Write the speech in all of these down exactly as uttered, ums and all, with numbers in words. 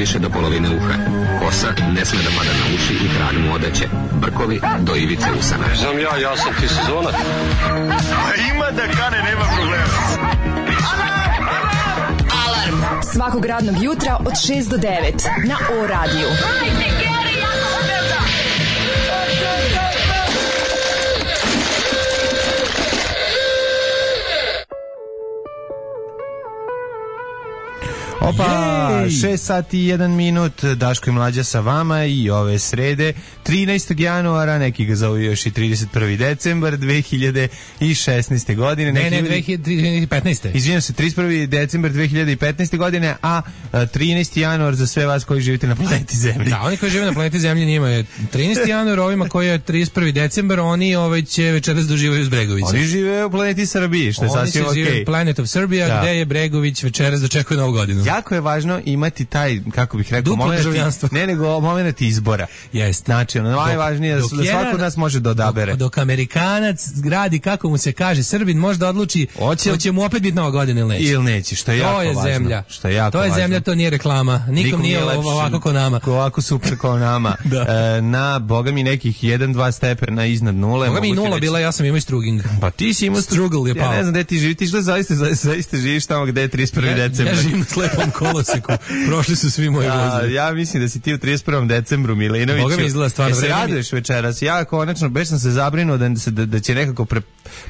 više do polovine uha. Kosa ne sme da pada na uši i krag mu odeće. Brkovi do ivice usana. Znam ja, ja sam ti sezonac. Ima da kane, nema problema. Alarm svakog radnog jutra od šest do devet na O radiju. Opa, šest sati i jedan minut, Daško i Mlađa sa vama i ove srede, trinaestog januara, neki ga zovu još i trideset prvi decembar dve hiljade šesnaeste godine. Ne, ne, dve hiljade petnaeste. Izvinjam se, trideset prvi decembar dve hiljade petnaeste godine, a trinaesti januar za sve vas koji živite na planeti Zemlji. Da, oni koji žive na planeti Zemlji njima je trinaesti januar, ovima koji je trideset prvi decembar, oni ovaj će večeras doživaju s Bregovića. Oni žive u planeti Srbiji, što je sasvim okej. Oni se žive Planet of Serbia, da. Gde je Bregović večeras dočekuje novu godinu. Jako je važno imati taj, kako bih rekao, duplo državljanstvo. Ne, nego moment izbora. Jeste. Znači, ono, najvažnije je da svako od nas može da odabere. Dok, dok Amerikanac gradi, kako mu se kaže, Srbin može da odluči hoće, hoće mu opet biti nova godina ili neće. Ili neće, što je jako važno. To je zemlja. Što je jako to je važno. zemlja, to nije reklama. Nikom, Nikom nije, nije lepši, ovako ko nama. Ovako super ko nama. e, na, boga mi, nekih jedan dva stepena iznad nule. Boga mi nula reći. Bila, ja sam imao struging. Pa ti si imao struggle je pao. Ja ne znam gde ti živi, ti što zaista, zaista živiš tamo gde je trideset prvi decembar. Ja živim na slepom koloseku. Prošli su svi moji vozovi. Ja mislim da si ti u trideset prvom decembru, Milinoviću. Boga mi izgleda stvarno. E, se raduješ večeras. Ja konačno, već sam se zabrinuo da, da, da će nekako pre,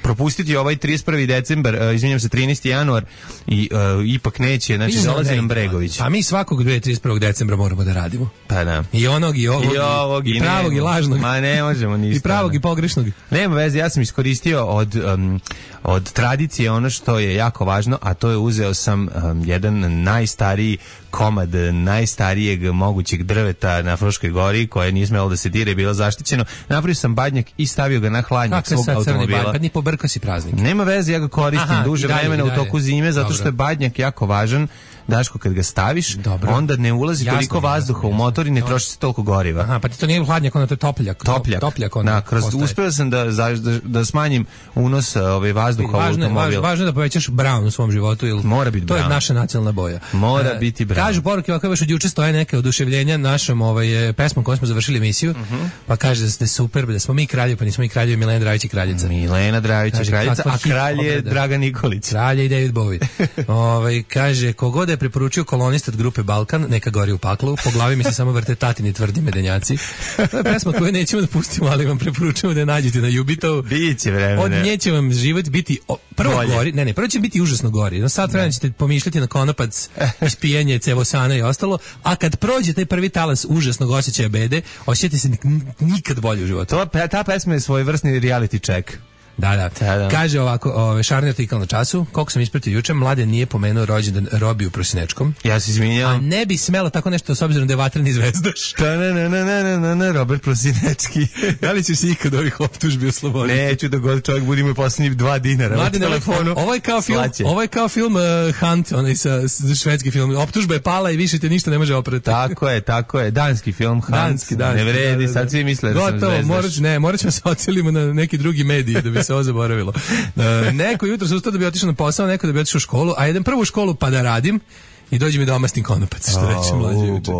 propustiti ovaj trideset prvi decembar, uh, izvinjam se, trinaesti januar i uh, ipak neće, znači dolazi nam Bregović. Pa mi svakog trideset prvog decembra moramo da radimo. Pa da. I onog i ovog, i, ovog, i, i pravog ne, i lažnog. Ma ne možemo ništa. I pravog i pogrešnog. Nema veze, ja sam iskoristio od, um, od tradicije ono što je jako važno, a to je uzeo sam um, jedan najstariji komad najstarijeg mogućeg drveta na Fruškoj gori koje nije smelo da se dire i bilo zaštićeno. Napravio sam badnjak i stavio ga na hladnjak svog automobila. Pa ni pobrkao si praznik. Nema veze, ja ga koristim Aha, duže dalje, vremena dalje. u toku zime zato Dobro. što je badnjak jako važan. Daško, kad ga staviš, Dobro. onda ne ulazi jasno, toliko vazduha jasno, u motor i ne troši se toliko goriva. Aha, pa ti to nije hladnjak, onda to je topljak. Topljak. Topljak onda da, kroz, uspeo sam da, da, da smanjim unos ove, vazduha važno, u automobil. Važno je da povećaš brown u svom životu. Ili Mora biti to brown. je naša nacionalna boja. Mora uh, biti brown. Kažu poruke ovako baš od juče stoje neke oduševljenja našom ovaj, pesmom kojom smo završili emisiju, uh-huh. pa kaže da ste super, da smo mi kraljevi, pa nismo mi kraljevi, Milena Dravić i kraljica. Milena Dravić i kraljica, a kralj je Dragan Nikolić. Kralj je i David Bowie. ovaj, kaže, kogod je preporučio kolonist od grupe Balkan, neka gori u paklu, po glavi mi se samo vrte tatini tvrdi medenjaci. To je pesma koju nećemo da pustimo, ali vam preporučujemo da je nađete na Jubitovu. Biće vremena. Od nje će vam život biti o, prvo Bolje. gori, ne ne, prvo će biti užasno gori. No sad vremena ćete pomišljati na konopac, ispijenje cevosana i ostalo, a kad prođe taj prvi talas užasnog osjećaja bede, osjećate se nikad bolje u životu. To, ta pesma je svojevrsni reality check. Da, da, da, da. Kaže ovako, ove, šarni artikal na času, koliko sam ispratio juče, Mladen nije pomenuo rođendan Robiju Prosinečkom. Ja se izvinjavam. A ne bi smelo tako nešto s obzirom da je vatreni zvezdaš. Na, na, na, na, na, na, Robert Prosinečki. Da li ćeš se ikad ovih optužbi osloboditi? Neću da god čovjek budi moj posljednji dva dinara Mladen, u telefonu. Ovo je kao film, ovo je kao film uh, Hunt, onaj sa, sa švedski film. Optužba je pala i više te ništa ne može oprati. Tako je, tako je. Danski film Hunt. Danski, danski, ne vredi, da, da, sad svi misle da sam Gotovo, zvezdaš. Morač, ne, morat ćemo se ocelimo na neki drugi mediji da bi se ovo zaboravilo. Uh, neko jutro se ustao da bi otišao na posao, neko da bi otišao u školu, a jedan prvu školu pa da radim i dođe mi da omastim konopac, što reče Mlađe juče.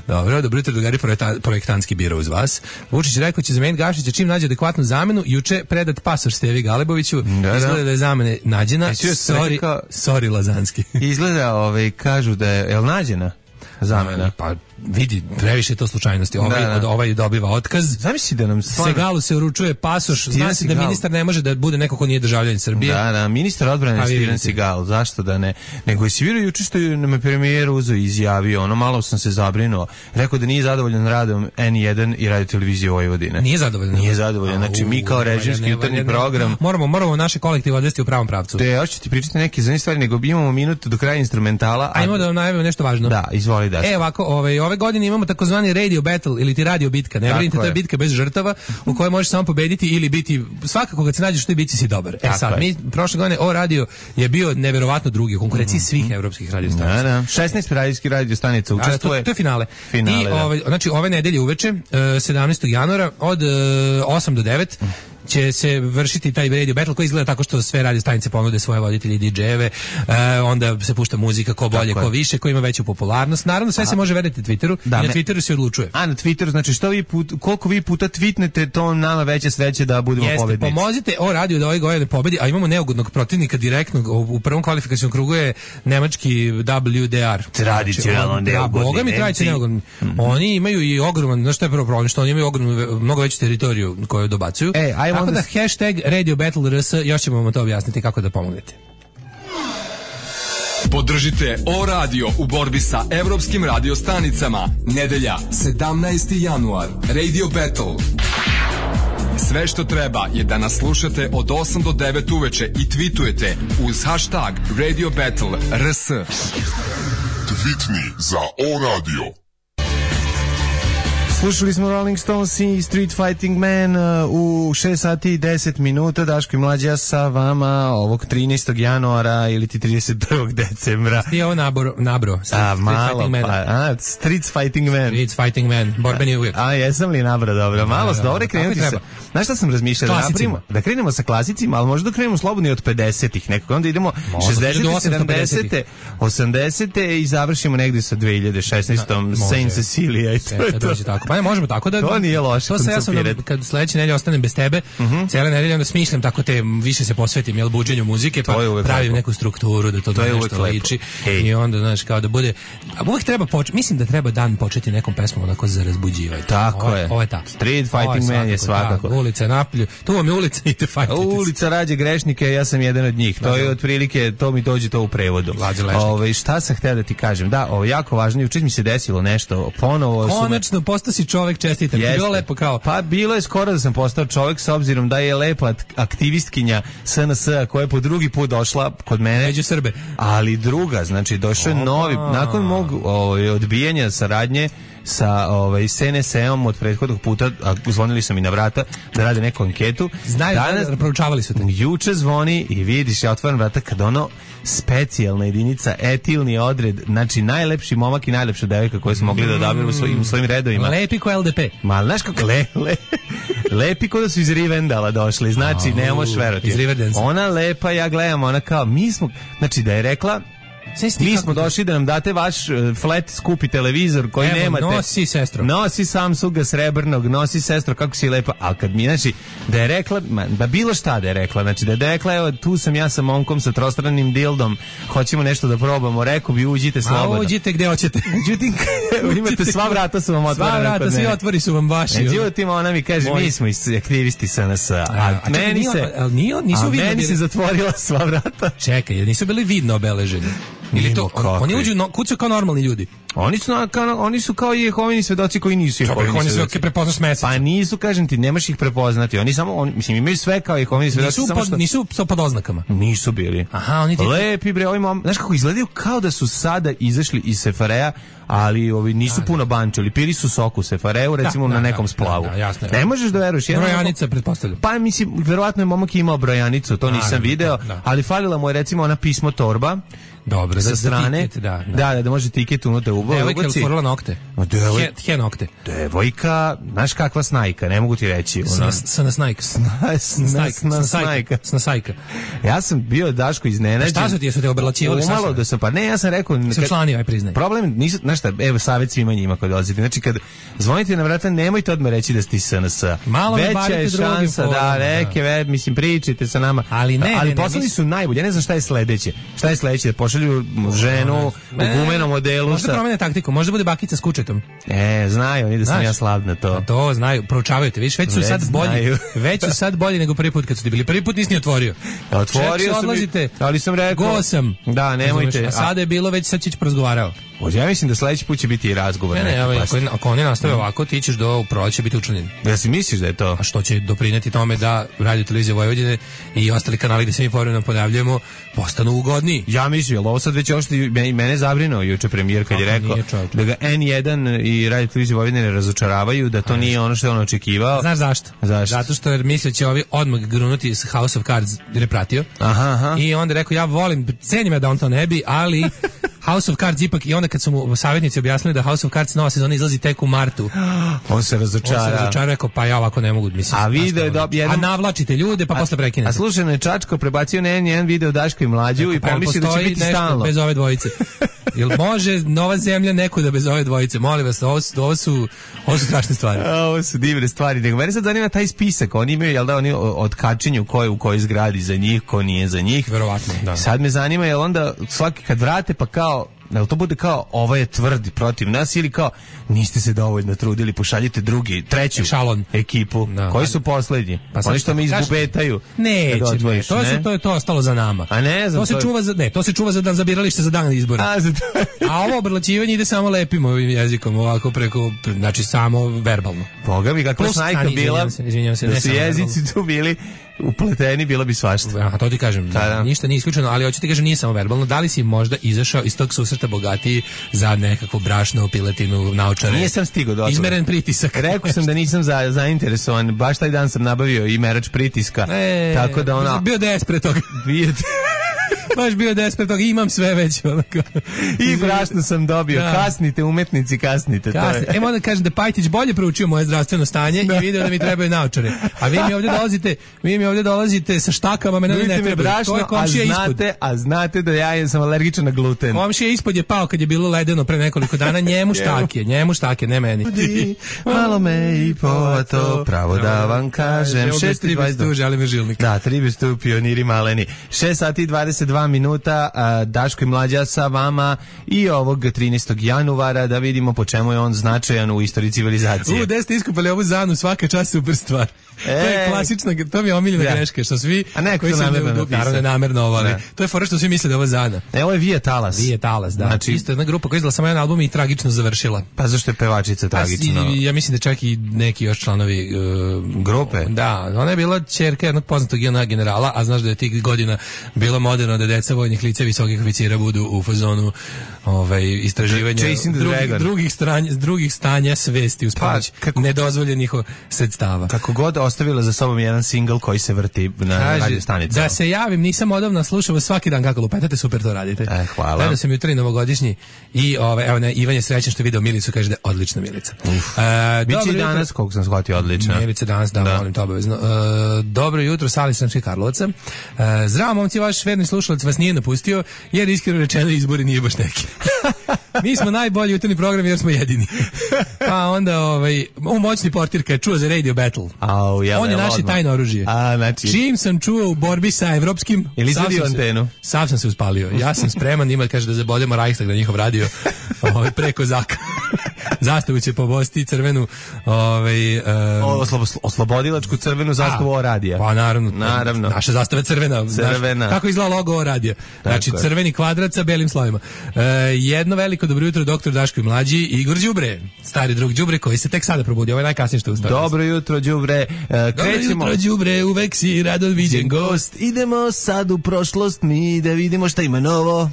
Dobro, dobro jutro, drugari projektantski biro uz vas. Vučić rekao će zameniti Gašića čim nađe adekvatnu zamenu. Juče predat pasoš Stevi Galeboviću. Da, izgleda da je zamene nađena. E, sorry, kao... sorry Lazanski. Izgleda, ovaj, kažu da je, je li nađena zamena? Pa vidi, previše to slučajnosti. Ovaj, da, da. ovaj dobiva otkaz. Zamisli da nam stvarno... Segalu se uručuje pasoš. Zna se da ministar ne može da bude neko ko nije državljanin Srbije. Da, da, ministar odbrane Steven Seagal. Zašto da ne? Nego je si vidio juče što je nam premijer uzeo i izjavio. Ono, malo sam se zabrinuo. Rekao da nije zadovoljan radom N jedan i Radio televizije Vojvodine. Nije zadovoljan. Nije zadovoljan. Znači, mi kao režimski jutarnji program... Moramo, moramo naše kolektive odvesti u pravom pravcu. Te, hoću ti pričati neke zanimljive stvari, nego imamo minut do kraja instrumentala. Ajmo da vam najavimo nešto važno. Da, izvoli da. E, ovako, ove, ove godine imamo takozvani radio battle ili ti radio bitka. Ne brinite, to je bitka bez žrtava u kojoj možeš samo pobediti ili biti, svakako kad se nađeš u toj bitci si dobar. E tako sad, je. Mi prošle godine O radio je bio neverovatno drugi u konkurenciji mm-hmm. svih evropskih radio stanica. Da, da. šesnaest radijskih radio stanica učestvuje. To, to je finale. finale I ove, znači ove nedelje uveče, sedamnaestog januara od osam do devet će se vršiti taj radio battle koji izgleda tako što sve radio stanice ponude svoje voditelje i didžejeve, e, onda se pušta muzika ko bolje, ko više, ko ima veću popularnost. Naravno sve Aha. se može veriti Twitteru da, i na me... Twitteru se odlučuje. A na Twitteru, znači što vi put, koliko vi puta tweetnete, to nama veće sreće da budemo Jeste, pobednici. Pomozite o radio da ovaj godine pobedi, a imamo neugodnog protivnika direktnog u prvom kvalifikacijnom krugu je nemački W D R. Tradicionalno znači, neugodni. Boga mi tradicionalno neugodni. Mm-hmm. Oni imaju i ogroman, znaš što je prvo problem, što oni imaju ogromnu, mnogo veću teritoriju koju dobacuju. E, tako da, da hashtag Radio Battle R S, još ćemo vam to objasniti kako da pomognete. Podržite O Radio u borbi sa evropskim radio stanicama. Nedelja, sedamnaesti januar. Radio Battle. Sve što treba je da nas slušate od osam do devet uveče i tweetujete uz hashtag Radio Battle R S. Tweetni za O Radio. Slušali smo Rolling Stones i Street Fighting Man u šest sati i deset minuta. Daško i Mlađa sa vama ovog trinaestog januara ili ti trideset prvog decembra. Ti je ovo nabro, nabro Street, a, Street malo, Fighting Man. Pa, a, Street Fighting Man. Street Fighting Man, borbeni uvijek. A, jesam li nabro, dobro. Malo s dobre krenuti se. Znaš šta sam razmišljao? Da, napravimo, da krenemo sa klasicima, ali možda da krenemo slobodno i od pedesetih nekako. Onda idemo šezdesete, sedamdesete, osamdesete i završimo negdje sa dve hiljade šesnaestom. Saint Cecilia i to je to. Tako. Pa ne, možemo tako da... To nije loše. To se ja sam, kad sledeće nedelje ostanem bez tebe, uh-huh. cijele nedelje onda smišljam tako te, više se posvetim, jel, buđenju muzike, pa pravim lepo. Neku strukturu da to, to nešto liči. Hey. I onda, znaš, kao da bude... A uvijek treba početi, mislim da treba dan početi nekom pesmom onako za razbuđivanje. Tako ovo, je. Ovo je ta. Street Fighting Man je svakako. Da, ulica napolju. Tu vam je ulica i te fajtite. Ulica rađe grešnike, ja sam jedan od njih. To je otprilike, to mi dođe to u prevodu. Ove, šta sam htio da ti kažem? Da, ovo jako važno, juče mi se desilo nešto. Ponovo konačno me... postao si čovek, čestitam. Bilo lepo kao. Pa bilo je skoro da sam postao čovjek s obzirom da je lepa aktivistkinja S N S-a koja je po drugi put došla kod mene. Među Srbe. Ali druga, znači došao je novi, nakon mog ovaj, odbijanja saradnje sa ovaj S N S M od prethodnog puta, a zvonili su mi na vrata da rade neku anketu. Znaju, danas da proučavali su te. Juče zvoni i vidiš, ja otvaram vrata kad ono specijalna jedinica, etilni odred, znači najlepši momak i najlepša devojka koje smo mogli da odaberemo u svojim, svojim redovima. Lepi ko L D P. Ma, znaš kako, le, le, lepi ko da su iz Rivendala došli, znači oh, ne možeš verovati. Iz Riverdansa. Ona lepa, ja gledam, ona kao, mi smo, znači da je rekla, mi smo došli da nam date vaš uh, flat skupi televizor koji Evo, nemate. Nosi sestro. Nosi Samsunga srebrnog, nosi sestro, kako si lepa. A kad mi, znači, da je rekla, ma, da bilo šta da je rekla, znači da je rekla, evo, tu sam ja sa momkom sa trostranim dildom, hoćemo nešto da probamo, rekao bi, uđite slobodno. A uđite gde hoćete. Međutim, imate sva vrata su vam otvorena. Sva vrata, svi otvori su vam vaši. Međutim, ona mi kaže, mi smo aktivisti S N S-a. A, a, a meni se, a, nisu a meni se zatvorila sva vrata. Čekaj, jer nisu bili vidno obeleženi. Ili to, on, oni uđu, no, kucaju kao normalni ljudi. Oni su, kao, oni su kao i Jehovini svedoci koji nisu Jehovini svedoci. Oni su ok, prepoznaš mesec. Pa nisu, kažem ti, nemaš ih prepoznati. Oni samo, on, mislim, imaju sve kao Jehovini svedoci. Nisu, samo pod, što... nisu so pod oznakama. Nisu bili. Aha, oni ti... Lepi bre, ovi mom... Znaš kako izgledaju kao da su sada izašli iz Sefareja, ali ovi nisu da, puno bančali. Pili su sok u Sefareju, recimo da, na nekom da, splavu. Da, da, jasno, ne možeš da veruješ. Brojanica, pretpostavljam. Pa mislim, verovatno je momak imao brojanicu, to nisam da, video, da, da. Ali falila mu je recimo ona pismo torba. Dobro, sa strane, tiket, da, da. Da, da, da može tiket unutra ubo. Devojka je otvorila nokte. Devoj... He, he nokte. Devojka, znaš kakva snajka, ne mogu ti reći. Ona... Sna snajka. Sna snajka. Sna snajka. Ja sam bio Daško iznenađen. Šta su ti, jesu te oberlačivali sasvim? Umalo da sam, pa ne, ja sam rekao... Sam članio, aj priznaj. Problem, nisu, znaš šta, evo savjet svima njima koji dolazite. Znači, kad zvonite na vrata, nemojte odmah reći da ste iz S N S-a. Malo mi barite drugim šansa, da, neke, ved, mislim, pričajte sa nama. Ali ne, ali poslali su najbolje. Ja ne znam šta je sledeće. Šta je sledeće? Da pošalju ženu u gumenom modelu. Možda sa... promene taktiku, možda bude bakica s kučetom. E, znaju oni da sam Znaš, ja slab na to. A to znaju, proučavaju te, vidiš, već su već sad bolji. Već su sad bolji nego prvi put kad su ti bili. Prvi put nisi ni otvorio. Otvorio sam, odlazite, ali sam rekao. Go sam. Da, nemojte. A sada je bilo već, sad ćeš porazgovarao. Ja mislim da sledeći put će biti i razgovor. Ne, ne, ne ako, ako oni nastave ovako, ti ćeš do proleća biti učlanjen. Ja si misliš da je to? A što će doprineti tome da Radio Televizija Vojvodine i ostali kanali gde se mi povremeno ponavljamo postanu ugodniji. Ja mislim, jel ovo sad već ošto i mene zabrinuo juče premijer kad je rekao da ga N jedan i Radio Televizija Vojvodine razočaravaju, da to nije ono što je on očekivao. Znaš zašto? Zašto? Zato što je mislio će ovi odmah grunuti s House of Cards jer je pratio. Aha, aha. I onda rekao, ja volim, cenim ja da on to ne bi, ali House of Cards ipak, i onda kad su mu savjetnici objasnili da House of Cards nova sezona izlazi tek u martu, on se razočara. On se razočara, rekao, pa ja ovako ne mogu, mislim. A video je dob, jedan... A navlačite ljude, pa a, posle prekinete. A slušajno je Čačko prebacio na jedan video Daško i Mlađu Eko, i pomislio da će biti stalno. Bez ove dvojice. Jel može nova zemlja nekuda bez ove dvojice? Molim vas, ovo su, ovo su, ovo su strašne stvari. A, ovo su divne stvari. Nego mene sad zanima taj spisak. Oni imaju, jel da, oni od kačenju ko je u kojoj zgradi za njih, ko nije za njih. Verovatno, da. Sad me zanima, jel onda svaki kad vrate pa kao, jel to bude kao ovo je tvrdi protiv nas ili kao niste se dovoljno trudili, pošaljite drugi, treću Šalon. ekipu. Da. Koji su poslednji? Pa oni što me izbubetaju. Ne, to, odvojiš, to, ne? Su, to je to ostalo za nama. A ne znam. To se to... čuva za, ne, to se čuva za dan, za biralište za dan izbora. A, za to... A ovo obrlačivanje ide samo lepim ovim jezikom, ovako preko, znači samo verbalno. Boga mi, kakva snajka bila, se, izvinjam se, da ne su jezici verbalno. Tu bili upleteni, bilo bi svašta. A to ti kažem, da, da. Ništa nije isključeno, ali hoću ti kažem nije samo verbalno. Da li si možda izašao iz tog susreta bogatiji za nekakvo brašno, piletinu, naočare? Nisam stigao do toga. Izmeren pritisak. Rekao sam da nisam za, zainteresovan, baš taj dan sam nabavio i merač pritiska. E, tako da ona... Bio des pre toga. Bio baš bio des pre toga, imam sve već. Onako. I brašno sam dobio. Da. Kasnite, umetnici, kasnite. Kasnite. To je. E, onda kažem da Pajtić bolje proučio moje zdravstveno stanje da. I video da mi trebaju naočare. A vi mi ovdje dolazite, vi mi ovdje dolazite sa štakama, mene ne, ne treba. Brašno, to je komšija a znate, ispod. A znate da ja sam alergičan na gluten. Komšija ispod je pao kad je bilo ledeno pre nekoliko dana, njemu štake, njemu štake, ne meni. Malo me i povato, pravo da vam kažem. šest i dvadeset dva, želim je žilnik. Da, tri bez tu, pioniri maleni. šest sati i dvadeset dva minuta, Daško i Mlađa sa vama i ovog trinaestog januara da vidimo po čemu je on značajan u istoriji civilizacije. U, gde ste iskupali ovu Zanu, svaka čast super stvar. E, to je klasična, to mi je omiljena ja. greška, što svi a neko koji to namerno napisao. Naravno namerno ovo, ali to je fora što svi misle da je ovo Zana. E, ovo je Vija Talas. Vija Talas, da. Znači, isto jedna grupa koja izdala samo jedan album i tragično završila. Pa zašto je pevačica tragično? I, ja mislim da čak i neki još članovi uh, grupe. Da, ona je bila ćerka jednog poznatog J N A generala, a znaš da je tih godina bilo moderno da deca vojnih lica visokih oficira budu u fazonu ovaj istraživanja drugih, drugih, stranja, drugih stanja svesti uz pomoć pa, nedozvoljenih sredstava. Kako god ostavila za sobom jedan singl koji se vrti na radio stanici. Da se javim, nisam odavno slušao svaki dan kako lupetate, super to radite. E, hvala. Gledao sam jutro i novogodišnji i ovaj, evo ne, Ivan je srećan što je video Milicu, kaže da je odlična Milica. E, Biće danas, koliko sam shvatio, odlična. Milica danas, da, da. Molim to obavezno. E, dobro jutro, Sali Sremskih Karlovaca. E, zdravo, momci, vaš verni slušalac vas nije napustio, jer iskreno rečeno izbori nije baš neki. Mi smo najbolji jutarnji program jer smo jedini. Pa onda ovaj moćni portir kad čuo za Radio Battle. Au, jel, on je naše odmah. tajno oružje. A, znači... Čim sam čuo u borbi sa evropskim, ili izvadio antenu. Sav sam se uspalio. Ja sam spreman, ima kaže da zabodemo Reichstag na njihov radio. Ovaj preko zaka. Zastavu će pobosti crvenu ovaj um, Oslo, oslobodilačku crvenu zastavu O radija. Pa naravno, naravno. Naša zastava je crvena. Crvena. Naš, kako izgleda logo O radija? Znači crveni kvadrat sa belim slovima. E, jedno veliko dobro jutro doktor Daško i Mlađi, Igor Đubre, stari drug Đubre koji se tek sada probudio, ovaj najkasnije što ustao. Dobro jutro Đubre. E, dobro jutro Đubre, uvek si rado viđen gost. Idemo sad u prošlost mi da vidimo šta ima novo.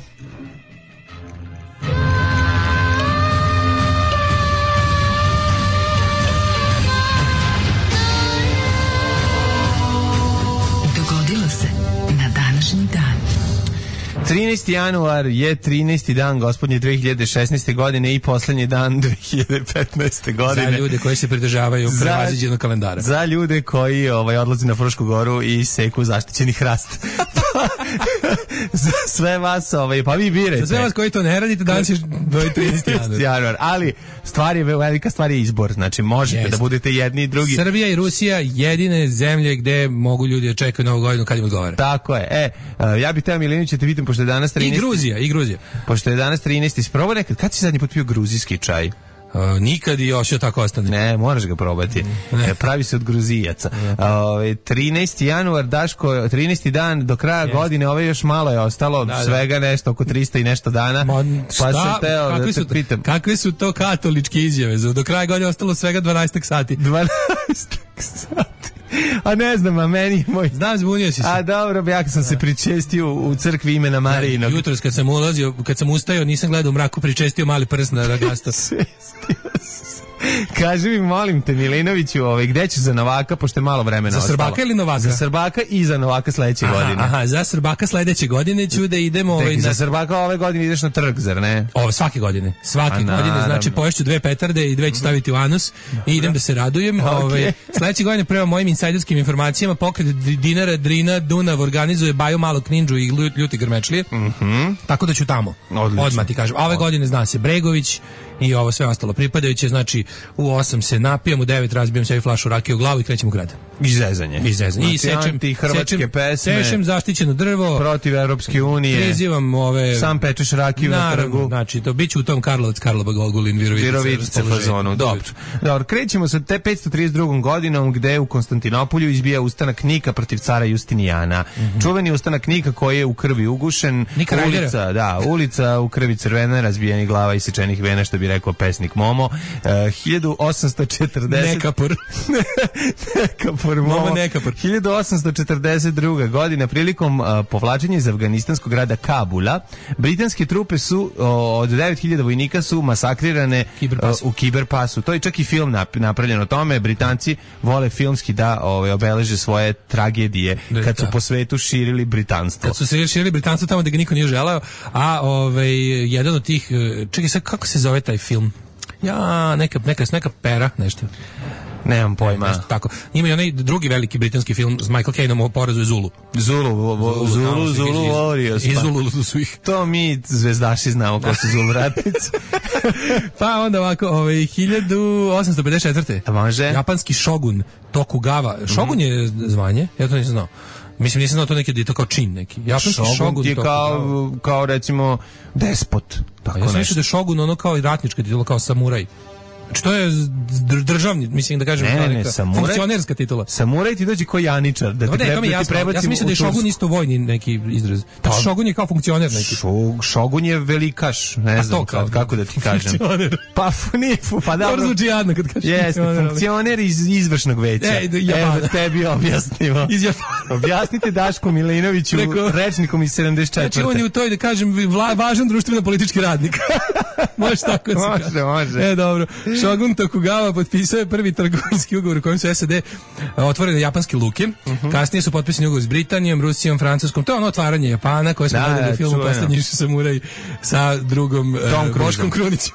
trinaesti januar je trinaesti dan gospodnje dve hiljade šesnaeste godine i poslednji dan dve hiljade petnaeste godine. Za ljude koji se pridržavaju prevaziđenog kalendara. Za ljude koji ovaj, odlazi na Frušku goru i seku zaštićeni hrast. Za sve vas, ovaj, pa vi birajte. Za sve vas koji to ne radite, danas je trinaesti januar. Ali stvar je, velika stvar je izbor. Znači možete Jest. da budete jedni i drugi. Srbija i Rusija jedine zemlje gde mogu ljudi da čekaju novu godinu kad im odgovara. Tako je. E, ja bih teo Milinovića te pitam, pošto je danas trinaesti. I Gruzija, i Gruzija. Pošto je danas trinaesti, sprobao nekad, kad si zadnji put pio gruzijski čaj? Uh, nikad i još je tako ostane. Ne, moraš ga probati. Ne. Pravi se od Gruzijaca. Uh, trinaesti januar, Daško, trinaesti dan do kraja yes. godine, ove još malo je ostalo, da, svega nešto oko trista i nešto dana. Ma, pa sam teo da te pitam. Kakve su to katoličke izjave? Do kraja godine je ostalo svega dvanaest sati. dvanaest sati. A ne znam, a meni moj... Znam, zbunio si se. A dobro, ja sam se pričestio u crkvi imena Marijinog. Jutros kad sam ulazio, kad sam ustajao, nisam gledao u mraku, pričestio mali prst na ragasto. Čestio se. Kaži mi, molim te, Milinoviću, ovaj, gde ćeš za Novaka, pošto je malo vremena Za ostalo? Srbaka ili Novaka? Za Srbaka i za Novaka sledeće aha, godine. Aha, za Srbaka sledeće godine ću da idemo... Ovaj, Tek, na... Za Srbaka ove godine ideš na trg, zar ne? Ovo, svake godine. Svake A, godine, znači naravno. poješću dve petarde i dve ću staviti u anus i idem da se radujem. Okay. Ovaj, sledeće godine prema mojim insajderskim informacijama pokret Dinara, Drina, Dunav organizuje Baju Malog Ninđu i Ljuti Grmečlije. Mhm. Tako da ću tamo. Odlično. Odmah ti kažem. A ove godine zna se Bregović i ovo sve ostalo pripadajuće, znači u osam se napijem, u devet razbijem sebi flašu rakije u glavu i krećem u grad. Izrezanje. Izrezanje. I Znači, sečem, anti-hrvatske sečem, pesme. sečem zaštićeno drvo, Protiv Evropske unije. prizivam ove... Sam pečeš rakiju na Naravno, trgu. znači to biće u tom Karlovac, Karlova, Golgulin, Virovitica. Virovitica fazonu. Dobro. Dobro, krećemo sa te petsto trideset drugom godinom gde u Konstantinopolju izbija ustanak Nika protiv cara Justinijana. Mm-hmm. Čuveni ustanak Nika koji je u krvi ugušen. Nika Rajdera. Ulica, da, ulica u krvi crvena, razbijenih glava i sečenih vena, što bi rekao pesnik Momo. Uh, hiljadu osamsto četrdeset Nekapor. Nekapor, Momo. Momo Nekapor. hiljadu osamsto četrdeset druga godina prilikom uh, povlačenja iz afganistanskog grada Kabula, britanske trupe su o, od devet hiljada vojnika su masakrirane Kiberpasu. uh, u Kiberpasu. To je čak i film nap, napravljen o tome. Britanci vole filmski da ovaj, obeleže svoje tragedije Da, kad su da. po svetu širili britanstvo. Kad su se širili Britanstvo tamo da ga niko nije želeo, a ovaj, jedan od tih, čekaj sad, kako se zove taj film? Ja, neka, neka, neka pera, nešto. Nemam pojma. Nešto tako. Ima i onaj drugi veliki britanski film s Michael Caineom o porazu je Zulu. Zulu, vo, vo, Zulu, tamo su Zulu, ih iz- Warriors. iz pa- Zulu su ih. To mi zvezdaši znamo ko su Zulu ratnici. Pa onda ovako, ovaj, hiljadu osamsto pedeset četvrte. A može? Japanski šogun Tokugawa. Šogun je zvanje, ja to nisam znao. Mislim, nisam znao to neki, da je to kao čin neki. Japanski Šogun, šogun ti je Tokugawa. kao, kao recimo despot. A Tako ja sam mislio nešto. da je šogun ono kao i ratnička titula, kao samuraj. Znači to je dr- državni, mislim da kažem, Ne, kao ne, ne, neka samuraj- funkcionerska titula. Samuraj ti dođe ko Janičar, da ti, Dobro, ne, to mi je pre, da ti jasno. Ja prebacim sam mislio da je u Tursku. šogun isto vojni neki izraz. Pa šogun je kao funkcioner neki. Šo- Šogun je velikaš, ne A znam to kao, kao- kako da ti kažem. Funkcioner. Pa fu- nije, fu- pa Dobro dobro. zvuči jadno kad kažeš Jeste, funkcioner, ali- funkcioner iz izvršnog veća. E, da, Japana. Evo da tebi objasnimo. Iz Japana. Objasnite Dašku Milinoviću Preko- rečnikom iz sedamdeset četvrte. Znači on je u toj, da kažem, vla, važan društveno-politički radnik. Može tako da se Može, kaže. može. E, dobro. Shogun Tokugawa potpisao je prvi trgovinski ugovor u kojem su S A D otvorene japanske luke. Mhm. Kasnije su potpisani ugovor s Britanijom, Rusijom, Francuskom. To je ono otvaranje Japana koje smo Da, gledali u filmu čujemo. Poslednji samuraj sa drugom Tom eh, Cruiseom. Boškom Krunićem.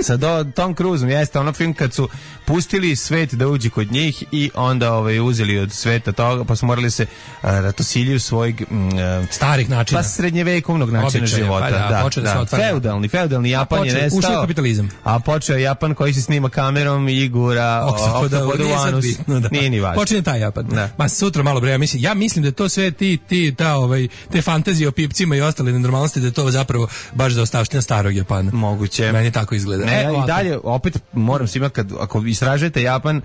Sa do, Tom Cruiseom, jeste ono film kad su pustili svet da uđe kod njih i onda ovaj, uzeli od sveta toga, pa su morali se uh, ratosilju svojeg mm, uh, Starih načina. pa srednjevekovnog načina Običaja, života. pa da, počeo da se otvara. Feudalni, feudalni Japan je počeo- nestao. ušao je kapitalizam. A počeo je Japan koji se snima kamerom i gura Oktopoda, oktopoda u nije sad anus. bitno, da. Nije ni važno. Počinje taj Japan. Da. Ma sutra malo bre, ja mislim, ja mislim da to sve ti ti ta ovaj te fantazije o pipcima i ostale nenormalnosti da je to zapravo baš za ostavština starog Japana. Moguće. Meni tako izgleda. Ne, E, i ovako. dalje, opet moram svima, kad, ako istražujete Japan, e,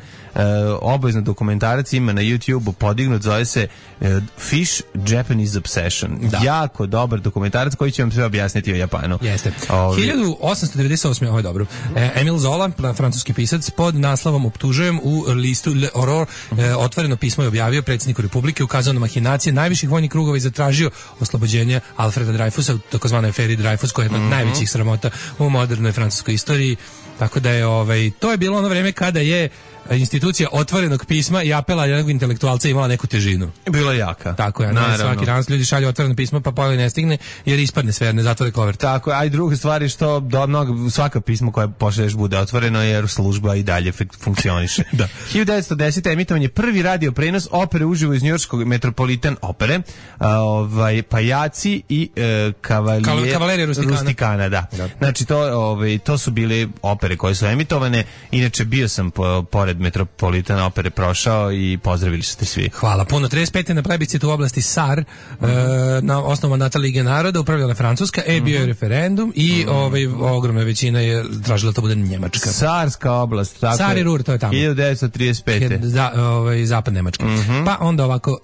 obavezno dokumentarac ima na YouTube podignut, zove se e, Fish Japanese Obsession. Da. Jako dobar dokumentarac koji će vam sve objasniti o Japanu. Jeste. Ovi- hiljadu osamsto devedeset osme. Ovo je dobro. E, Emil Zola, pla- francuski pisac, pod naslovom Optužujem u listu Le Aurore e, otvoreno pismo je objavio predsjedniku Republike, ukazao na mahinacije najviših vojnih krugova i zatražio oslobođenje Alfreda Dreyfusa u takozvanoj aferi Dreyfus, koja je jedna od najvećih sramota u modernoj francuskoj istoriji. Tako da je ovaj to je bilo ono vreme kada je institucija otvorenog pisma i apela jednog intelektualca imala neku težinu. Bilo je jaka. Tako je, ne, Naravno. svaki dan ljudi šalju otvoreno pismo pa pola ne stigne jer ispadne sve, ne zatvore koverta. Tako, a i druga stvar je što do mnogo, svaka pismo koje pošalješ bude otvoreno jer služba i dalje fek- funkcioniše. Da. hiljadu devetsto desete. emitovan je prvi radio prenos opere uživo iz njujorskog Metropolitan opere, a, ovaj, Pajaci i e, Kavalije, Kal- Kavalerija Rustikana. Rustikana, da. Da. Znači to, ovaj, to su bile opere koje su emitovane. Inače bio sam po, pored Metropolitan opere prošao i pozdravili su te svi. Hvala puno. trideset pete. na plebiscitu u oblasti S A R, uh, na osnovu mandata Lige naroda upravljala je Francuska, e bio je referendum i ovaj, ogromna većina je tražila da to bude Njemačka. Sarska oblast, tako Sar i Ruhr, to je tamo. hiljadu devetsto trideset pete. Za, ovaj, zapad Nemačke. Pa onda ovako, uh,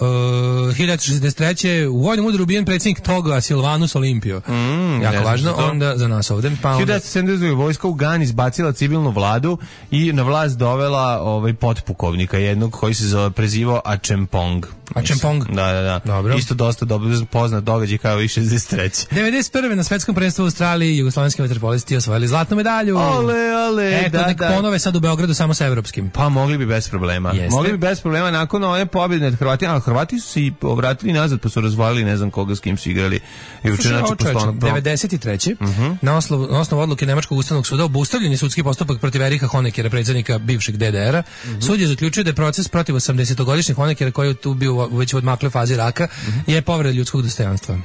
hiljadu devetsto šezdeset treće. u vojnom udaru ubijen predsjednik Toga Silvanus Olimpio. ne jako znam važno, što. onda za nas ovdje. Pa onda, hiljadu devetsto sedamdeset druge. vojska u Gani izbacila civilnu vladu i na vlast dovela ovaj potpukovnika jednog koji se zove prezivao Ačempong. Ačempong? Da, da, da. Dobro. Isto dosta dobro poznat događaj kao i šezdeset treće devedeset prve na svetskom prvenstvu u Australiji jugoslovenski vaterpolisti osvojili zlatnu medalju. Ale, ale, Eto, da, nek da. ponove sad u Beogradu samo sa evropskim. Pa mogli bi bez problema. Jeste. Mogli bi bez problema nakon ove pobjede nad Hrvatima, ali Hrvati su se i povratili nazad pa su razvalili ne znam koga s kim su igrali. Juče znači poslovno. devedeset treće Uh-huh. Na osnovu na osnovu odluke nemačkog ustavnog suda obustavljen je sudski postupak protiv Eriha Honeckera, predsjednika bivšeg D D R-a. Uh-huh. Sud je zaključio da je proces protiv osamdesetogodišnjeg Honeckera koji je tu bio već u odmakloj fazi raka uh-huh. je povreda ljudskog dostojanstva.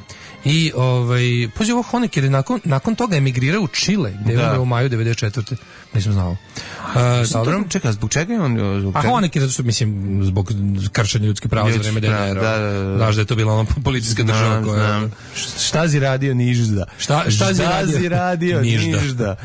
I ovaj pođe ovo Honecker je nakon nakon toga emigrirao u Čile gdje je umro u maju devedeset četvrte Nisam znao. Uh, dobro, čekaj, zbog čega je on zbog A Honecker zato što mislim zbog kršenja ljudskih prava za vreme D D R-a. Da, da, da. Znaš da je to bila ona policijska država koja znam. Šta si radio nižda? Šta šta, šta si radio nižda? nižda.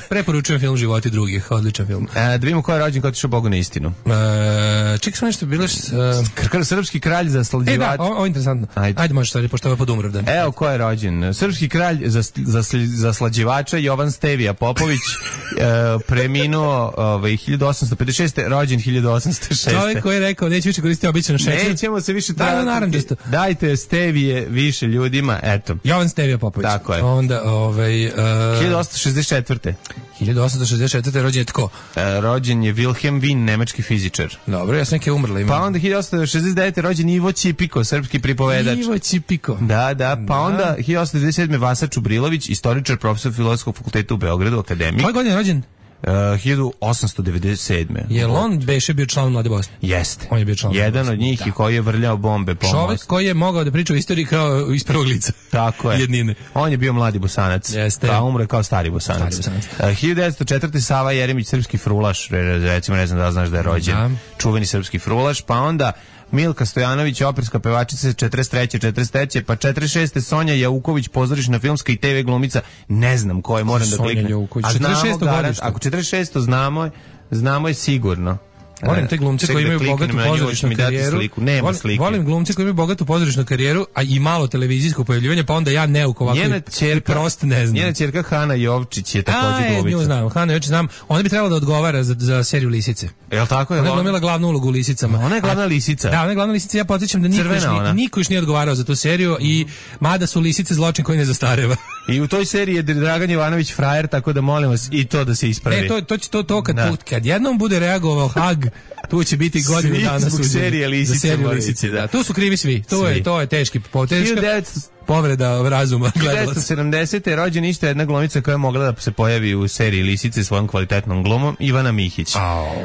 Preporučujem film Životi drugih, odličan film. E, da vidimo ko je rođen, ko je otišao Bogu na istinu. E, čekaj smo nešto bilo uh, srpski kralj za slađivač. E da, ovo je interesantno. Ajde, Ajde možeš stvari, pošto je pod Umrovdan. Evo ko je rođen. Srpski kralj za, za, za slađivača Jovan Stevija Popović e, preminuo ovaj, hiljadu osamsto pedeset šeste rođen hiljadu osamsto šeste Čovjek koji je rekao, neće više koristiti običan šećer. Nećemo se više da, naravno, dajte Stevije više ljudima, eto. Jovan Stevija Popović. Tako je. Onda, ovaj... Uh, hiljadu osamsto šezdeset četvrte hiljadu osamsto šezdeset četvrte rođen je tko? E, rođen je Wilhelm Wien, nemački fizičar. Dobro, ja sam neke umrle imam. Pa onda hiljadu osamsto šezdeset devete rođen Ivo Ćipiko, srpski pripovedač. Ivo Ćipiko. Da, da, pa da. Onda hiljadu osamsto devedeset sedme Vasa Čubrilović, istoričar, profesor Filozofskog fakulteta u Beogradu, akademik. Koje godine je rođen? Uh, hiljadu osamsto devedeset sedme Je li on beše bio član Mlade Bosne? Jeste. On je bio član. Jedan od njih da. I koji je vrljao bombe po Čovjek koji je mogao da priča o istoriji kao iz prvog lica. Tako je. Jednine. On je bio mladi Bosanac. Jeste. Pa umre kao stari Bosanac. Stari Bosanac. Uh, hiljadu devetsto četvrte Sava Jeremić, srpski frulaš, recimo ne znam da znaš da je rođen. Da. Čuveni srpski frulaš, pa onda Milka Stojanović, operska pevačica četrdeset treće četrdeset treće pa četrdeset šeste Sonja Jauković, pozorišna filmska i te ve glumica, ne znam ko je, moram da kliknem. A znamo garant, ako četrdeset šeste znamo, znamo je sigurno. Volim te glumce koji imaju bogatu pozorišnu karijeru. Sliku. Nema volim, slike. Volim glumce koji imaju bogatu pozorišnu karijeru, a i malo televizijsko pojavljivanje, pa onda ja neuk ovako njena ćerka, prost ne znam. Njena ćerka Hana Jovčić je također glumica. A, nju znam, Hana Jovčić znam. Ona bi trebala da odgovara za, za seriju Lisice. Jel tako je? Ona je glumila glavnu ulogu u Lisicama. Ona je glavna lisica. Da, ona je glavna lisica. Ja podsjećam da niko još, ni, niko još nije odgovarao za tu seriju i mada su Lisice zločin koji ne zastareva. I u toj seriji je Dragan Jovanović frajer, tako da molim vas i to da se ispravi. Ne, to to će to to kad da. kad jednom bude reagovao Hag, tu će biti godinu dana suđenja. Serije Lisice, seriju Lisice, da. Tu su krivi svi. To svi. je to je teški poteška. Povreda razuma gledalaca. devetsto sedamdesete rođena isto jedna glumica koja je mogla da se pojavi u seriji Lisice svojom kvalitetnom glumom, Ivana Mihić. Oh.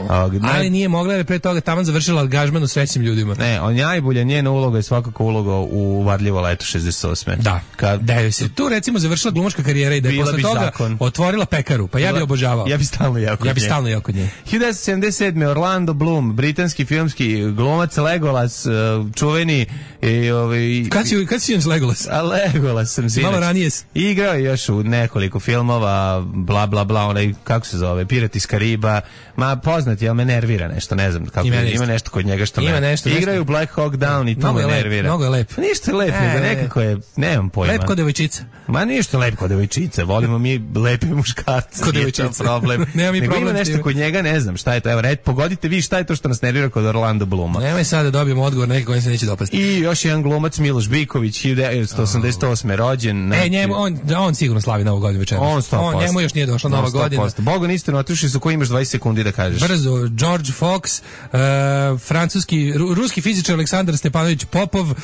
A, ne, ali nije mogla jer pre toga taman završila angažman u Srećnim ljudima. Ne, on najbolja njena uloga je svakako uloga u Varljivo leto šezdeset osme Da. Kad da je se tu recimo završila glumačka karijera i da je posle toga zakon. otvorila pekaru, pa ja bih obožavao. Ja bih stalno jako. Ja bih stalno jako nje. hiljadu devetsto sedamdeset sedme Orlando Bloom, britanski filmski glumac Legolas, čuveni i ovaj Kad si kad si Legolas? A Legolas sam sinoć. Malo ranije. Igrao je još u nekoliko filmova, bla bla bla, onaj kako se zove, Pirati iz Kariba. Ma poznat je, al me nervira nešto, ne znam kako. Ima, ima nešto kod njega što ima me. Nešto, Igraju nešto. Black Hawk Down i to me nervira. Mnogo je lep. Pa ništa je lep, e, nego nekako je, nemam pojma. Lep kod devojčica. Ma ništa lep kod devojčica, volimo mi lepe muškarce. Kod devojčica problem. Nema mi problem. Ima nešto kod njega, ne znam šta je to. Evo, red, pogodite vi šta je to što nas nervira kod Orlando Blooma. Nemoj sad da dobijemo odgovor neki koji se neće dopasti. I još jedan glumac Miloš Biković, hiljadu devetsto osamdeset osme rođen. E, njemu, on, on sigurno slavi Novu godinu večeras. On, on njemu još nije došla Nova godina. Boga istinu, otišli su koji imaš dvadeset sekundi da kažeš. Brzo, George Fox, uh, francuski, ru, ruski fizičar Aleksandar Stepanović Popov, uh,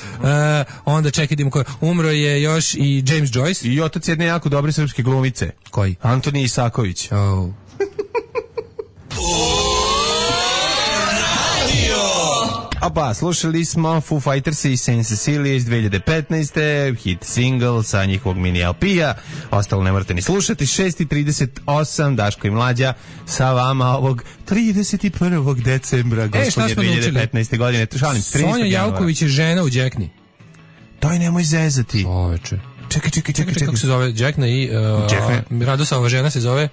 onda čekaj ko umro je još i James Joyce. I otac jedne jako dobre srpske glumice. Koji? Antoni Isaković. Oh. Opa, slušali smo Foo Fighters i Saint Cecilia iz dve hiljade petnaeste hit single sa njihovog mini el pe-a. Ostalo ne morate ni slušati. šest i trideset osam Daško i Mlađa sa vama ovog trideset prvog decembra gospodnje dve hiljade petnaeste godine. Šalim, Sonja Jauković je žena u Đekni. Daj, nemoj zezati. Čoveče. Čekaj, čekaj, čekaj, čekaj. Kako se zove Đekna i uh, Radosa, ova žena se zove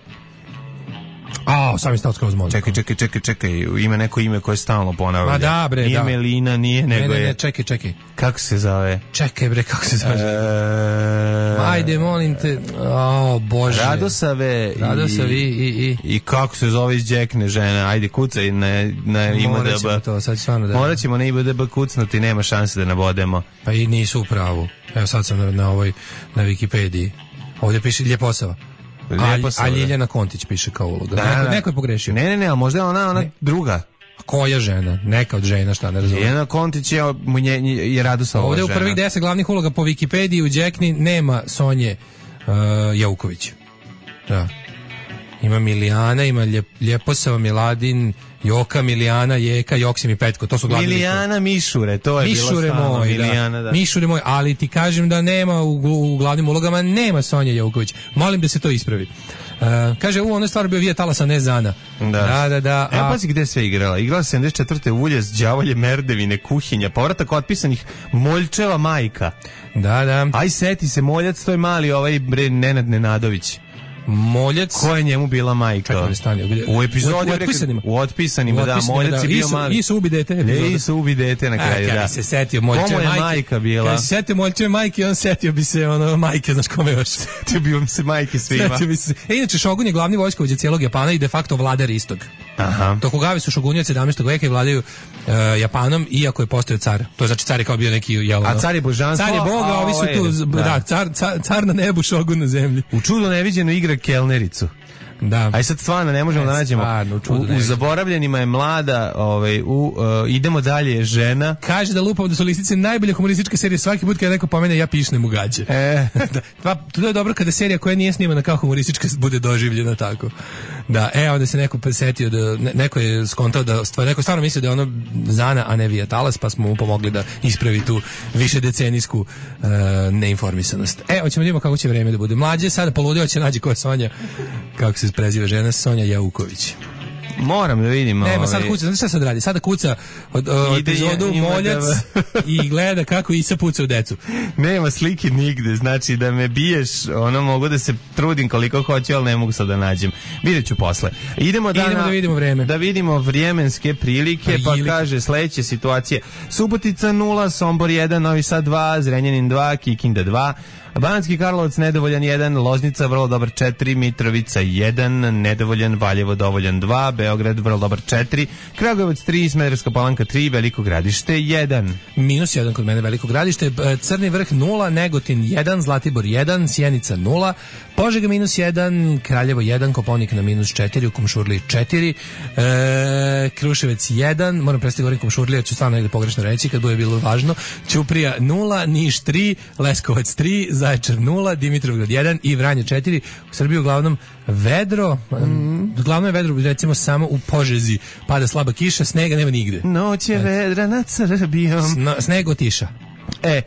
A, sami stao skroz mozak. Čekaj, čekaj, čekaj, čekaj, ima neko ime koje stalno ponavlja. Ma da, bre, nije da. Melina, nije, nego ne, ne, ne, je... čekaj, čekaj. Kako se zove? Čekaj, bre, kako se zove? E... Ajde, molim te. O, Bože. Radosave. Radosavi i, i, i... I kako se zove izđekne žena? Ajde, kucaj na, na I M D B. Morat ćemo to, sad stvarno da... Morat ćemo na I M D B kucnuti, nema šanse da nabodemo. Pa i nisu u pravu. Evo sad sam na, na ovoj, na Wikipediji. Ovdje piše Ljeposava. A, a Ljiljana Kontić piše kao uloga. Da, neko, neko je pogrešio. Ne, ne, ne, a možda je ona, ona ne. druga. A koja žena? Neka od žena, šta ne razumijem. Ljiljana Kontić je, je, je Radosava ovdje žena. U prvih deset glavnih uloga po Wikipediji u Đekni nema Sonje uh, Jauković. Da. Ima Milijana, ima Ljep, Ljeposava, Miladin, Joka, Milijana, Jeka, Joksim i Petko, to su glavni. Milijana Mišure, to je Mišure bilo stano. moj, Milijana, da. da. Mišure moj, ali ti kažem da nema u, u glavnim ulogama, nema Sonja Jauković. Molim da se to ispravi. Uh, kaže, u onoj stvar bio Vija Talasa, ne Zana. Da, da, da. da a... Evo pazi gde sve igrala. Igrala sedamdeset četvrte Uljes, Đavolje, Merdevine, Kuhinja, povratak otpisanih Moljčeva majka. Da, da. Aj, seti se, Moljac, to je mali ovaj bre Nenad Nenadović. Moljac. Ko je njemu bila majka? Čekaj, stani, u epizodi u otpisanima. U otpisanima, da, Moljac je bio Isu, mali. Isu ubi dete. Ne, Isu ubi dete na kraju, a, da. se setio Moljačeve majke. majka bila? Kad se setio Moljačeve majke, on setio bi se ono majke, znaš kome još. Setio bi vam se majke svima. Setio bi se. E, inače, Šogun je glavni vojskovođa cijelog Japana i de facto vladar istog. Aha. Tokugavi su šoguni od sedamnaestog veka i vladaju uh, Japanom, iako je postao car. To znači car je kao bio neki... Jel, a car je božanstvo. Car je bog, a ovi su tu... Da, da car, car, car na nebu, šogun na zemlji. U čudo neviđeno igra kelnericu. Da. Aj sad stvarno ne možemo ne, da nađemo. Stvarno, u, u, u zaboravljenima je mlada, ovaj u uh, idemo dalje je žena. Kaže da lupam da su listice najbolje humorističke serije, svaki put kada neko pomene ja pišnem u gađe. E. da, to je dobro kada serija koja nije snimana kao humoristička bude doživljena tako. Da, e, onda se neko presetio da ne, neko je skontao da stvar, neko stvarno mislio da je ono Zana, a ne Vija Talas, pa smo mu pomogli da ispravi tu više decenijsku uh, neinformisanost. E, hoćemo da vidimo kako će vreme da bude. Mlađe sada poludeo će nađi ko je Sonja, kako se preziva žena, Sonja Jauković. Moram da vidim. Nema, ovaj... sad kuca, znaš šta sad radi? Sada kuca od, od epizodu ja, Moljac da... i gleda kako Isa puca u decu. Nema slike nigde, znači da me biješ, ono mogu da se trudim koliko hoću, ali ne mogu sad da nađem. Vidjet ću posle. Idemo da, Idemo na, da vidimo vreme. Da vidimo vremenske prilike, pa, pa kaže sledeće situacije. Subotica nula, Sombor jedan, Novi Sad dva, Zrenjanin dva, Kikinda dva, Banatski Karlovac nedovoljan jedan, Loznica vrlo dobar četiri, Mitrovica jedan, nedovoljan, Valjevo dovoljan dva, Beograd vrlo dobar četiri, Kragujevac tri, Smederevska Palanka tri, Veliko Gradište jedan. Minus jedan kod mene Veliko Gradište, Crni Vrh nula, Negotin jedan, Zlatibor jedan, Sjenica nula, Požega minus jedan, Kraljevo jedan, Koponik na minus četiri, u Kumšurli četiri, e, Kruševac jedan, moram prestati govorim Kumšurli, ja ću stvarno negde pogrešno reći kad bude bilo važno, Ćuprija nula, Niš tri, Leskovac tri, Zaječar nula, Dimitrovgrad jedan i Vranje četiri. U Srbiji uglavnom vedro, mm. uglavnom je vedro, recimo samo u Požezi pada slaba kiša, snega nema nigde. Noć je vedra nad Srbijom. Sna, sneg otiša. E,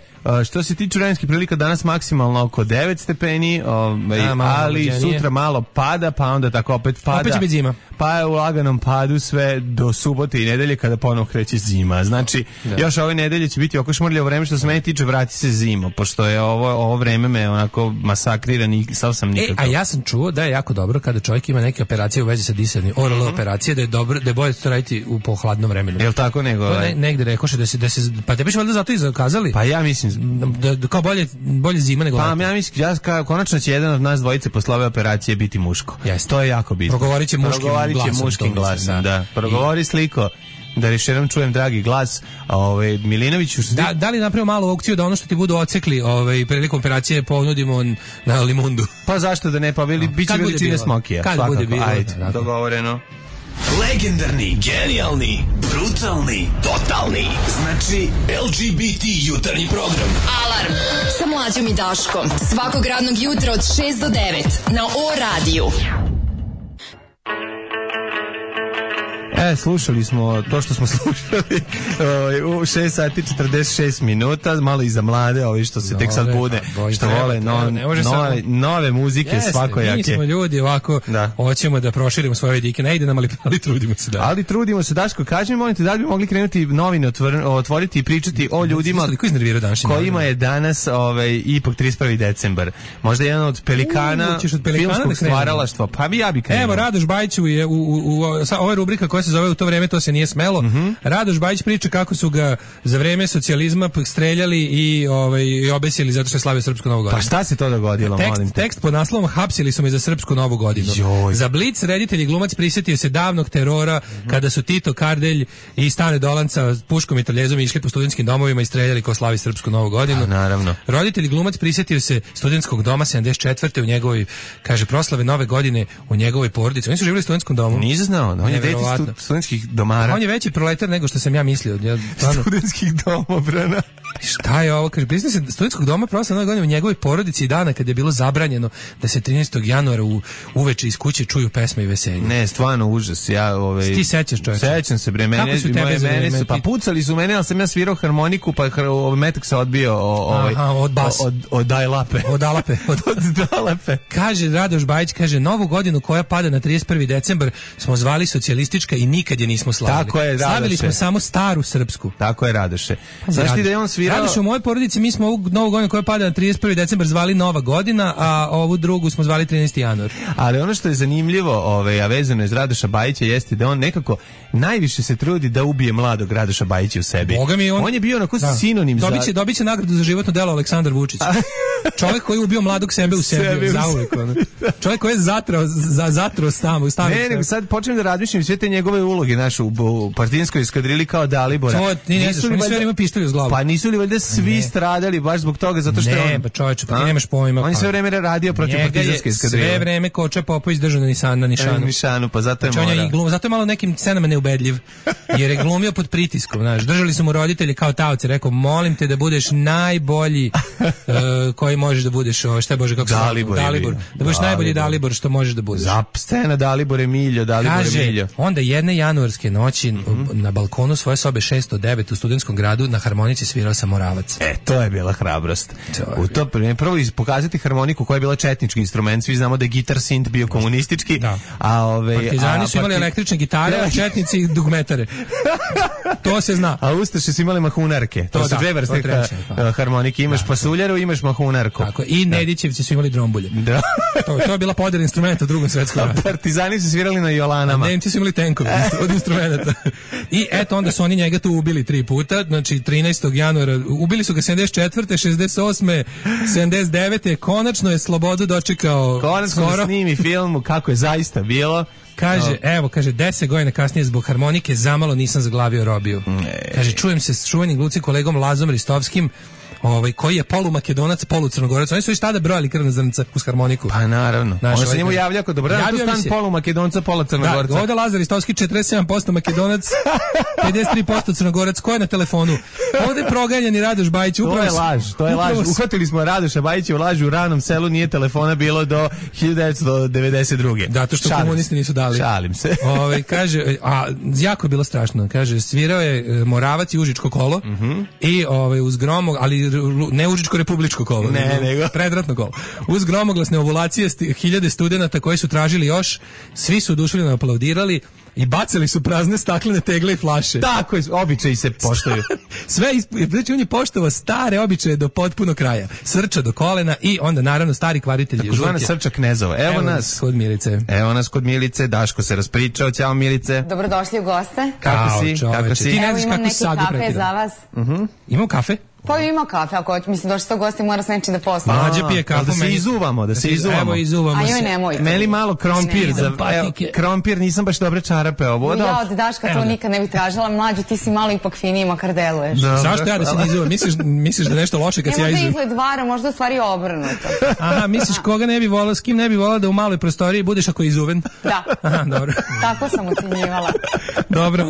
što se tiče vremenskih prilika, danas maksimalno oko devet stepeni, ovaj, da, ali sutra malo pada, pa onda tako opet pada. Opet će biti zima. Pa je u laganom padu sve do subote i nedelje kada ponovo kreće zima. Znači, da. Još ove nedelje će biti oko šmrljavo vreme, što se meni tiče vrati se zima, pošto je ovo, ovo vreme me onako masakriran i sav sam nikako. E, a ja sam čuo da je jako dobro kada čovjek ima neke operacije u vezi sa disanjem, oral mm-hmm. operacije, da je dobro, da je bolje to raditi u pohladnom vremenu. Jel tako nego? To ne, negde rekoše da se, da se, pa tebi će valjda zato i zakazali? Pa ja mislim da, da kao bolje, bolje zima nego pa ja mislim, ja ka, konačno će jedan od nas dvojice posle ove operacije biti muško. Jeste. To je jako bitno. Progovorit će muškim Progovorit će glasom. muškim glasom, da. da. Progovori I... sliko. Da još jednom čujem dragi glas, ovaj Milinoviću. Da, da li napravimo malu aukciju da ono što ti budu ocekli, ovaj prilikom operacije ponudimo na limundu. Pa zašto da ne, pa veli biće veličine smokija. Kad svakako. Bude bilo. Ajde, dogovoreno. Legendarni, genijalni, brutalni, totalni. Znači L G B T jutarnji program. Alarm sa Mlađom i Daškom. Svakog radnog jutra od šest do devet na O radiju. E, slušali smo to što smo slušali u šest sati četrdeset šest minuta, malo i za mlade, ovi što se Dobre, tek sad bude, pa, što treba, vole no, treba, nove, samo... nove muzike Jeste, svakojake. Mi smo ljudi ovako, da. Hoćemo da proširimo svoje vidike, ne ide nam, ali, ali trudimo se da. Ali trudimo se, Daško, kaži mi, molim te, da li bi mogli krenuti novine otvor, otvoriti i pričati o ljudima kojima je danas ovaj, ipak trideset prvi decembar. Možda jedan od pelikana, U, od pelikana filmskog da stvaralaštva. Pa bi ja bi krenuo. Evo, Radoš Bajiću je u, u, u, ova rubrika koja se zove U to vreme to se nije smelo. Mm-hmm. Radoš Bajić priča kako su ga za vreme socijalizma streljali i ovaj i obesili zato što je slavio srpsku novu godinu. Pa šta se to dogodilo, tekst, molim te? Tekst pod naslovom Hapsili su me za srpsku novu godinu. Joj. Za Blic reditelj i glumac prisjetio se davnog terora mm-hmm. kada su Tito, Kardelj i Stane Dolanca puškom i mitraljezom išli po studentskim domovima i streljali ko slavi srpsku novu godinu. A, naravno. Roditelj i glumac prisjetio se studentskog doma sedamdeset četvrte u njegovoj, kaže, proslave nove godine u njegovoj porodici. Oni su živjeli u studentskom domu. Nisam znao, on je dete stu, studentskih domara. On je veći proletar nego što sam ja mislio. Ja, studentskih domobrana. Šta je ovo? Kaže, prisjetio se studentskog doma proslave nove godine u njegovoj porodici i dana kad je bilo zabranjeno da se trinaestog januara u uveče iz kuće čuju pesme i veselje. Ne, stvarno užas. Ja, ovaj, ti sećaš, čovječe? Sećam se, bre, mene, su moje, mene su, pa pucali su mene, ali sam ja svirao harmoniku, pa ovaj metak se odbio ovaj, Aha, od bas. Od, od dajlape. Od dalape. Od, od dalape. Kaže Radoš Bajić, kaže, novu godinu koja pada na trideset prvi decembar smo zvali socijalistička i nikad je nismo slavili. Tako je, Radoše. Slavili smo samo staru srpsku. Tako je, Radoše. Znaš ti da je on svirao? Radoš, u mojoj porodici mi smo ovu novu godinu koja pada na trideset prvi decembar zvali Nova godina, a ovu drugu smo zvali trinaesti januar. Ali ono što je zanimljivo, ovaj, a vezano iz Radoša Bajića, jeste da on nekako najviše se trudi da ubije mladog Radoša Bajića u sebi. Boga mi on, on je bio onako da. sinonim dobiće, za... Dobiće nagradu za životno delo Aleksandar Vučić. Čovjek koji je ubio mladog sebe u sebi, sebi zauvek. Čovjek koji je zatrao, za, zatrao stavu. Ne, nego sad počnem da razmišljam sve te njegove uloge naše u, u partizanskoj eskadrili kao Dalibora. To, ni ne znaš, oni sve vreme pištolju uz glavu. Pa nisu li valjda svi ne. stradali baš zbog toga, zato što ne, on... Ne, pa čovječe, pa ti nemaš pojma. On je sve vreme radio protiv partizanske eskadrile. Sve vreme Koča Popović držao na Nišanu. Na Nišanu. Nišanu, pa zato je znači, mora. Je glum, zato je malo nekim scenama neubedljiv, jer je glumio pod pritiskom. Znaš, držali su mu roditelji kao taoci, rekao, molim te da budeš najbolji uh, koji možeš da budeš, o, šta je Bože, kako Dalibor, se Dalibor. Da budeš Dalibor. najbolji Dalibor što možeš da budeš. Zap, scena Dalibor Emilio, Dalibor Kaže, Emilio. Onda jedne januarske noći mm-hmm. na balkonu svoje sobe šesto devet u studentskom gradu na harmonici svirao sam Moravac. E, to je bila hrabrost. To u to prvo pokazati harmoniku koja je bila četnički instrument, svi znamo da je gitar synth bio komunistički, da. a ove Partizani a, su imali parti... električne gitare, a četnici i dugmetare. To se zna. A ustaše su imali mahunarke. To, to su da, dve vrste treće, ha, harmonike. Imaš da, pasuljaru, imaš mahunarku. Tako, i da. Nedićevci su imali drombulje. Da. To, to je bila podjela instrumenta u drugom svetskom ratu. Partizani su svirali na jolanama. A Nemci su imali tenkove od instrumenta. I eto, onda su oni njega tu ubili tri puta, znači trinaestog januara, ubili su ga sedamdeset četvrte, šezdeset osme, sedamdeset devete Konačno je slobodu dočekao. Konačno da snimi film kako je zaista bilo. Kaže, no. evo, kaže, deset godina kasnije zbog harmonike zamalo nisam zaglavio robiju. Ne. Kaže, čujem se s čuvenim glucim kolegom Lazom Ristovskim, ovaj, koji je polumakedonac, polucrnogorac. Oni su već tada brojali krvna zrnca uz harmoniku. Pa naravno. Znaš, on se njemu javlja kod dobro. Tu stan polumakedonca, pola crnogorca. Da, ovdje Lazar Ristovski, četrdeset sedam posto makedonac, pedeset tri posto crnogorac. Ko je na telefonu? Ovdje je proganjani Radoš Bajić. To je laž, to je laž. Uhvatili smo Radoša Bajića u laži u ranom selu, nije telefona bilo do hiljadu devetsto devedeset druge. Da, to što šalim komunisti nisu dali. Šalim se. Ove, kaže, a jako je bilo strašno. Kaže, svirao je Moravac i Užičko kolo mm-hmm. i ovaj, uz gromog, ali ne Užičko republičko kolo, ne, nego, nego. predratno kolo. Uz gromoglasne ovulacije sti, hiljade studenata koji su tražili još, svi su oduševljeno aplaudirali i bacali su prazne staklene tegle i flaše. Tako je, običaji se poštuju. Sve, znači on je poštovao stare običaje do potpuno kraja. Srča do kolena i onda naravno stari kvaritelj. Tako zvana Srča Knezova. Evo, evo nas kod Milice. Evo nas kod Milice, Daško se raspričao. Ćao Milice. Dobrodošli u goste. Kako si? Kako si? Ti ne znaš kako sadu kafe pretira. za vas. Uh-huh. Imamo kafe? Pa ima kafe, ako hoće, mislim, došli sto gosti, mora se neći da poslije. Mađe pije kafu. Da se izuvamo, da se izuvamo. Evo, izuvamo se. A joj nemojte. Meli malo krompir. Za, evo, krompir, nisam baš dobre čarape ovo. Ja od Daška to nikad ne bih tražila. Mlađu, ti si malo ipak finiji, makar deluješ. Zašto ja da se ne izuvam? Misliš, misliš da nešto loše kad se ja izuvam? Možda izgled vara, možda u stvari obrnuto. Aha, misliš koga ne bi volao, s kim ne bi volao da u maloj prostoriji budeš ako je izuven? Da. Aha, dobro. Tako sam ucenjivala. Dobro.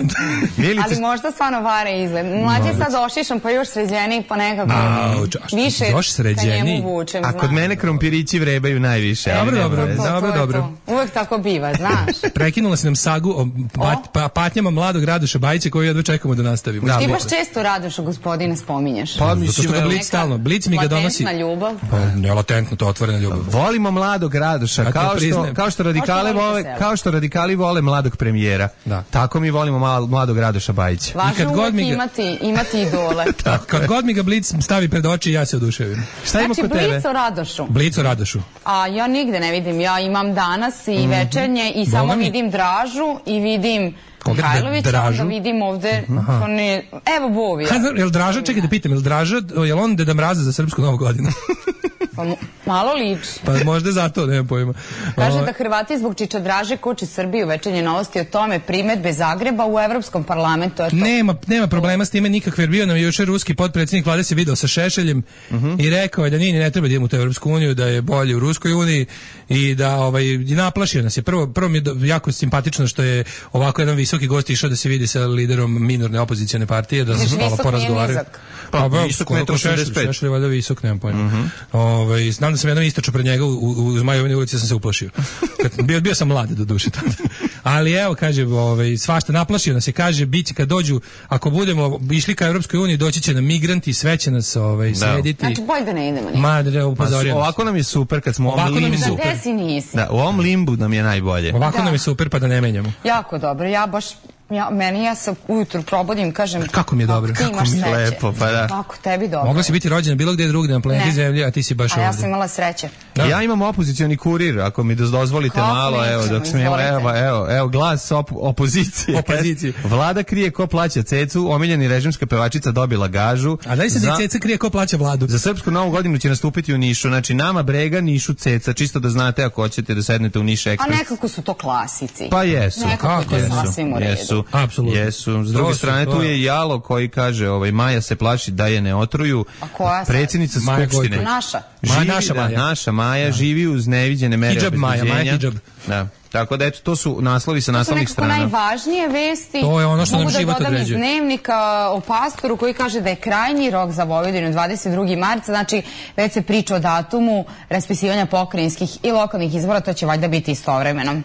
Ali možda stvarno vara izgled. Mlađi je sad ošišan, pa još sređeniji, pa nekako A, više još ka sređeniji. njemu vučem. A kod mene krompirići vrebaju najviše. ali Dobro, nema dobro, veze. dobro, dobro. Uvek tako biva, znaš. Prekinula si nam sagu o pat, pa, patnjama mladog Radoša Bajića koju jedva čekamo da nastavimo. Ti baš često Radoša, gospodine, spominješ. Pa, Zato što ga Blic stalno, Blic mi ga donosi. Latentna ljubav. Pa, ne latentno, to je otvorena ljubav. Volimo mladog Radoša, Ja to kao što, priznajem. kao što radikale Kao što volite vole, sebe. kao što radikali vole mladog premijera. Da. Tako mi volimo mal, mladog Radoša Bajića. I Važno kad god uvek mi ga- imati, imati idole. Kad god mi ga Blic stavi pred oči, ja se oduševim. Šta ima Znači, kod tebe? Blic o Radošu. Blic o Radošu. A ja nigde ne vidim. Ja imam danas i večernje i samo Boga mi. vidim Dražu i vidim Koga? Mihajlovića, Dražu? onda vidim ovde, to ne, evo Bovija. Ha, zar- jel Draža, čekaj da pitam, jel Draža, jel on Deda Mraza za srpsku novu godinu? Pa mo- malo liči. Pa možda zato, nemam pojma. Kaže O, da Hrvati zbog Čiča Draže koči Srbiju, večernje novosti o tome, primetbe Zagreba u Evropskom parlamentu. Eto. Nema, nema problema s time nikakve, jer bio nam je juče ruski potpredsjednik vlade se video sa Šešeljem i rekao je da nije, ne treba da idemo u tu Evropsku uniju, da je bolje u Ruskoj uniji i da ovaj, i naplašio nas je. Prvo, prvo mi je do- jako simpatično što je ovako jedan visoki gost išao da se vidi sa liderom minorne opozicione partije, da Vidiš, se malo visok porazgovaraju. nije nizak. Pa, Pa, ba, visok koliko metar osamdeset pet. Šešelj, Šešelj je valjda visok, nemam pojma. Ovaj, znam da sam jednom istračao pred njega u, u, u Zmajovini ulici, sam se uplašio. Kad, bio, bio sam mlad do duše tada. Ali evo, kaže, ovaj, svašta naplašio nas je, kaže, biće kad dođu, ako budemo išli ka Europskoj uniji, doći će nam migranti, sve će nas ovaj, slediti. Znači, bolje da ne idemo. Madre, Pa, upozorio nas. ovako nam je super kad smo u ovom Ovako nam je limbu. Da, super. gde si nisi? Da, u ovom limbu nam je najbolje. Ovako Da. nam je super, pa da ne menjamo. Jako dobro. Ja baš, ja, meni ja se ujutru probudim, kažem... Kako mi je dobro. Ti Kako imaš mi je sreće. lepo, pa da. Kako tebi dobro. Mogla si biti rođena bilo gdje drugdje na planeti Ne. Zemlji, a ti si baš A ja ovdje. sam imala sreće. Da. Ja imam opozicioni kurir, ako mi dozvolite Kako malo, nećemo, evo, dok smo imali, evo, izvolite. evo, evo, glas op opozicije. Opozicije. Vlada krije ko plaća cecu, omiljeni režimska pevačica dobila gažu. A daj se da Za- i Ceca krije ko plaća vladu. Za srpsku novu godinu će nastupiti u Nišu, znači nama Brega, Nišu, Ceca, čisto da znate ako hoćete da sednete u Niš A Ekspres. nekako su to klasici. Pa jesu. Nekako kako to je jesu? sasvim u redu. Jesu, Apsolutno. jesu. S To druge su strane tu to. je Jalo koji kaže, ovaj Maja se plaši da je ne otruju. A koja sad? Predsjednica Maja skupštine. Gojković. Naša. Ma, Živi, naša da, Maja. naša Maja živi uz neviđene mere Hidžab Maja, Maja obezbeđenja. hidžab. Da. Tako da eto to su naslovi sa To su naslovnih nekako strana. najvažnije vesti. To je ono što nam Mogu život da dodam iz određuje. dnevnika o pastoru koji kaže da je krajnji rok za Vojvodinu dvadeset drugi marta, znači već se priča o datumu raspisivanja pokrajinskih i lokalnih izbora, to će valjda biti istovremeno.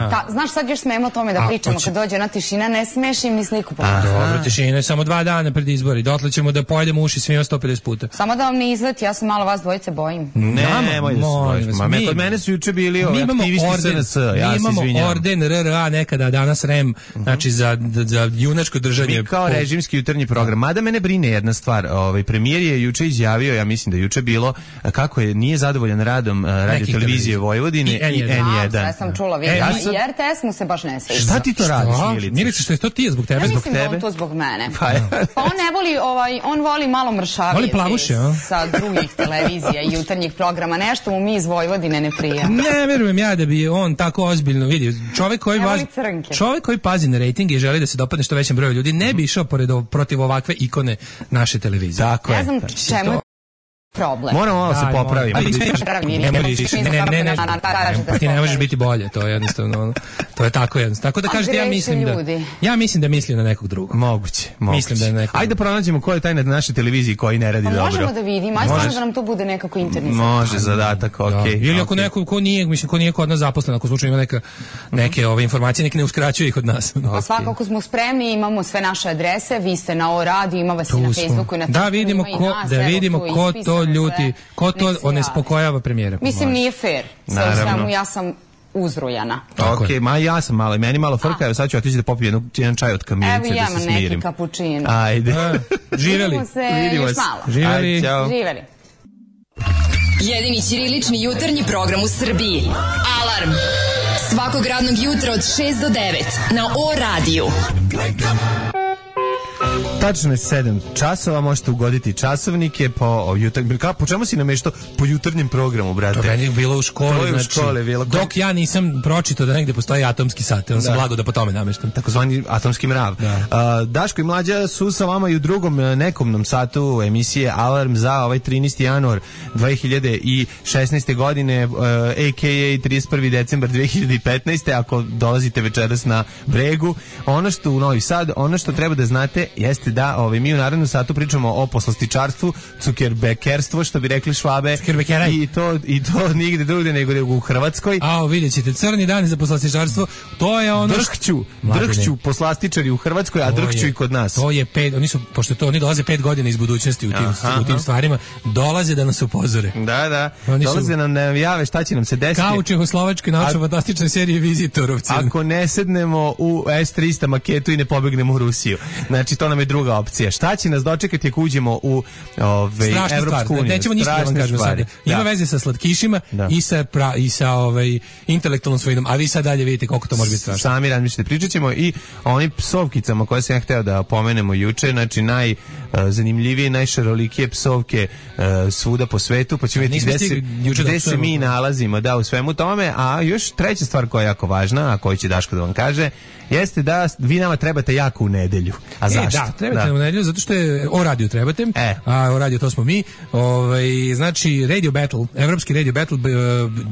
Ta, znaš, sad još smemo o tome da A, pričamo, hoće- kad dođe ona tišina, ne smeš im ni sliku pokazati. Dobro, tišina je samo dva dana pred izbori. Dotle ćemo da pojedemo uši svima sto pedeset puta. Samo da vam ne izleti, ja se malo vas dvojice bojim. Ne, Nama, nemoj da se molim bojiš. vas, Ma, me- mi- kod mene su juče bili Mi ovi imamo aktivisti orden, S N S, ja mi se imamo izvinjavam. orden R R A nekada, danas R E M, znači za, za junačko držanje. Mi kao po- režimski jutarnji program. Mada mene brine jedna stvar. Ovaj premijer je juče izjavio, ja mislim da je juče bilo kako je nije zadovoljan radom radio televizije televizija. Vojvodine I N jedan. N A, jedan. sve sam čula, E, vidim. ja I sad- R T S mu se baš ne sviđa. Šta ti to radiš, Šta? Milice? Milice, što je to ti je zbog tebe? Ja Zbog mislim da tebe? on to zbog mene. Pa, je. Pa on ne voli, ovaj, on voli malo mršavije Voli plavuše, a? sa drugih televizija i jutarnjih programa. Nešto mu mi iz Vojvodine ne prija. Ne verujem ja da bi on tako ozbiljno vidi. Čovjek koji Ne voli važ, crnke. čovjek koji pazi na rejting i želi da se dopadne što većem broju ljudi, ne bi išao pored ov- protiv ovakve ikone naše televizije. Tako Ne je. znam čemu je problem. Moramo malo se Daj, popravimo. molim. Ne možeš, ne, ne, ne, ne, pa ti ne možeš biti bolje, to je jednostavno, ono, to je tako jednostavno. Tako da A kažete, ja greše mislim da, ljudi. ja mislim da misli na nekog drugog. Moguće, moguće. Mislim da je neko- Ajde da pronađemo ko je taj na našoj televiziji koji ne radi Pa dobro. možemo da vidimo, aj stvarno Možeš. da nam to bude nekako interni. Može, zadatak, Da. okej. Ili ako okej. neko ko nije, mislim ko nije kod nas zaposlen, ako u slučaju ima neka neke ove informacije, nek ne uskraćuje ih od nas. Pa svakako smo spremni, imamo sve naše adrese, vi ste na O radiju, ima vas i na Tu smo. Facebooku i na Da Twitteru, vidimo ima i ko, nas, da evo, vidimo tu je ko to ispisano ljuti, sve. ko to Nek se onespokojava premijera. Mislim, nije fair. Sve u Naravno. svemu, ja sam uzrujana. Tako Okej, ma ja sam malo, meni malo frka, evo sad ću otići da popijem jednu- jedan čaj od Evo kamilice i da ja se imam neki smirim. kapućino. Ajde. E, živeli. Vidimo se Vidimo još se. malo. Živeli. Ajde, ćao. Živeli. Jedini ćirilični jutarnji program u Srbiji. Alarm. Svakog radnog jutra od šest do devet na O radiju. Tačno je sedam časova, možete ugoditi časovnike po jutarnjem. Kako, po čemu si nameštao? Po jutarnjem programu, brate. To meni je bilo u školi, To je u znači, školi bilo. dok ja nisam pročitao da negde postoji atomski sat, onda sam Da. blago da po tome nameštam. Takozvani atomski mrav. A, Daško i Mlađa su sa vama i u drugom e, nekomnom satu emisije Alarm za ovaj trinaesti januar dve hiljade šesnaeste godine, e, a k a trideset prvi decembar dve hiljade petnaeste. Ako dolazite večeras na Bregu, ono što u Novi Sad, ono što treba da znate jeste da ovaj, mi u narednom satu pričamo o poslastičarstvu, cukerbekerstvo, što bi rekli Švabe. I to, i to nigde drugde nego u Hrvatskoj. A, vidjet ćete, crni dani za poslastičarstvo, to je ono... Drhću, drhću poslastičari u Hrvatskoj, a drhću i kod nas. To je pet, oni su, pošto to, oni dolaze pet godina iz budućnosti u tim, aha, u tim stvarima, dolaze da nas upozore. Da, da, oni dolaze su, nam da jave šta će nam se desiti. Kao u Čehoslovačkoj naučno-fantastičnoj seriji Vizitorovci. Ako ne sednemo u es trista maketu i ne pobegnemo u Rusiju. Znači, to nam je druga opcija. Šta će nas dočekati ako uđemo u ove, Evropsku uniju? Nećemo ništa da vam kažemo sad. Ima da. veze sa slatkišima da. i sa, pra, i sa ovaj, intelektualnom svojinom, a vi sad dalje vidite koliko to može biti strašno. Sami razmišljate. Pričat ćemo i o onim psovkicama koje sam ja hteo da pomenemo juče, znači najzanimljivije, najšarolikije psovke uh, svuda po svetu, pa ćemo vidjeti gde se, gde se mi nalazimo da, u svemu tome, a još treća stvar koja je jako važna, a koju će Daško da vam kaže, jeste da vi nama trebate jako u nedelju. A zašto? E, da, trebate da. u nedelju, zato što je o radiju trebate, e. a o radiju to smo mi. Ovaj, znači, Radio Battle, Evropski Radio Battle,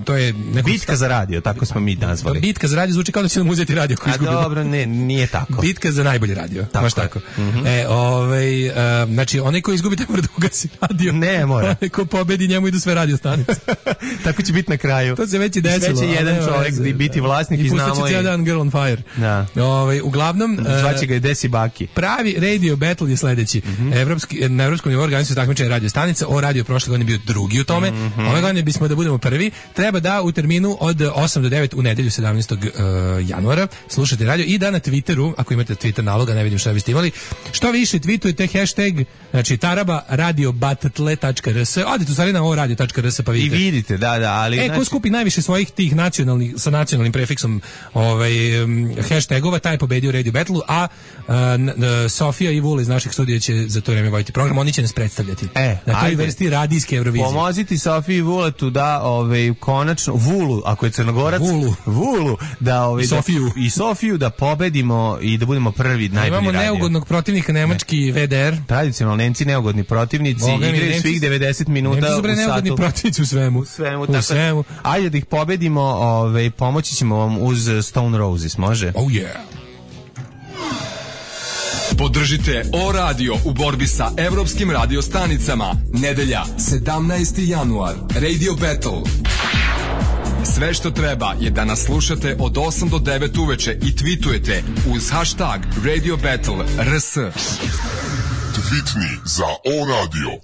to je... Bitka za radio, tako smo mi nazvali. Bitka za radio zvuči kao da će nam uzeti radio koji izgubimo. A dobro, ne, nije tako. Bitka za najbolji radio, tako baš tako. Mm-hmm. E, ovaj, uh, znači, onaj ko izgubi mora da ugasi radio. Ne, mora. Onaj ko pobedi, njemu idu sve radio stanice. Tako će biti na kraju. To se već i desilo. Sve će jedan čovjek da biti vlasnik i, i znamo. I pustit će cijel dan Girl on Fire. Da. Ovaj, uglavnom... Zvaće ga i Desi Baki. Pravi Radio Battle je sledeći. Mm-hmm. Evropski, na evropskom nivou organizuje takmičenje radio stanica. O radio prošle godine bio drugi u tome. Mm-hmm. Ove godine bismo da budemo prvi. Treba da u terminu od osam do devet u nedelju sedamnaestog januara slušate radio i da na Twitteru, ako imate Twitter naloga, ne vidim šta biste imali, što više tweetujete hashtag, znači taraba radio battle tačka r s. Odite u stvari na o radio tačka r s pa vidite. I vidite, da, da, ali... E, znači... ko skupi najviše svojih tih nacionalnih, sa nacionalnim prefiksom ovaj, um, hashtagova, taj pobedio u Radio Battle, a uh, Sofija i Vula iz naših studija će za to vreme voditi program, oni će nas predstavljati. E, na toj vrsti radijske Eurovizije. Pomoziti Sofiji i Vulatu da ovaj, konačno, Vulu, ako je Crnogorac, Vulu, Vulu da, ovaj, I, Sofiju. Da, i Sofiju da pobedimo i da budemo prvi najbolji radio. Imamo neugodnog protivnika, nemački ne. V D R. Tradicionalno Nemci neugodni protivnici, Boga, igraju Nemci, svih devedeset minuta Nemci su bre neugodni protivnici u svemu. U svemu, u tako, svemu. Ajde da ih pobedimo, ovaj, pomoći ćemo vam uz Stone Roses, može? Oh yeah. Podržite O Radio u borbi sa evropskim radio stanicama. Nedelja, sedamnaesti januar. Radio Battle. Sve što treba je da nas slušate od osam do devet uveče i tweetujete uz hashtag Radio Battle R S. Tweetni za O Radio.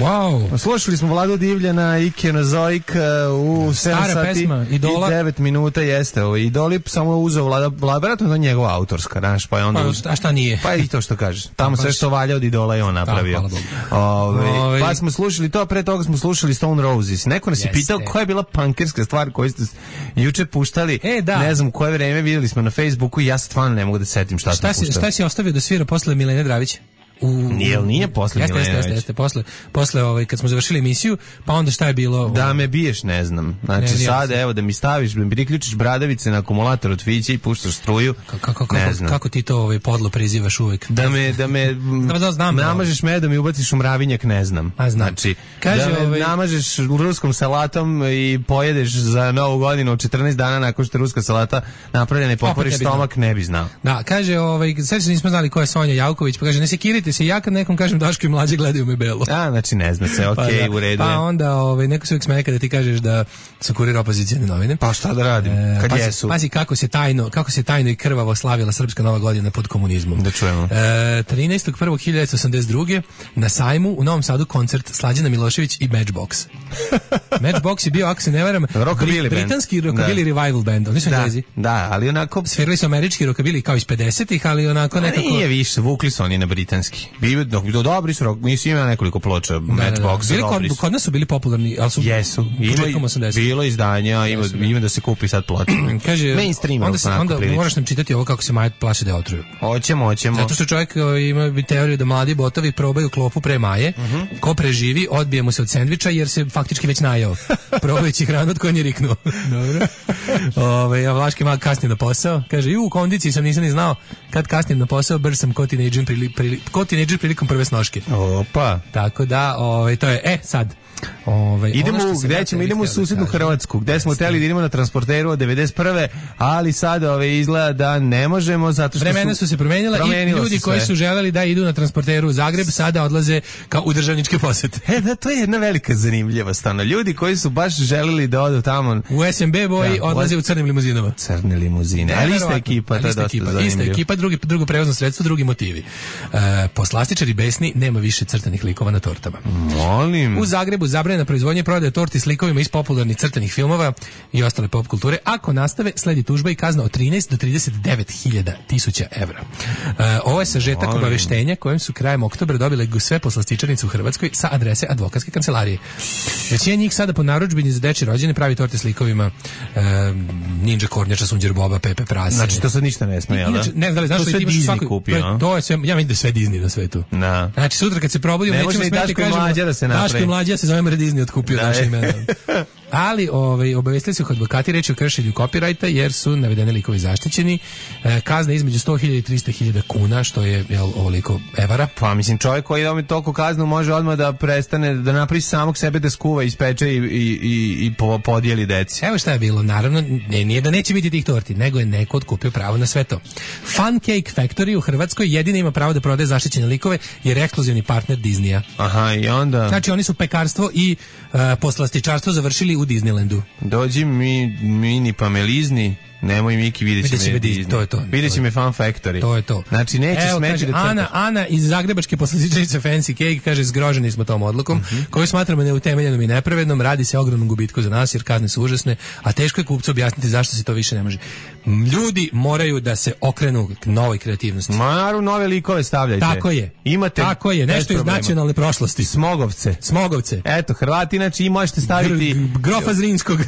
Wow. Slušali smo Vladu Divljana i Kenozoik u sedam sati Idola. i devet minuta, jeste ovo. Idoli samo uzeo Vlada, Vlada, vjerojatno to je njegova autorska, znaš, pa je onda... Pa, a šta nije? Pa i to što kažeš. Tamo sve što valja od Idola je on napravio. Da, Ove, Ove. Pa smo slušali to, pre toga smo slušali Stone Roses. Neko nas je pitao koja je bila punkerska stvar koju ste juče puštali. E, da. Ne znam koje vreme, vidjeli smo na Facebooku i ja stvarno ne mogu da setim šta, šta smo puštali. Šta si ostavio da svira posle Milene Dravića? U, nije, nije posle jeste, jeste, jeste, jeste, posle, posle ovaj, kad smo završili emisiju, pa onda šta je bilo? Da ovaj, me biješ, ne znam. Znači, ne, sad, evo, da mi staviš, da mi priključiš bradavice na akumulator od Fiće i puštaš struju, kako, kako, ne znam. Kako ti to ovaj, podlo prizivaš uvek? Da me, da me da znam, namažeš medom i ubaciš u mravinjak, ne znam. A znam. Znači, kaže, da me ovaj, namažeš ruskom salatom i pojedeš za novu godinu četrnaest dana nakon što je ruska salata napravljena i pokvariš stomak, ne bi znao. Da, kaže, ovaj, sad nismo znali ko je Sonja Javković, pa kaže, ne sekirite se, ja kad nekom kažem Daško i mlađe gledaju me belo. A, znači ne zna se, okej, okay, pa, u redu. Pa onda, ovaj, neko se uvijek smeje kada ti kažeš da su kurir opozicijne novine. Pa šta da radim, kad pazi, jesu. Pazi kako se tajno, kako se tajno i krvavo slavila srpska nova godina pod komunizmom. Da čujemo. E, trinaestog prvog hiljadu devetsto osamdeset druge na sajmu u Novom Sadu koncert Slađana Milošević i Matchbox. Matchbox je bio, ako se ne varam, bri, britanski rockabilly revival band. Oni su Englezi. Da, ali onako... Svirali su američki rockabilly kao iz pedesetih, ali onako nekako... Nije više, vukli su oni na britanski. Bili do dobri su, nisi imao nekoliko ploča, Matchbox. Bili kod, kod nas su bili popularni, ali su... Jesu. Ima, bilo izdanja, ima, ima da se kupi sad ploča. Kaže, mainstream, onda, se, onda moraš nam čitati ovo kako se Maja plaši da otruju. Hoćemo, hoćemo. Zato što čovjek ima teoriju da mladi botovi probaju klopu pre Maje, uh-huh. Ko preživi, odbije mu se od sendviča jer se faktički već najao. Probajući hranu od koje nije riknuo. Dobro. Ove, a Vlaški mag kasnije na posao. Kaže, i u kondiciji sam nisam ni znao. Kad kasnije na posao, brž sam ko tinejdžer prili, prili, prilikom prve snoške. Opa. Tako da, ove, to je, e, sad. Ovaj, idemo u, gde ćemo, idemo u susednu Hrvatsku, gde smo hteli da idemo na transporteru od devedeset prve ali sad ove izgleda da ne možemo zato što vremena su, su se promenila i ljudi koji su želeli da idu na transporteru u Zagreb sada odlaze kao u državničke posete. E, da, to je jedna velika zanimljiva stvarno. Ljudi koji su baš želeli da odu tamo u S M B boji da, odlaze u crnim limuzinama. Crne limuzine. Ali ista ekipa, to je dosta zanimljivo. Ista ekipa, drugi, drugo prevozno sredstvo, drugi motivi. E, poslastičari besni, nema više crtanih likova na tortama. Molim. U Zagrebu zabranjena proizvodnja i prodaja torti s likovima iz popularnih crtanih filmova i ostale pop kulture. Ako nastave, sledi tužba i kazna od trinaest do trideset devet hiljada tisuća evra. E, ovo je sažetak Molim. obaveštenja kojem su krajem oktobra dobile sve poslastičarnice u Hrvatskoj sa adrese advokatske kancelarije. Većina njih sada po narudžbini za dečje rođene pravi torte s likovima e, Ninja Kornjača, Sunđer Boba, Pepe Prase. Znači to sad ništa ne sme, jel da? Ne znam da li znaš to sve Disney svako, kupio, to, je, to je sve, ja vidim da je sve Disney na svetu. Da. Znači sutra kad se probudimo ne nećemo smeti kažemo Mlađa da se napravi. Daško i Mlađa se zovemo Disney otkupio da, naše imena. Ali ovaj, obavestili su advokati reći o kršenju kopirajta jer su navedeni likovi zaštićeni. E, kazna između sto hiljada i trista hiljada kuna, što je jel, ovoliko evara. Pa mislim, čovjek koji dobi toliko kaznu može odmah da prestane, da napravi samog sebe, da skuva, ispeče i, i, i, i podijeli deci. Evo šta je bilo, naravno, ne, nije da neće biti tih torti, nego je neko odkupio pravo na sve to. Fun Cake Factory u Hrvatskoj jedina ima pravo da prodaje zaštićene likove jer je ekskluzivni partner Disneya. Aha, i onda... Znači, oni su pekarstvo i uh, poslastičarstvo završili u Disneylandu. Dođi mi, mini pa me lizni, nemoj Miki, vidjet će me Disney. To je to. Vidjet će me Fun Factory. To je to. Znači, neće smeći da Ana, Ana iz zagrebačke poslastičarnice Fancy Cake kaže, zgroženi smo tom odlukom, mm-hmm. koju smatramo neutemeljenom i nepravednom, radi se ogromnom gubitku za nas, jer kazne su užasne, a teško je kupcu objasniti zašto se to više ne može. Ljudi moraju da se okrenu k novoj kreativnosti. Maru, nove likove stavljajte. Tako je. Imate Tako je, nešto iz nacionalne prošlosti. Smogovce. Smogovce. Eto, Hrvati, znači i možete staviti... Gr grofa Zrinskog.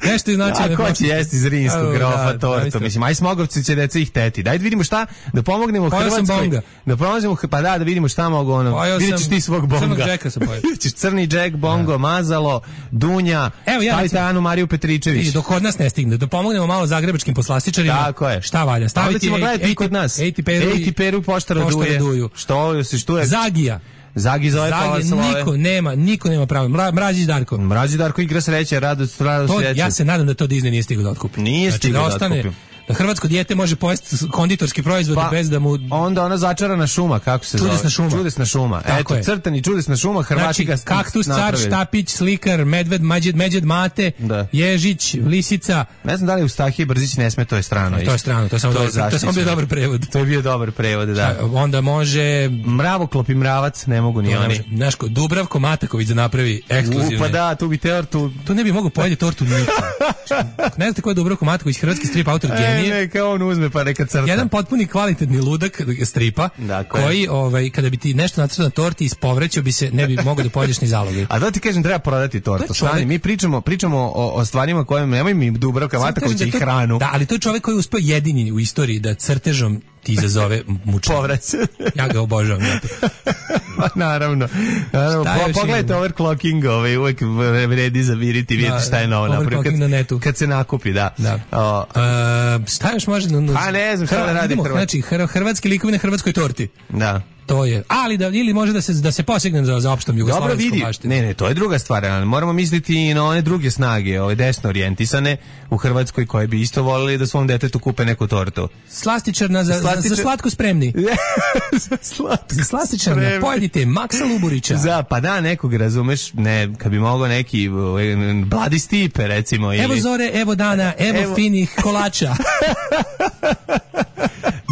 Nešto znači da ko će jesti Zrinskog grofa da, tortu, mislim, aj Smogovci će deca ih teti. Daj da vidimo šta, da pomognemo pojel Hrvatskoj. Da pomognemo, pa da, da vidimo šta mogu ono. Vidjet ćeš ti svog bonga. Crnog Džeka sam pojel. Vidjet ćeš crni Džek, bongo, da. Mazalo, Dunja, evo, ja stavite Anu Mariju Petričević. Dok kod nas ne stigne, da pomognemo malo zagrebačkim poslastičarima. Tako je. Šta valja? Staviti ej kod nas. Ejti Peru, Ejti Peru poštara Duju. Što se što je? Zagija. Zagi zove Zagi, niko nema, niko nema pravo. Mra, Mrazić Darko. Mrazić Darko igra sreće, radost, radost sreće. Ja se nadam da to Disney nije stigao da otkupi. Nije znači, stigao da, da otkupi. Da hrvatsko dijete može pojesti konditorski proizvod pa, bez da mu... Onda ona začarana šuma, kako se čudesna zove? Šuma. Čudesna šuma. Tako Eto, je. Crtani čudesna šuma, Hrvati ga znači, kaktus, car, štapić, slikar, medved, mađed, međed, mate, da. Ježić, lisica. Ne znam da li u Stahije Brzić ne sme, to je strano. To je strano, to je samo to dobar, je to je bio dobar prevod. To je bio dobar prevod, da. Šta, onda može... Mravoklop i mravac, ne mogu ni oni. Znaš ko, Dubravko Mataković da napravi ekskluzivne. Pa da, tu bi tortu... Tu ne bi mogu pojedi tortu niko. Ne znate ko je Dubravko Mataković, hrvatski strip autor genije. Ne, kao on uzme pa neka crta. Jedan potpuni kvalitetni ludak stripa, dakle. Koji, ovaj, kada bi ti nešto nacrtao na torti ispovrećao bi se, ne bi mogao da pođeš ni zaloge. A da ti kažem, treba prodati tortu. Stani, mi pričamo, pričamo o, o stvarima koje nemoj mi Dubravka Mataković i hranu. Da, ali to je čovjek koji je uspeo jedini u istoriji da crtežom ti izazove mučenje. Povraće. Ja ga obožavam. Ja naravno. naravno. Po, pogledajte overclocking, ovaj, uvek vredi zaviriti, vidjeti šta je novo napravio. Kad, na netu. Kad se nakupi, da. da. O, uh, šta još može? No, no, pa ne znam šta da radi Hrvatski. Znači, hrvatski likovi na hrvatskoj torti. Da. To je. Ali da ili može da se da se posegne za za opštom jugoslovenskom baštinu. Ne, ne, to je druga stvar, ali moramo misliti i na one druge snage, ove desno orijentisane u Hrvatskoj koje bi isto voleli da svom detetu kupe neku tortu. Slastičarna za, Slastičar... za slatko spremni. za slatko. Za slastičarna pojedite Maksa Luburića. Za pa da nekog razumeš, ne, kad bi mogao neki Bladi Stipe recimo ili evo zore, evo dana, evo, evo... finih kolača.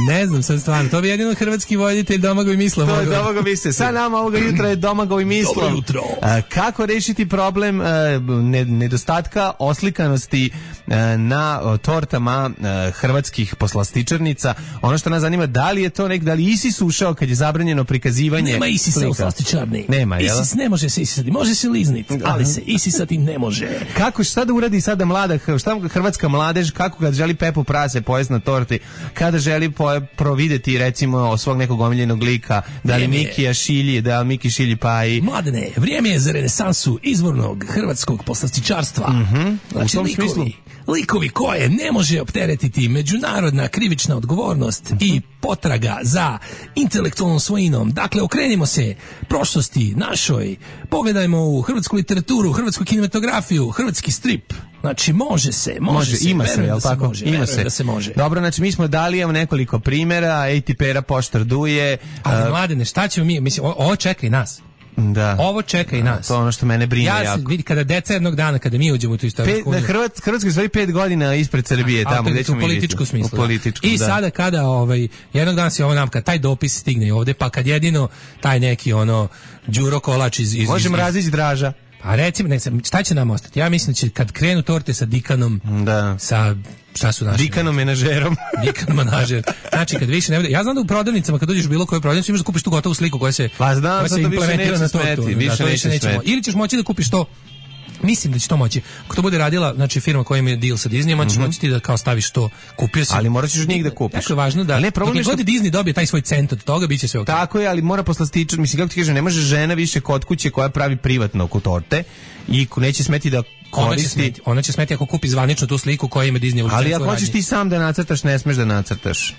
Ne znam sad stvarno, to bi jedino hrvatski voditelj Domagoj Mislav. To je Domagoj Mislav. Sad nama ovoga jutra je Domagoj Mislav. Dobro jutro. A, kako rešiti problem a, ne, nedostatka oslikanosti a, na tortama a, hrvatskih poslastičarnica? Ono što nas zanima, da li je to nek, da li Isis ušao kad je zabranjeno prikazivanje? Nema Isisa u slastičarni. Nema, jel? Isis ne može se isisati, može se lizniti, ali se isisati ne može. Kako, šta da uradi sada mlada, šta hrvatska mladež, kako kad želi Pepu Prase pojesti na torti, kada želi po poje, provideti recimo svog nekog omiljenog lika, da li Mikija Šilji, da li Miki Šilji pa i... Mladene, vrijeme je za renesansu izvornog hrvatskog poslastičarstva. Mm-hmm. Znači, likovi, smislu... likovi koje ne može opteretiti međunarodna krivična odgovornost mm-hmm. i potraga za intelektualnom svojinom. Dakle, okrenimo se prošlosti našoj, pogledajmo u hrvatsku literaturu, hrvatsku kinematografiju, hrvatski strip. Znači, može se, može, može se. Ima se, jel da tako? Se može, ima se. Da se može. Dobro, znači, mi smo dali evo nekoliko primjera, A T Pera poštar duje. Ali, uh, mladene, šta ćemo mi? Mislim, ovo čeka i nas. Da. Ovo čeka i nas. To je ono što mene brine ja jako. Ja vidi kada deca jednog dana, kada mi uđemo u tu istorijsku uniju. Hrvatska Hrvatska svoji pet godina ispred Srbije, tamo gde ćemo u političkom smislu. U političkom, I da. sada kada ovaj jednog dana se ovo nam kad taj dopis stigne ovde, pa kad jedino taj neki ono Đuro Kolač iz iz možemo razići Draža. A recimo, ne, šta će nam ostati? Ja mislim da će kad krenu torte sa Dikanom, da. sa šta su naši? Dikanom menažerom. Dikan menažer. Znači kad više ne bude. Ja znam da u prodavnicama kad dođeš u bilo koju prodavnicu imaš da kupiš tu gotovu sliku koja se pa znam, koja se implementira na tortu. Više da, neće neće ili ćeš moći da kupiš to. Mislim da će to moći. Ako to bude radila, znači firma koja ima deal sa Disneyom, mm-hmm. ćeš moći ti da kao staviš to, kupio si. Ali morat ćeš njih da kupiš. Jako je važno da ne, dok nešto... god Disney dobije taj svoj cent od toga, biće sve okej. Okay. Tako je, ali mora poslastičar, mislim kako ti kažem, ne može žena više kod kuće koja pravi privatno oko torte i neće smeti da koristi. Ona će smeti, ona će smeti ako kupi zvanično tu sliku koja ima Disney. Ali ako hoćeš ti sam da nacrtaš, ne smeš da nacrtaš.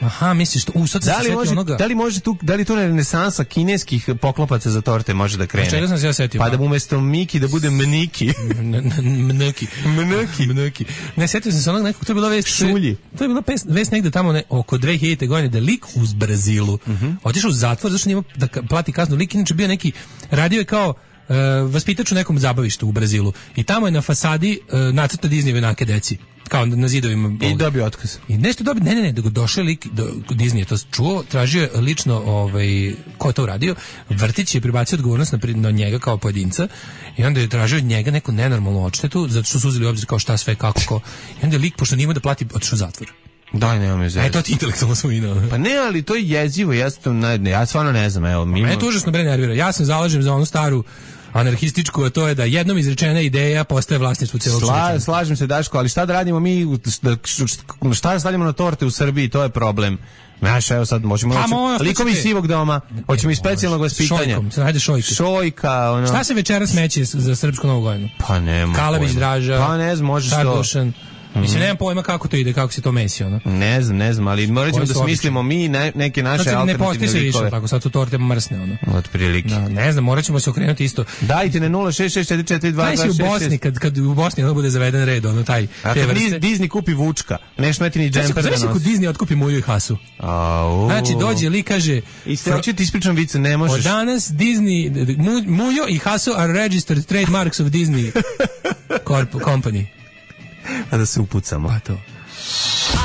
Aha, misliš to? U, sad se da li može, onoga... da li može tu, da li to renesansa kineskih poklopaca za torte može da krene? Čega sam se ja setio? Pa da mu umjesto Miki da bude Mniki. Mniki. Mniki. Mniki. Ne, setio sam se onog nekog, to je bila vest... Šulji. To je bila vest negde tamo ne, oko dve hiljadite godine da lik uz Brazilu uh-huh. otišao u zatvor zašto nije da plati kaznu. Lik inače bio neki, radio je kao uh, vaspitač u nekom zabavištu u Brazilu i tamo je na fasadi uh, nacrta Disney venake deci. Kao na zidovima. I dobio otkaz. I nešto dobio, ne, ne, ne, dok došao lik, do, Disney je to čuo, tražio je lično, ovaj, ko je to uradio, Vrtić je pribacio odgovornost na, na njega kao pojedinca i onda je tražio od njega neku nenormalnu odštetu, zato što su uzeli obzir kao šta sve, kako, ko. I onda je lik, pošto nije imao da plati, otišao u zatvor. Daj, nema me zezati. E, to ti intelektualno svojina. Pa ne, ali to je jezivo, ja, sam, ne, ja stvarno ne znam, evo. Mimo... Mene to užasno bre nervira, ja sam zalažem za onu staru anarhističku, a to je da jednom izrečena ideja postaje vlasništvo celog Sla, slažem se, Daško, ali šta da radimo mi, šta da stavljamo na torte u Srbiji, to je problem. Znaš, evo sad možemo pa, moći, likovi iz sivog doma, hoćemo i specijalnog vaspitanja. Šojkom, se najde šojka. Šojka, ono. Šta se večeras meće za srpsku novu godinu? Pa nema. Kalabić, Draža, pa ne znam, možeš to. Dušan. Mislim, nemam pojma kako to ide, kako se to mesi, ono. Ne znam, ne znam, ali morat ćemo da smislimo mi ne, neke naše znači, alternativne likove. Ne postoji više, tako sad su torte mrsne, ono. Od prilike. Da, ne znam, morat ćemo se okrenuti isto. Dajte na nula šest šest četiri četiri dva dva šest šest. Taj si u Bosni, kad, kad u Bosni ono bude zaveden red, ono, taj. A kad Disney kupi Vučka, ne smeti ni džemper da nosi. Znači, kod Disney otkupi Muju i Hasu. Au. Znači, dođe li, kaže... I ste oči ti ispričam vice, ne možeš. Od danas Disney, Mujo i Hasu are registered trademarks of Disney Company. A da se upucamo. Pa to.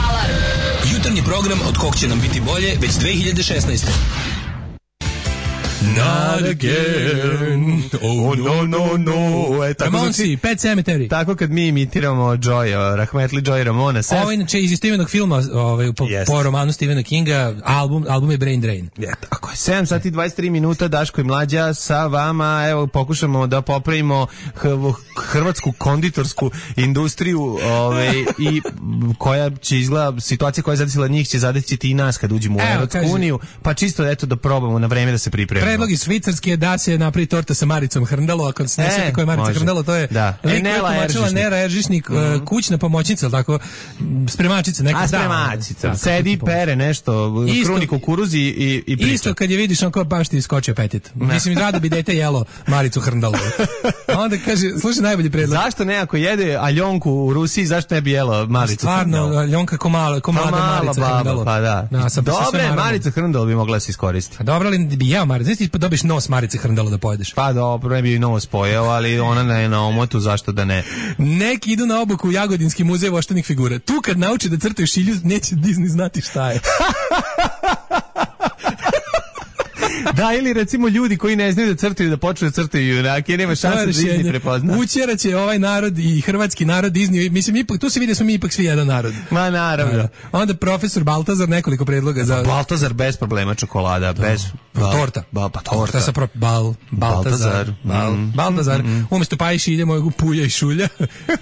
Alarm. Jutarnji program od kog će nam biti bolje već dve hiljade šesnaeste. Not again. Oh no no no. E, Ramonsi, Pet Sematary. Tako kad mi imitiramo Joy, Rahmetli Joy Ramona. Ovo je inače iz Stephenog filma, ovaj, po, yes. po romanu Stephena Kinga, album, album je Brain Drain. Ja, tako je. sedam sati i dvadeset tri minuta, Daško i Mlađa sa vama. Evo, pokušamo da popravimo hrvatsku konditorsku industriju, ovaj, i koja će izgleda, situacija koja je zadesila njih će zadesiti i nas kad uđemo u Evropsku uniju, pa čisto eto da probamo na vreme da se pripremimo. Predlog iz Švicarske je da se napravi torta sa Maricom Hrndalo, ako se ne e, sjeti koja je Marica može. Hrndalo, to je da. Nela Eržišnik, Nera Eržišnik mm-hmm. kućna pomoćnica, tako, spremačica. Neka, a spremačica, da, sedi, pere nešto, kruni kukuruzi i, i priča. Isto kad je vidiš, on kao baš ti iskoči apetit. Ne. Mislim, rado bi dete jelo Maricu Hrndalo. Onda kaže, slušaj, najbolji predlog. Zašto ne, ako jede aljonku u Rusiji, zašto ne bi jelo Maricu Stvarno, Hrndalo? Aljonka ko mala, ko mlada Marica baba, Hrndalo. Pa da. da dobre, Marica Hrndalo bi mogla se iskoristiti. A dobro, ali bi jeo Marica, znaš ti dobiješ nos Marice Hrndalo da pojedeš. Pa dobro, ne bi nos pojeo, ali ona ne na omotu, zašto da ne? Neki idu na obuku u Jagodinski muzej voštanih figura. Tu kad nauči da crtaju šilju, neće Disney znati šta je. Da, ili recimo ljudi koji ne znaju da crtaju, da počnu da crtaju junake, nema šanse da Disney prepozna. Učeraće ovaj narod i hrvatski narod Disney, mislim, ipak, tu se vidi da smo mi ipak svi jedan narod. Ma naravno. Onda profesor Baltazar nekoliko predloga za... Baltazar bez problema, čokolada, bez... Bal, torta. Bal, pa torta. Torta sa pro... Bal, Baltazar. Bal, mm, Baltazar. Mm, mm. Umesto Pajiši ide mojeg Puja i Šulja. e,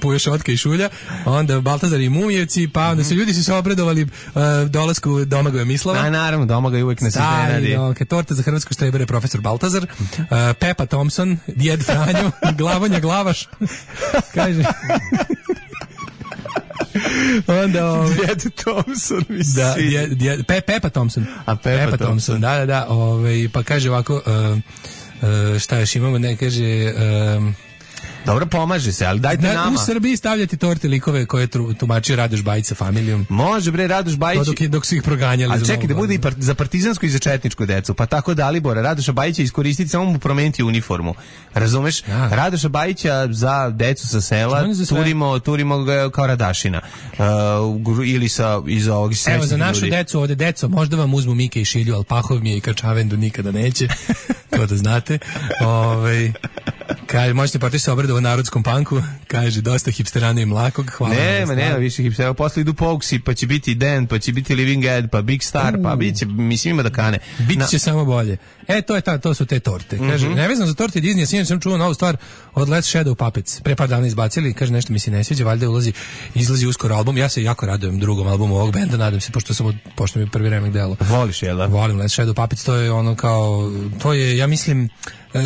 Puja Šotka i Šulja. Onda Baltazar i Mumijevci, pa onda su ljudi su se obradovali uh, dolasku Domagoja Mislava. A naravno, Domagoj uvijek nas iznenadi. Okay, torta za hrvatsko štrebere, profesor Baltazar. Uh, Pepa Thompson, djed Franjo, Glavonja Glavaš. Kaže... Onda ovaj Djed Thompson mislim. Da, djed, djed, Pe, Pepa Thompson. A Pepa, Pepa Thompson. Thompson. Da, da, da, ovaj pa kaže ovako uh, uh, šta još imamo, ne kaže um, dobro, pomaže se, ali dajte da, nama. U Srbiji stavljati torte likove koje je tumačio Radoš Bajić sa familijom. Može bre, Radoš Bajić. To dok, dok su ih proganjali. Ali čekaj, da bude i part, za partizansku i za četničku decu. Pa tako Dalibora, Radoša Bajića iskoristiti, samo mu promeniti uniformu. Razumeš? Ja. Radoša Bajića za decu sa sela turimo, turimo ga kao Radašina. Uh, ili sa iz ovog srećnih. Evo, za našu ljudi. decu ovde, deco, možda vam uzmu Mike i Šilju, al Pahov mi je i Kačavendu nikada neće. To da znate. Ovaj kaže, možete partiti se obradova narodskom panku, kaže, dosta hipsterana i mlakog, hvala. Nema, nema više hipstera, posle idu Poguesi, pa će biti Dan, pa će biti Living Ed, pa Big Star, uh. pa bit će, mislim ima da kane. Biti će samo bolje. E, to je ta, to su te torte. Kaže, mm-hmm. nevezano za torte Disneya, sinoć sam čuo novu stvar od Let's Shadow Puppets. Pre par dana izbacili, kaže, nešto mi se ne sviđa, valjda ulazi, izlazi uskoro album. Ja se jako radujem drugom albumu ovog benda, nadam se, pošto sam od, pošto mi je prvi remek delo. Voliš, jel da? Volim Let's Shadow Puppets, to je ono kao, to je, ja mislim, e,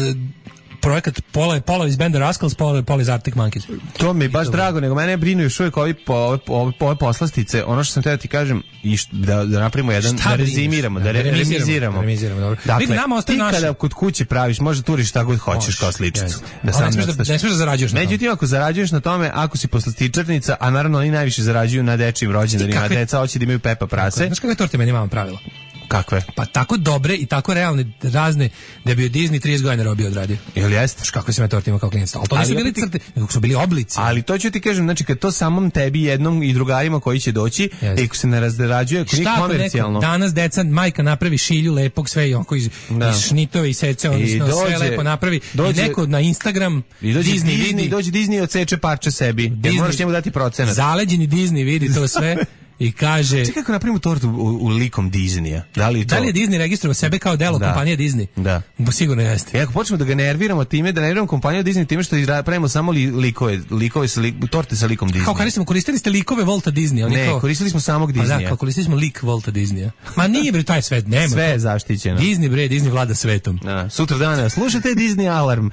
projekat pola, pola iz benda Rascals, pola, pola iz Arctic Monkeys. To mi je baš drago, nego mene brinu još uvijek ovi po, ove, ove, ove poslastice, ono što sam teo ti kažem, i što, da, da napravimo jedan, Šta da brineš? rezimiramo, da, Da, re, remiziramo, remiziramo. remiziramo, dobro. Dakle, Vidi, nama ostaje ti naše. kada kod kuće praviš, može turiš tako god hoćeš Može, kao sličicu. jest. Da Ali sam ne smiješ da- nacrtaš. ne smiješ da zarađuješ na tome. Međutim, ako zarađuješ na tome, ako si poslastičarnica, a naravno oni najviše zarađuju na dečijim rođendanima, kakve- deca hoće da imaju Pepa prase. Znaš kakve torte meni mama pravila? Kakve? Pa tako dobre i tako realne, razne, da bi od Disney trideset godina robio odradio. Jel jeste? Znaš kakve sam ja torte imao kao klijent. Ali to nisu Ali bili opet ti- crte, nego su bili oblici. Ali to ću ti kažem, znači kad to samom tebi jednom i drugarima koji će doći, Jeste. i ako se ne razderađuje, ako nije Šta ako neko komercijalno. danas deca, majka napravi šilju lepog sve i oko iz, Da. iz šnitove i sece, odnosno dođe- sve lepo napravi dođe- i neko na Instagram I dođe Disney, Disney, vidi, dođe Disney i odseče parče sebi. Jer Disney- moraš njemu dati procenat. zaleđeni Disney vidi to sve i kaže... Čekaj, kako napravimo tortu u, u likom Disneya? Da li je to? Da li je Disney registrovao sebe kao delo Da. kompanije Disney? Da. Bo sigurno jeste. I ako počnemo da ga nerviramo time, da nerviramo kompaniju Disney time što izra- pravimo samo li, likove, likove sa lik, torte sa likom Disneya. Kao koristimo, koristili ste likove Volta Disneya? Oni Ne, kao, koristili smo samog Pa da, Disneya. kao koristili smo lik Volta Disneya. Ma nije bre, taj svet, nema. Sve je zaštićeno. Disney bre, Disney vlada svetom. Da, sutra dana, slušajte Disney Alarm.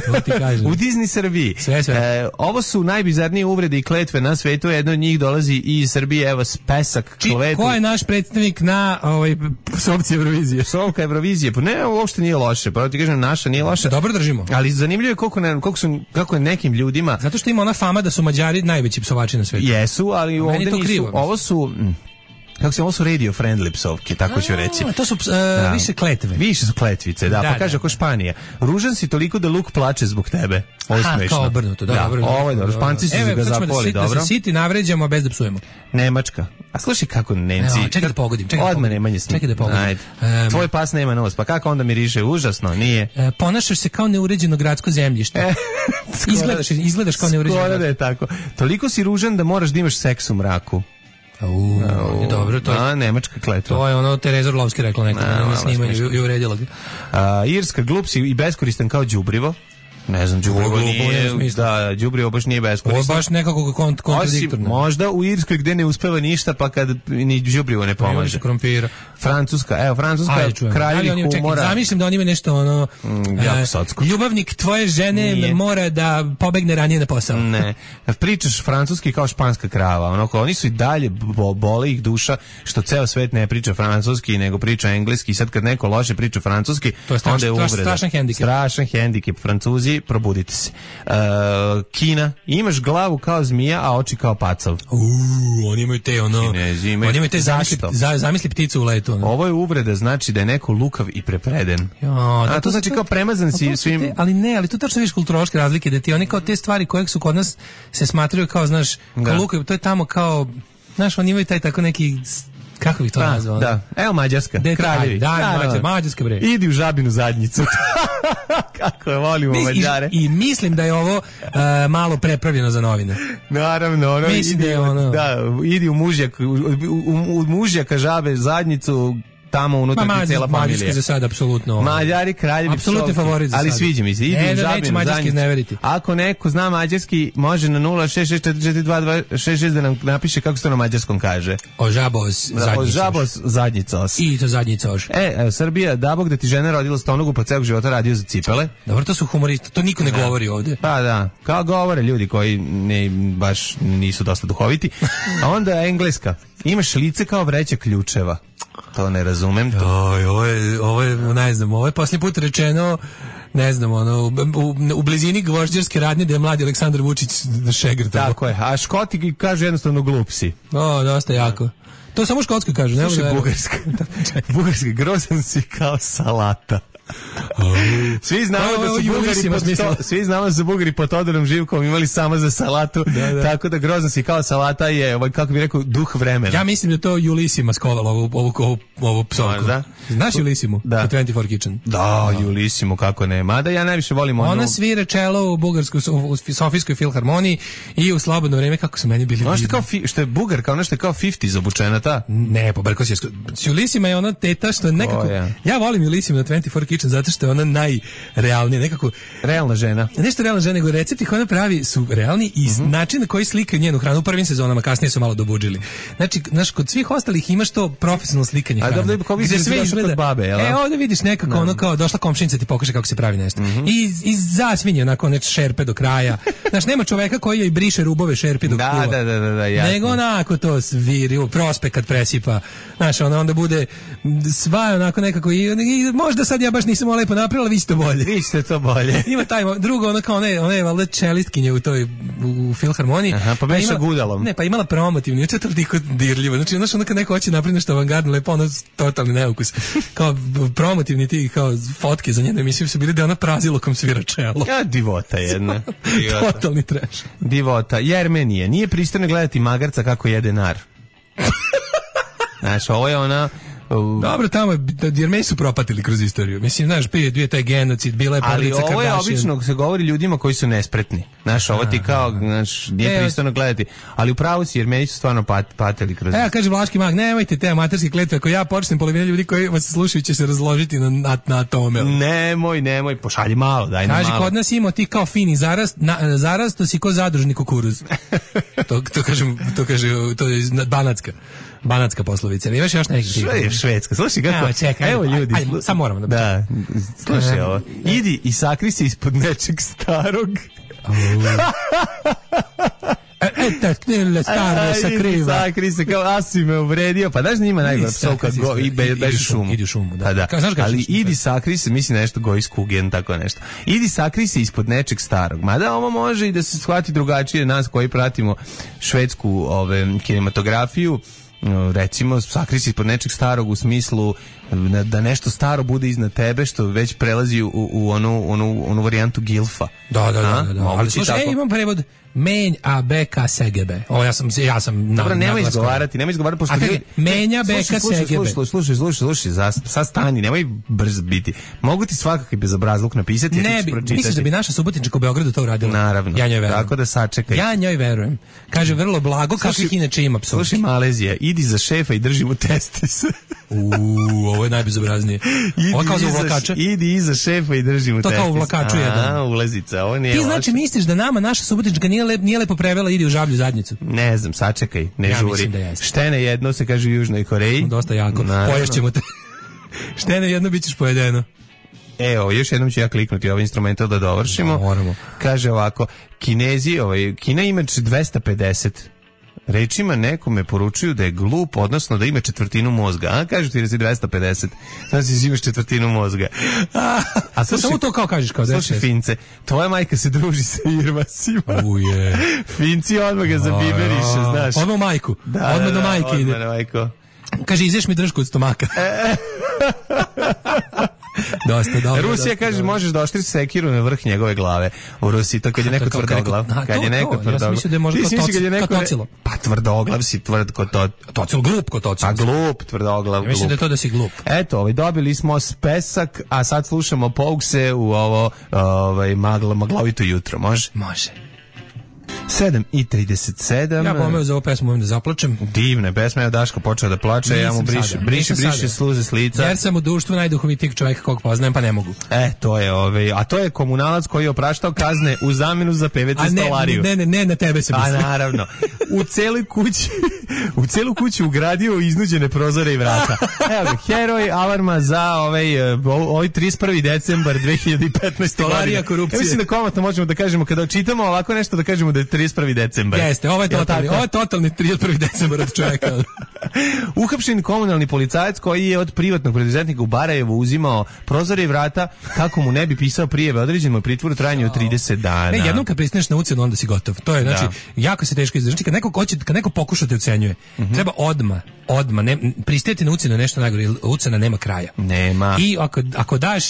To ti kažem. U Disney Srbiji. Sve, sve. E, ovo su najbizarnije uvrede i kletve na svetu. Jedno od njih dolazi iz Srbije. Evo, Spesak, Či, kletu. ko je naš predstavnik na ovaj, psovci Eurovizije? Psovka Eurovizije. Pa ne, uopšte nije loše. Pravo ti kažem, naša nije loša. Dobro držimo. Ali zanimljivo je koliko, ne, koliko, su, kako je nekim ljudima... Zato što ima ona fama da su Mađari najveći psovači na svetu. Jesu, ali Meni ovdje to nisu. krivo, mislim. Ovo su... mm, kako se, ovo su radio friendly psovke, tako ću reći. A, to su uh, Da. više kletve. Više su kletvice, da, Da, pa kaže da, ako Španija. Ružan si toliko da luk plače zbog tebe. Ovo je Aha, smešno. kao obrnuto, da, dobro. Ovo je dobro, Španci su Evo, ga sad ćemo da zapoli, sit- dobro. Da se siti navređamo bez da psujemo. Nemačka. A slušaj kako Nemci... Evo, čekaj da pogodim, čekaj da Odmah pogodim. nemanje sni. Čekaj da pogodim. Ajde. Em, Tvoj pas nema nos, pa kako onda miriše? Užasno, nije. E, ponašaš se kao neuređeno gradsko zemljište. Skoro izgledaš, da- izgledaš kao neuređeno Skoro da gradsko. je tako. Toliko si ružan da moraš da imaš seks u mraku. U, dobro, to je, A, nemačka kletva. to je ono Tereza Orlovski rekla nekako A, na malo snimanju smešno. i, i uredila ga. A, Irska, glup si i beskoristan kao đubrivo. Ne znam, đubrivo Glupo, nije... nema smisla. Da, đubrivo baš nije Ovo je beskoristan. baš nekako kont Osim kontradiktorno. možda u Irskoj gde ne uspeva ništa, pa kad ni đubrivo ne Imali pomaže. su krompira. Francuska, evo, Francuska, Ajde, čujem. Ali kraljevi oni, čekaj, humora. zamislim da oni imaju nešto ono... Mm, jako e, socko. ljubavnik tvoje žene Nije. mora da pobegne ranije na posao. Ne, pričaš francuski kao španska krava, ono kao oni su i dalje bo, bole ih duša što ceo svet ne priča francuski nego priča engleski i sad kad neko loše priča francuski To je strašan- onda je strašan- uvreda. strašan hendikep. Strašan hendikep. Francuzi, probudite se. Uh, Kina, imaš glavu kao zmija, a oči kao pacov. Uuu, oni imaju te ono... Kinezi imaju- Oni imaju te zamisli, Zašto? za, zamisli pticu u letu. Ono. Ovo je uvreda, znači da je neko lukav i prepreden. Jo, A da, to znači kao premazan to si su svim... te- ali ne, ali tu tačno vidiš kulturološke razlike, da ti oni kao te stvari koje su kod nas se smatraju kao, znaš, kao Da. lukav, to je tamo kao, znaš, oni imaju taj tako neki Kako bih to da, nazvao? Da, evo Mađarska, De, kraljevi. Da, da, Mađarska, Mađarska bre. Idi u žabinu zadnjicu. Kako je volimo Mis, Mađare. I, I mislim da je ovo uh, malo prepravljeno za novine. Naravno, ono, mislim idi, da je ono... Da, idi u mužjak, u, u, u mužjaka žabe zadnjicu, tamo unutra ti cijela familija. Mađarski za sad, apsolutno. Mađari, kraljevi, apsolutni favorit za sad. Ali sviđa mi se, idi ne, u da žabinu zadnjicu. Ako neko zna mađarski, može na nula šest šest četiri četiri dva dva šest šest da nam napiše kako se to na mađarskom kaže. O žabos zadnjicos. O žabos zadnjicos. I to zadnjicos. E, evo, Srbija, da bog da ti žena rodila stonogu, pa celog života radio za cipele. Dobro, to su humoristi, to niko ne da. govori ovde. Pa da, kao govore ljudi koji ne, baš nisu dosta duhoviti. A onda Engleska. Imaš lice kao vreća ključeva. To ne razumem. To. Oj, ovo je, ovo je, ne znam, ovo je posljednji put rečeno, ne znam, ono, u, u, u blizini gvožđarske radnje da je mladi Aleksandar Vučić šegrtavo. Tako je, a Škoti kažu jednostavno glup si. O, dosta jako. To samo Škotsko kažu. Slušaj, Bugarska. Bugarska, grozan si kao salata. Svi znamo da su Bugari pod to, svi znamo da su Bugari pod Todorom Živkom imali samo za salatu, da, da. Tako da grozan si kao salata je, ovaj, kako bih rekao, duh vremena. Ja mislim da to Julisima skovala ovu, ovu, ovu, ovu psovku. Da? Znaš Julisimu? Da. dvadesет četiri Kitchen. Da, da. Julisimu, kako ne. Mada ja najviše volim onu... Ona svira čelo u bugarskoj, u Sofijskoj filharmoniji i u slobodno vreme, kako su meni bili... Ono što je, kao fi, što je Bugarka, ono što je kao pedeset obučena, ta? Ne, pobrko si. Julisima je ona teta što nekako... Oh, yeah. Ja volim Julisimu na dvadesет četiri Kitchen zato što je ona najrealnije, nekako... Realna žena. Nešto realna žena, nego recepti koje ona pravi su realni i uh-huh. način na koji slikaju njenu hranu u prvim sezonama, kasnije su malo dobuđili. Znači, znaš, kod svih ostalih imaš to profesionalno slikanje hrane. A dobro, kao gde sve izgleda... Babe, jel? E, ovdje vidiš nekako no. ono kao došla komšinica ti pokaže kako se pravi nešto. Uh-huh. I, i zasvinje onako neč šerpe do kraja. Znaš, nema čoveka koji joj briše rubove šerpi dok da, kuva. Da, da, da, da, jasno. Nego onako to sviri, prospekt kad presipa. Znaš, ona onda bude sva onako nekako i, i možda sad ja baš nisam ovo lepo napravila, vi ste bolje. Vi ste to bolje. Ima taj drugo, ona kao one, one je valjda čelistkinje u toj u, u filharmoniji. Aha, pa meša gudalom. Ne, pa imala promotivni, juče to toliko dirljivo. Znači, znaš, onda kad neko hoće napraviti nešto avangardno, lepo, ono totalni neukus. Kao promotivni ti, kao fotke za njenu emisiju su bili da ona prazilokom svira čelo. Ja, divota jedna. Divota. Totalni trash. Divota. Jermenije. Nije pristojno gledati magarca kako jede nar. Znaš, ovo je ona... Uh, Dobro, tamo jer me su propatili kroz istoriju. Mislim, znaš, prije dvije taj genocid, bila je porodica Kardashian. Ali ovo je obično se govori ljudima koji su nespretni. Znaš, ovo ti kao, znaš, nije e, pristojno gledati. Ali u pravu si, jer meni su stvarno pat, patili kroz istoriju. Evo, kaže Vlaški mag, nemojte te amaterske kletve. Ako ja počnem, polovina ljudi koji vas slušaju će se razložiti na, na, na tome. Nemoj, nemoj, pošalji malo, daj nam malo. Kaže, kod nas ima ti kao fini zarast, na, zarast, to si ko zadružni kukuruz. to, to, kažem, to kaže, to je banatska. Banatska poslovica. Imaš još nekih tih? Šve, švedska. Slušaj kako... Evo, čekaj. Evo ljudi. Ajde, ajde, sad moramo da... Da. Slušaj ovo. Idi i sakri se ispod nečeg starog. Eto, knile staro sakriva. Sakri se kao, a si me uvredio. Pa daš njima najgora psovka i beži šumu. Idi u šumu, da. Pa da. Ali idi sakri se, mislim nešto Gojs Kugen, tako nešto. Idi sakri se ispod nečeg starog. Mada ovo može i da se shvati drugačije nas koji pratimo švedsku ove, kinematografiju. Recimo, sakri se ispod nečeg starog u smislu da nešto staro bude iznad tebe što već prelazi u, u onu, onu, onu varijantu gilfa. Da, da, da. da, da. Ali slušaj, e, imam prevod menj a beka segebe. Ovo ja sam ja sam Dobro, nemoj izgovarati, nemoj izgovarati pošto ljudi menja beka segebe. Slušaj, slušaj, slušaj, slušaj, sa stani, nemoj brz biti. Mogu ti svakako i bezobrazluk napisati, ne bi, misliš da bi naša Subotička u Beogradu to uradila? Naravno. Ja njoj verujem. Tako da sačekaj. Ja njoj verujem. Kaže vrlo blago, kakvih inače ima psovki. Slušaj, Malezija, idi za šefa i drži mu testis. Uuu, ovo je najbezobraznije. Ovo kao za uvlakača. Idi iza šefa i drži mu testis. To kao uvlakaču jedan. A, ulazica, ovo nije. Ti znači misliš da nama naša Subotička nije, lep, nije lepo prevela idi u žablju zadnjicu? Ne znam, sačekaj, ne ja žuri. Da Štene jedno se kaže u Južnoj Koreji. Dosta jako. Poješćemo te. Štene jedno bit ćeš pojedeno. Evo, još jednom ću ja kliknuti ovaj instrumental da dovršimo. Da, moramo. Kaže ovako, Kinezi, ovaj, Kina ima dvesta pedeset. Rečima nekome poručuju da je glup, odnosno da ima četvrtinu mozga. A kažu ti da si dvesta pedeset. Znači si imaš četvrtinu mozga. A, a sluši, samo to kao kažeš kao sluši Fince, tvoja majka se druži sa Irvasima. Uje. Finci odmah ga zabiberiše, znaš. Odmah majku. Da, odmah do majke odmah ide. Na majku. Kaže, izveš mi držku od stomaka. Dosta dobro. Rusija dosta, kaže dobro. možeš da oštriš sekiru na vrh njegove glave. U Rusiji to kad je neko tvrdoglav. Kad je neko tvrdoglav. Ja sam mislio da je možda kao tocilo. Pa tvrdoglav si, tvrd kod to. Tocilo, glup kod tocilo. A glup, tvrdoglav, ja mislim glup. da je to da si glup. Eto, ovaj, dobili smo spesak, a sad slušamo Pougse u ovo ovaj, magla, maglovito jutro. Može? Može. sedam i trideset sedam. Ja pomeo za ovu pesmu, moram da zaplačem. Divne pesme, ja Daško počeo da plače, Nisam ja mu briše, sada, briše, nisam briše sada. sluze s lica. Jer sam u društvu najduhovitijeg čovjeka kog poznajem, pa ne mogu. E, to je, ovaj, a to je komunalac koji je opraštao kazne u zamenu za P V C a ne, stolariju. ne, ne, ne, na tebe se misli. A naravno. U celoj kući, u celu kuću ugradio iznuđene prozore i vrata. Evo ga, heroj alarma za ovaj, ovaj trideset prvi decembar dve hiljade petnaeste. Stolarija korupcije. Ja mislim da komotno možemo da kažemo, kada čitamo ovako nešto, da kažemo da je trideset prvi decembar. Jeste, ovo je totalni, ovo je totalni trideset prvi decembar od čovjeka. Uhapšen komunalni policajac koji je od privatnog preduzetnika u Barajevu uzimao prozore i vrata kako mu ne bi pisao prijeve, određen mu je pritvor u trajanju od trideset dana. Ne, jednom kad pristaneš na ucenu, onda si gotov. To je, znači, da. jako se teško izdržati. Kad neko hoće, kad neko pokuša te ucenjuje, mm-hmm. treba odma, odma, ne, pristajati na ucenu nešto najgore, jer ucena nema kraja. Nema. I ako, ako daš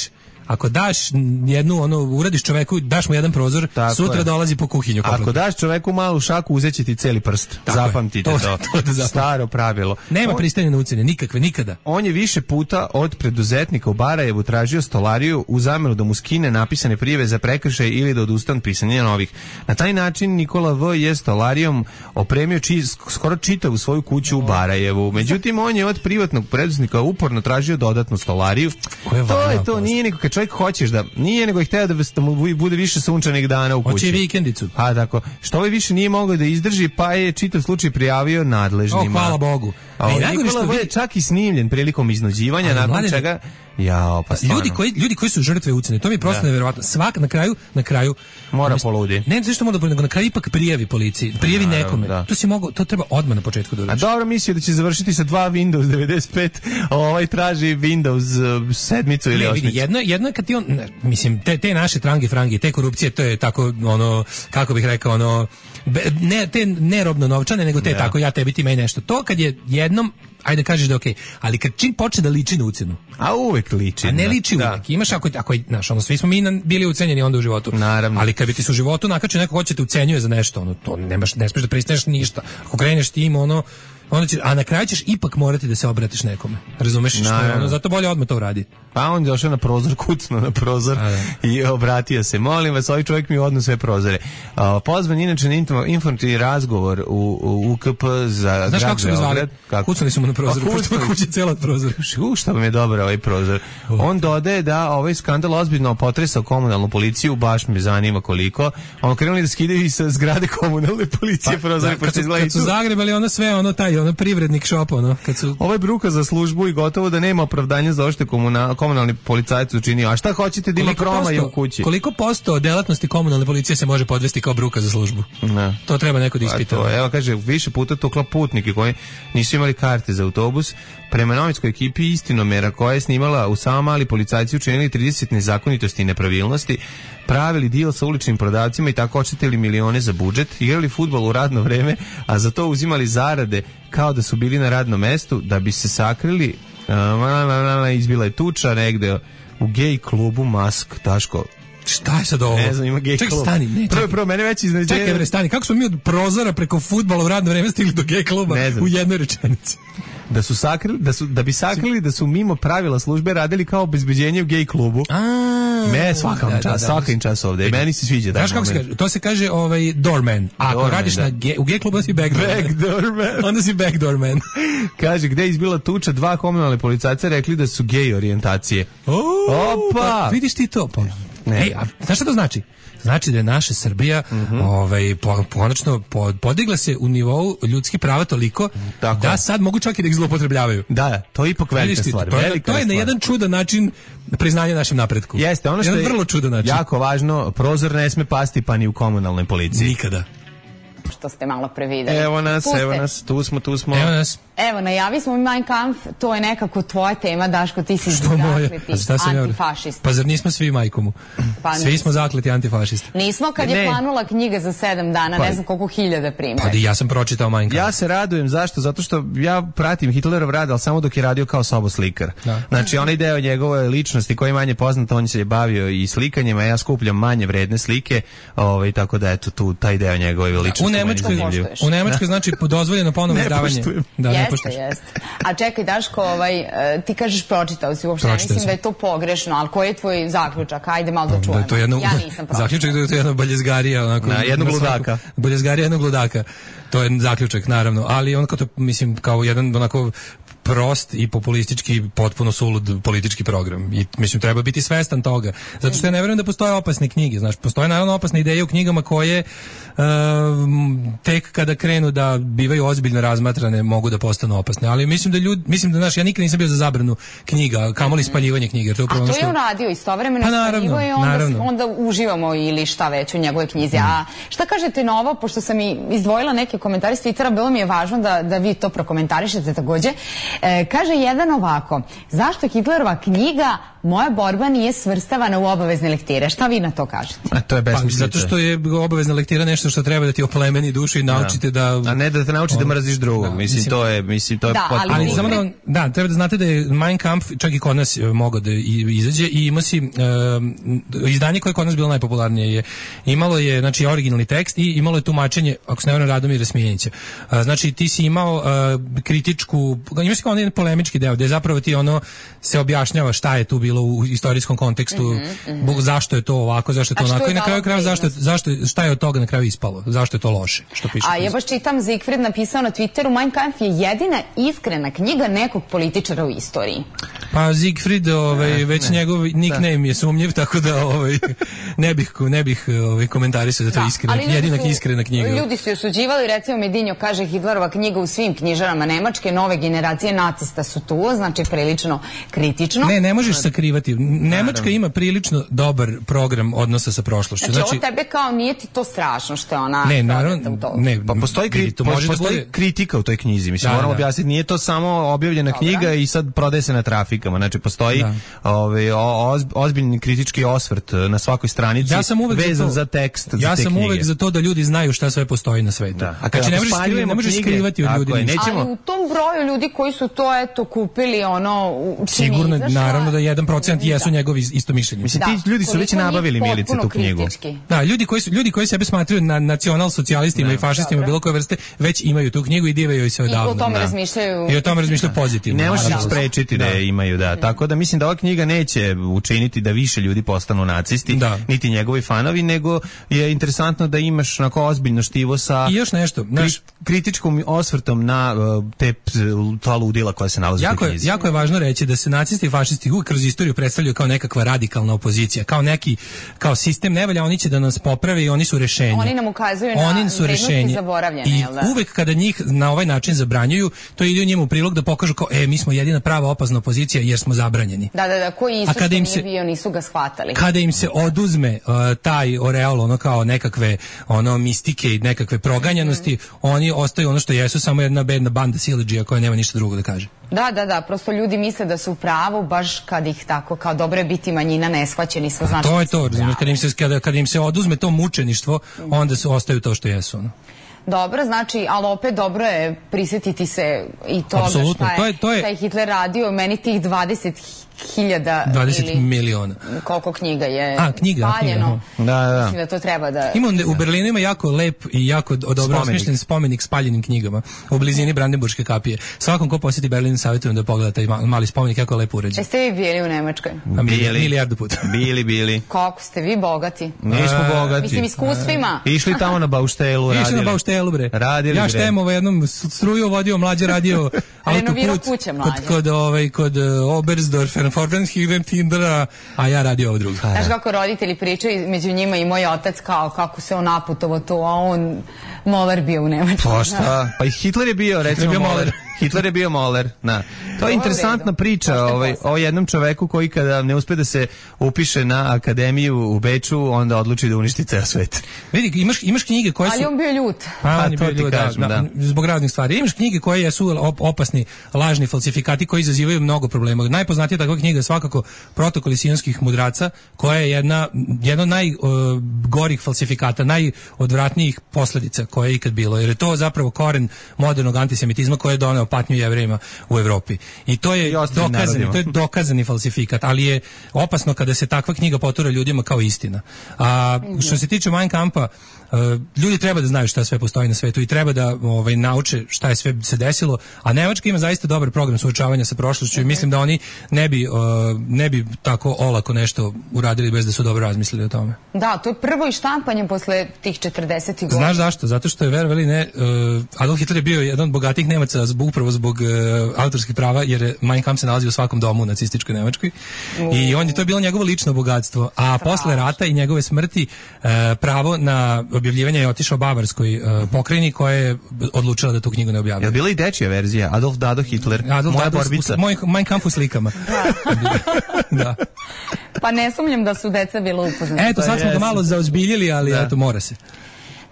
Ako daš jednu, ono, uradiš čoveku, daš mu jedan prozor, tako sutra je. Dolazi po kuhinju. Kompletno. Ako daš čoveku malu šaku, uzeće ti celi prst. Tako zapamtite to. to. to Staro pravilo. Nema pristanja na ucene, nikakve, nikada. On je više puta od preduzetnika u Barajevu tražio stolariju u zamenu da mu skine napisane prijave za prekršaj ili da odustan pisanja novih. Na taj način Nikola V. je stolarijom opremio či, skoro čitavu svoju kuću u Barajevu. Međutim, on je od privatnog preduzetnika uporno tražio dodatnu stolariju. Koje to je to, nije niko čovjek hoćeš da, nije nego je hteo da, da mu bude više sunčanih dana u kući. Hoće vikendicu. A tako, što ovaj više nije mogao da izdrži, pa je čitav slučaj prijavio nadležnima. O, hvala Bogu. A e, Nikola V. je čak i snimljen prilikom iznuđivanja, nakon mladine, čega ja, pa stvarno. Ljudi koji, ljudi koji su žrtve ucene, to mi je prosto nevjerovatno. Svak na kraju, na kraju mora poludi. Ne, zašto mora poludi, nego na kraju ipak prijavi policiji, prijavi naravno, nekome. Da. To se mogu, to treba odmah na početku da uradiš. A dobro, mislio da će završiti sa dva Windows devedeset pet, ovaj traži Windows sedmicu ili osmicu. Jedno, jedno je kad ti on, mislim, te, te naše trange frange, te korupcije, to je tako, ono, kako bih rekao, ono, ne, te nerobno novčane, nego te ja. Tako, ja tebi ti meni nešto. To kad je jednom, ajde kažeš da je okej, okay. Ali kad čim počne da liči na ucenu. A uvek liči. A ne liči da. Uvek. Imaš ako, ako znaš, ono, svi smo mi bili ucenjeni onda u životu. Naravno. Ali kad bi ti se u životu nakače neko hoće te ucenjuje za nešto, ono, to nemaš, ne smiješ da pristaneš ništa. Ako kreneš tim, ono, onda će, a na kraju ćeš ipak morati da se obratiš nekome. Razumeš što je ono, zato bolje odmah to uradi. Pa on je došao na prozor, kucno na prozor i obratio se. Molim vas, ovaj čovjek mi odno sve prozore. Uh, pozvan inače na informativni razgovor u, u U K P za znaš grad kako su ga zvali? Kucali su mu na prozor, pošto kuće cijela prozor. U, šta vam je dobro ovaj prozor. On dodaje da ovaj skandal ozbiljno potresao komunalnu policiju, baš me zanima koliko. On krenuli da skidaju sa zgrade komunalne policije pa, prozore. Da, kad, su, kad su zagrebali ono sve, ono taj, ono privrednik šop, ono. Kad su... Ovaj bruka za službu i gotovo da nema opravdanja za ošte komunalne komunalni policajac učinio. A šta hoćete da ima promaje u kući? Koliko posto delatnosti komunalne policije se može podvesti kao bruka za službu? Ne. To treba neko da ispita. Evo kaže, više puta tukla putnike koji nisu imali karte za autobus. Prema novinskoj ekipi Istinomera koja je snimala u sama mali policajci učinili trideset nezakonitosti i nepravilnosti, pravili deal sa uličnim prodavcima i tako odštetili milione za budžet, igrali fudbal u radno vreme, a za to uzimali zarade kao da su bili na radnom mestu da bi se sakrili. Izbila je tuča negde u gej klubu Mask. Daško, šta je sad ovo? Ne znam, ima gej klub. Čekaj, stani. Ne, prvo, prvo, mene već iznenađenje. Čekaj, bre, stani. Kako smo mi od prozora preko fudbala u radno vreme stigli do gej kluba u jednoj rečenici? Da su sakrili, da su da bi sakrili da su mimo pravila službe radili kao obezbeđenje u gej klubu. A, me svakam da, čas, da, da, svakim čas ovde. Meni se sviđa da. Znaš kako se kaže? To se kaže ovaj doorman. A ako radiš da. na ge, u gej klubu onda si backdoor. Backdoor man. Onda si backdoor man. Kaže gde je izbila tuča, dva komunalne policajca rekli da su gej orijentacije. Oh, opa. Pa, vidiš ti to? Pa. Ej, a znaš šta to znači? Znači da je naša Srbija mm-hmm. ovaj, po, konačno pod, podigla se u nivou ljudskih prava toliko tako da sad mogu čak i da ih zloupotrebljavaju. Da, to je ipak velika stvar. To je, velika to je stvar. na jedan čudan način priznanje našem napretku. Jeste, ono što jedan je vrlo čudan način. Jako važno, prozor ne sme pasti pa ni u komunalnoj policiji. Nikada. što ste malo prevideli. Evo nas, Puste. evo nas, tu smo, tu smo. Evo nas. Evo, najavi smo mi Mein Kampf, to je nekako tvoja tema, Daško, ti si Što moje? zakleti A šta sam ja? antifašist. Pa zar nismo svi majkomu? Pa Svi smo zakleti antifašisti. Nismo kad Ne. je planula knjiga za sedam dana, Pa- ne znam koliko hiljada primjera. Pa di, ja sam pročitao Mein Kampf. Ja se radujem, zašto? Zato što ja pratim Hitlerov rad, ali samo dok je radio kao soboslikar. Da. Znači, onaj deo njegove ličnosti koji je manje poznat, on se je bavio i slikanjem, a ja skupljam manje vredne slike, ovaj, tako da, eto, tu, taj deo njegove ličnosti. U meni Nemačkoj, zanimljiv. u Nemačkoj znači dozvoljeno ponovno Ne izdavanje. poštujem. Da, ne Jeste, poštuješ. jeste. A čekaj, Daško, ovaj, e, ti kažeš pročitao si, uopšte ne Pročitao mislim sam. da je to pogrešno, ali koji je tvoj zaključak? Ajde malo da Da čujemo. je to jedno, Ja nisam pročitao. zaključak da je to jedna baljezgarija. Onako, Na jednog na svaku- ludaka. Baljezgarija jednog ludaka. To je zaključak, naravno. Ali on kao to, mislim, kao jedan onako prost i populistički, potpuno sulud politički program. I mislim, treba biti svestan toga. Zato što ja ne vjerujem da postoje opasne knjige. Znaš, postoje naravno opasne ideje u knjigama koje um, tek kada krenu da bivaju ozbiljno razmatrane mogu da postanu opasne. Ali mislim da ljudi, mislim da, znaš, ja nikad nisam bio za zabranu knjiga, kamoli spaljivanje knjige. Jer to je upravo A ono to što- je uradio istovremeno Pa naravno, spaljivo i onda, naravno. onda uživamo ili šta već u njegovoj knjizi. A šta kažete na ovo, pošto sam i izdvojila neke komentare s Twittera, bilo mi je važno da, da vi to prokomentarišete takođe. E, kaže jedan ovako, zašto Hitlerova knjiga Moja borba nije svrstavana u obavezne lektire? Šta vi na to kažete? A to je Pa, besmislica. zato što je obavezna lektira nešto što treba da ti oplemeni dušu i naučite da... A ne da te nauči da mrziš drugog. Da, mislim, mislim- to je, mislim, to je Da, ali potpuno Ali Zigfrid- samo da, vam- da, treba da znate da je Mein Kampf čak i kod nas e, mogao da i- izađe i ima si e, izdanje koje je kod nas bilo najpopularnije je imalo je znači originalni tekst i imalo je tumačenje, ako se ne varam, Radomira Smijenića. A, znači ti si imao e, kritičku, imaš si kao onaj polemički deo gde zapravo ti ono se objašnjava šta je tu bilo u istorijskom kontekstu, bu- zašto je to ovako, zašto je to A što onako je i na kraju dalo krajeva zašto, je- prednost? zašto, je- šta je od toga na kraju ispalo, zašto je to loše, što piše. A ja baš čitam, Zigfrid napisao na Twitteru, Mein Kampf je jedina iskrena knjiga nekog političara u istoriji. Pa Zigfrid, ovaj, već njegov nickname je sumnjiv, tako da ovaj, ne bih, ne bih ovaj, komentarisao da to je iskrena, ali ljudi jedina su- iskrena knjiga. Ljudi su je osuđivali, recimo Medinjo kaže Hitlerova knjiga u svim knjižarama Nemačke, nove generacije nacista su tu, znači prilično kritično. Ne, ne možeš sakrivati. Nemačka ima prilično dobar program odnosa sa prošlošću. Znači, ovo tebe kao nije ti to strašno što je ona ne, prodata naravno, u to. ne, Pa postoji, kri, to može da postoji bude- kritika u toj knjizi, mislim, Da, moramo da. objasniti, nije to samo objavljena knjiga i sad prodaje se na trafikama, znači postoji Da. ovaj, o- oz, ozbiljni kritički osvrt na svakoj stranici Ja sam uvek vezan za, to, za tekst ja za te sam knjige. uvek za to da ljudi znaju šta sve postoji na svetu. Da. A Znači, kada ne možeš, skrivati, spaljujemo ne možeš knjige, skrivati od tako ljudi je, ništa. nećemo- Ali u tom broju ljudi koji su to eto kupili ono u- čim je Sigurno, izašla- naravno da jedan procent jesu Da. njegovi istomišljenici. Mislim, Da, ti ljudi su već koliko njih nabavili, Milice, potpuno tu knjigu. kritički. Da, ljudi koji su ljudi koji sebe smatraju na nacional socijalistima i fašistima bilo koje vrste već imaju tu knjigu i divaju joj se odavno. o tome Da. razmišljaju. I o tome razmišljaju I pozitivno. ne možeš ih naravno. sprečiti da je imaju, da. Tako da mislim da ova knjiga neće učiniti da više ljudi postanu nacisti, Da. niti njegovi fanovi, nego je interesantno da imaš onako ozbiljno štivo sa I još nešto, znaš, kri- kritičkom osvrtom na uh, te p- ta ludila koja se nalazi u Jako toj je, knjizi. jako je važno reći da se nacisti i fašisti uvijek kroz istoriju predstavljaju kao nekakva radikalna opozicija, kao neki, kao sistem ne valja, oni će da nas poprave i oni su rešenje. Oni nam ukazuju na Oni su vrednosti rešenje. zaboravljene, I jel da? uvek kada njih na ovaj način zabranjuju, to ide u njemu u prilog da pokažu kao, e, mi smo jedina prava opasna opozicija jer smo zabranjeni. Da, da, da, koji Isus A kada što im nije se- bio, nisu ga shvatali. Kada im se oduzme uh, taj oreol, ono kao nekakve ono mistike i nekakve proganjanosti, oni ostaju ono što jesu, samo jedna bedna banda siledžija koja nema ništa drugo da kaže. Da, da, da, prosto ljudi misle da su u pravu baš kad ih tako, kao dobro je biti manjina, neshvaćeni sa znači. To je to, razumiješ, kada im se kada, kada im se oduzme to mučeništvo, onda su ostaju to što jesu, ono. Dobro, znači, ali opet dobro je prisjetiti se i toga Apsolutno, šta je, to je- to je- šta je Hitler radio. Meni tih dvadeset hiljada dvadeset ili miliona. koliko knjiga je A, knjiga, a, knjiga, spaljeno. Da, da. Mislim da to treba da... Ima u Berlinu ima jako lep i jako dobro Spomenik. osmišljen spomenik spaljenim knjigama u blizini Brandenburške kapije. Svakom ko posjeti Berlin savjetujem da pogleda taj ma- mali spomenik, jako je lepo uređen. Jeste vi bili u Nemačkoj? A mi- Bili. Milijardu puta. Bili, bili. Kako ste vi bogati? Nismo bogati. Mislim, iskustvima. Išli tamo na Bauštelu, radili. Išli na Bauštelu, bre. Radili, ja bre. Štemovo jednom struju vodio, mlađe radio Renovirao autoput kuće, kod, mlađe. kod, ovaj, kod uh, Oberstdorfer, Fordenhiden, Tindera, a ja radio ovo drugo. Znaš kako roditelji pričaju, među njima i moj otac, kao kako se on naputovo to, a on molar bio u Nemačkoj. Pa šta? Pa i Hitler je bio, recimo, bio moler. moler. Hitler je bio moler. Na. To je interesantna priča ovaj, o jednom čoveku koji kada ne uspe da se upiše na akademiju u Beču, onda odluči da uništi ceo svet. Vidi, imaš, imaš knjige koje su... Ali on bio ljut. Pa, on je to bio ti ljut, kažem, da, da. da. Zbog raznih stvari. Imaš knjige koje su op- opasni, lažni falsifikati koji izazivaju mnogo problema. Najpoznatija takva knjiga je svakako Protokoli sionskih mudraca, koja je jedna, jedna od najgorih uh, falsifikata, najodvratnijih posledica koje je ikad bilo. Jer je to zapravo koren modernog antisemitizma koji je doneo patnju Jevrejima u Evropi. I to je dokazani, to je dokazani falsifikat, ali je opasno kada se takva knjiga potura ljudima kao istina. A što se tiče Mein Kampa, ljudi treba da znaju šta sve postoji na svetu i treba da ovaj, nauče šta je sve se desilo, a Nemačka ima zaista dobar program suočavanja sa prošlošću i mislim da oni ne bi, uh, ne bi tako olako nešto uradili bez da su dobro razmislili o tome. Da, to je prvo i štampanje posle tih četrdesetih godina. Znaš zašto? Zato što je, verovali ne, uh, Adolf Hitler je bio jedan od bogatih Nemaca zbog, upravo zbog uh, autorskih prava, jer Mein Kampf se nalazi u svakom domu u nacističkoj Nemačkoj mm. i on je, to je bilo njegovo lično bogatstvo, a Straš. Posle rata i njegove smrti uh, pravo na objavljivanje je otišao Bavarskoj uh, pokrajini koja je odlučila da tu knjigu ne objavlja. Je bila i dečija verzija, Adolf Dado Hitler, Adolf moja Dado, borbica. Moj Mein Kampf u slikama. Da. Pa ne sumnjam da su deca bila upoznata. Eto, sad smo ga malo zaozbiljili, ali da. Eto, mora se.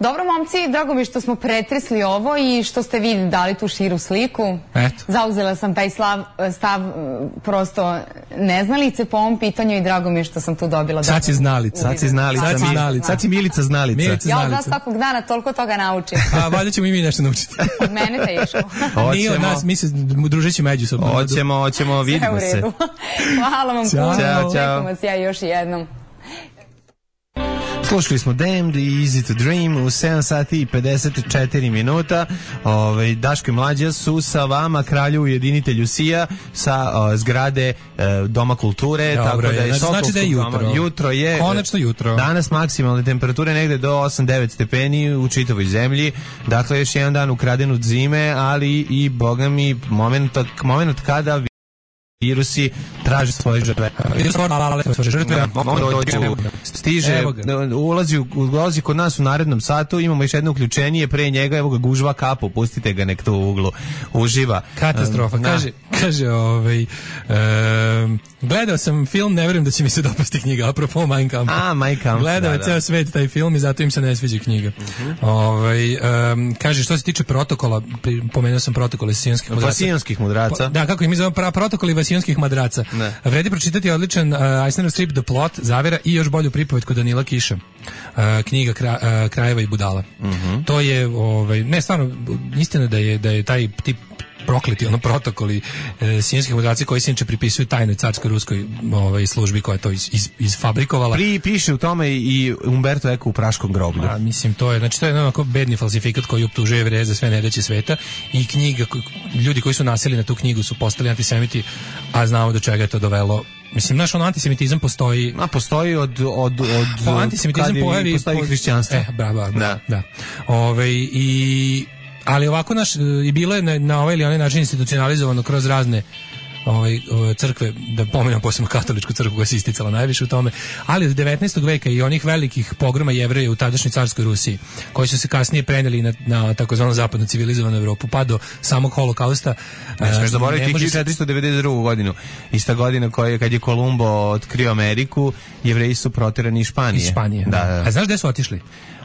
Dobro, momci, drago mi što smo pretresli ovo i što ste vi dali tu širu sliku. Eto. Zauzela sam taj slav, stav prosto neznalice po ovom pitanju i drago mi je što sam tu dobila. Sad si znalica. Sad si znalica. Sad si znalica. Sad si Milica znalica. Milica ja znalica. od vas svakog dana toliko toga naučim. A valjda ćemo i mi nešto naučiti. Od mene teško. Nije od nas, mi se družeći međusobno. Hoćemo, hoćemo, vidimo se. Hvala vam puno. Ćao, čao. Vas ja još jednom. Slušali smo Damned i Easy to Dream u sedam sati i pedeset četiri minuta. Ove, Daško i Mlađa su sa vama, kralju ujedinitelju Sija, sa o, zgrade e, Doma kulture. Dobre, tako da je znači, znači da je jutro. Doma. Jutro je. Konačno jutro. Danas maksimalne temperature negde do osam devet stepeni u čitavoj zemlji. Dakle, još jedan dan ukraden od zime, ali i, boga mi, moment, moment kada virusi traže svoje žrtve. Stiže, ulazi, ulazi kod nas u narednom satu, imamo još jedno uključenje, pre njega, evo ga, gužva kapu, pustite ga nek to u uglu uživa. Katastrofa. Um, kaže, kaže ovaj, um, gledao sam film, ne verujem da će mi se dopasti knjiga, apropo Mein Kampf. A, Mein Kampf, gledao je da, ceo da. svet taj film i zato im se ne sviđa knjiga. Uh-huh. ovaj, um, kaže, što se tiče protokola, pomenuo sam protokole sionskih mudraca. Sionskih mudraca. Da, kako ih mi zovemo, pra, protokoli vasionskih madraca. Ne. Vredi pročitati odličan uh, Eisnerov strip The Plot, zavera i još bolju pripovetku Danila Kiša. Uh, knjiga kra, uh, Krajeva i budala. Uh-huh. To je, ovaj, ne, stvarno, istina da je, da je taj tip prokleti ono protokoli e, sionskih mudraca koji se inače pripisuju tajnoj carskoj ruskoj ovaj, službi koja je to iz, iz, izfabrikovala. Pri, piše u tome i Umberto Eco u Praškom groblju. A, mislim, to je, znači, to je jedan onako bedni falsifikat koji optužuje Jevreje za sve nedaće sveta i knjiga, ljudi koji su naseli na tu knjigu su postali antisemiti, a znamo do čega je to dovelo. Mislim, naš on antisemitizam postoji... A, postoji od... od, od po antisemitizam pojavi... Postoji hrišćanstvo. Eh, bravo, bravo, da. da. Ove, i... Ali ovako naš, i bilo je na, na ovaj ili onaj način institucionalizovano kroz razne ovaj, crkve, da pomenem posebno katoličku crkvu koja se isticala najviše u tome, ali od devetnaestog veka i onih velikih pogroma Jevreja u tadašnjoj carskoj Rusiji, koji su se kasnije preneli na, na takozvanu zapadno civilizovanu Evropu, pa do samog holokausta. Ne smiješ zaboraviti hiljadu četiristo devedeset drugu godinu. Ista godina koja, kad je Kolumbo otkrio Ameriku, Jevreji su proterani iz Španije. Iz Španije, da. da. A znaš gde su otišli?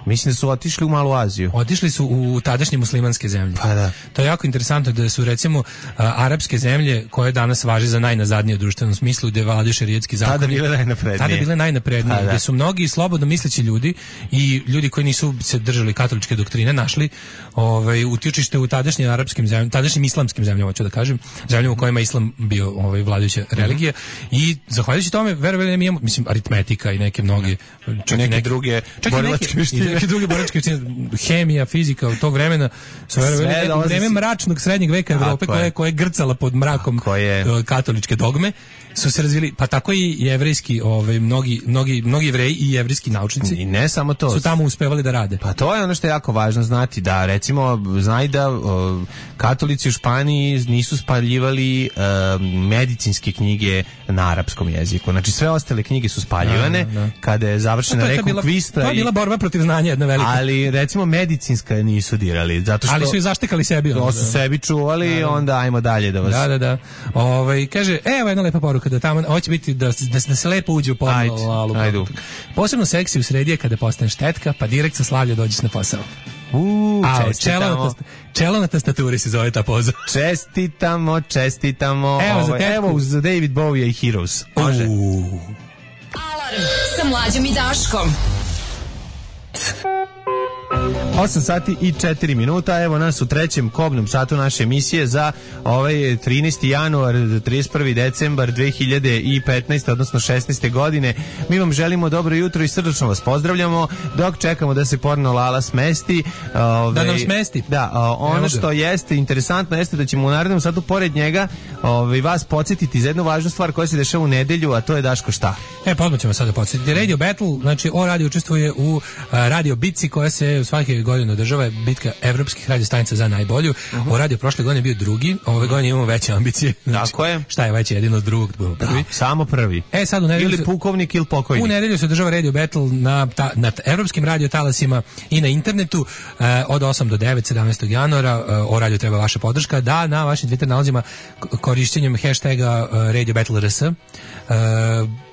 Mislim da su otišli u Malu Aziju. Otišli su u tadašnje muslimanske zemlje. Pa da. To je jako interesantno da su recimo uh, arapske zemlje koje danas važe za najnazadnije u društvenom smislu, gde vladaju šerijatski zakoni. Tada bile najnaprednije. Tada bile najnaprednije, da. Gde su mnogi slobodno misleći ljudi i ljudi koji nisu se držali katoličke doktrine našli ovaj, utičište u tadašnjim arapskim zemljama, tadašnjim islamskim zemljama, hoću da kažem, zemljama u kojima je islam bio ovaj, vladajuća religija. Mm-hmm. I zahvaljujući tome, verovali mi imamo, mislim, aritmetika i neke mnoge, čak neke, neke druge borilačke vještine. Neke druge borilačke vještine, hemija, fizika od tog vremena, su verovali u vreme mračnog srednjeg veka Evrope koja je, koja je grcala pod mrakom katoličke dogme, su se razvili, pa tako i jevrejski, ovaj, mnogi, mnogi, mnogi jevreji i jevrejski naučnici. I ne samo to. Su tamo uspevali da rade. Pa to je ono što je jako važno znati, da recimo, znaj da o, katolici u Španiji nisu spaljivali o, medicinske knjige na arapskom jeziku. Znači sve ostale knjige su spaljivane, da, da. Kada je završena Reconquista. To je bila borba protiv znanja. kampanja jedna velika. Ali recimo medicinska nisu dirali, zato što ali su i zaštekali sebi. To su sebi čuvali, da, onda ajmo dalje da vas. Da, da, da. Ovaj kaže, evo jedna lepa poruka da tamo hoće biti da da, da se lepo uđe u porno lalu. Ajde. Posebno seksi u sredi je kada postaneš tetka, pa direkt sa slavlja dođeš na posao. Uuu, čestitamo. Čelo na tastaturi se zove ta poza. Čestitamo, čestitamo. Evo, Ovo, za evo za David Bowie i Heroes. Može. Alarm sa Mlađom i Daškom. osam sati i četiri minuta, evo nas u trećem kobnom satu naše emisije za ovaj trinaesti januar, trideset prvi decembar dve hiljade petnaeste odnosno šesnaeste godine. Mi vam želimo dobro jutro i srdačno vas pozdravljamo dok čekamo da se porno Lala smesti. Ove, da nam smesti? Da, ono što jeste interesantno jeste da ćemo u narednom satu pored njega ove, vas podsjetiti za jednu važnu stvar koja se dešava u nedelju, a to je Daško šta? E, pa odmah ćemo sada podsjetiti. Radio Battle, znači O radio učestvuje u uh, Radio Bitci koja se svake godine održava, bitka evropskih radio stanica za najbolju. Uh-huh. O radio prošle godine bio drugi, ove godine imamo veće ambicije. Znači, tako je. Šta je veće, jedino od drugog, prvi. Da, samo prvi. E, sad u nedelju ili pukovnik ili pokojnik. U nedelju se održava Radio Battle na, ta, na evropskim radio talasima i na internetu uh, od osam do devet, sedamnaestog januara. Uh, o radio treba vaša podrška. Da, na vašim Twitter nalazima korišćenjem hashtaga uh, Radio Battle R S uh,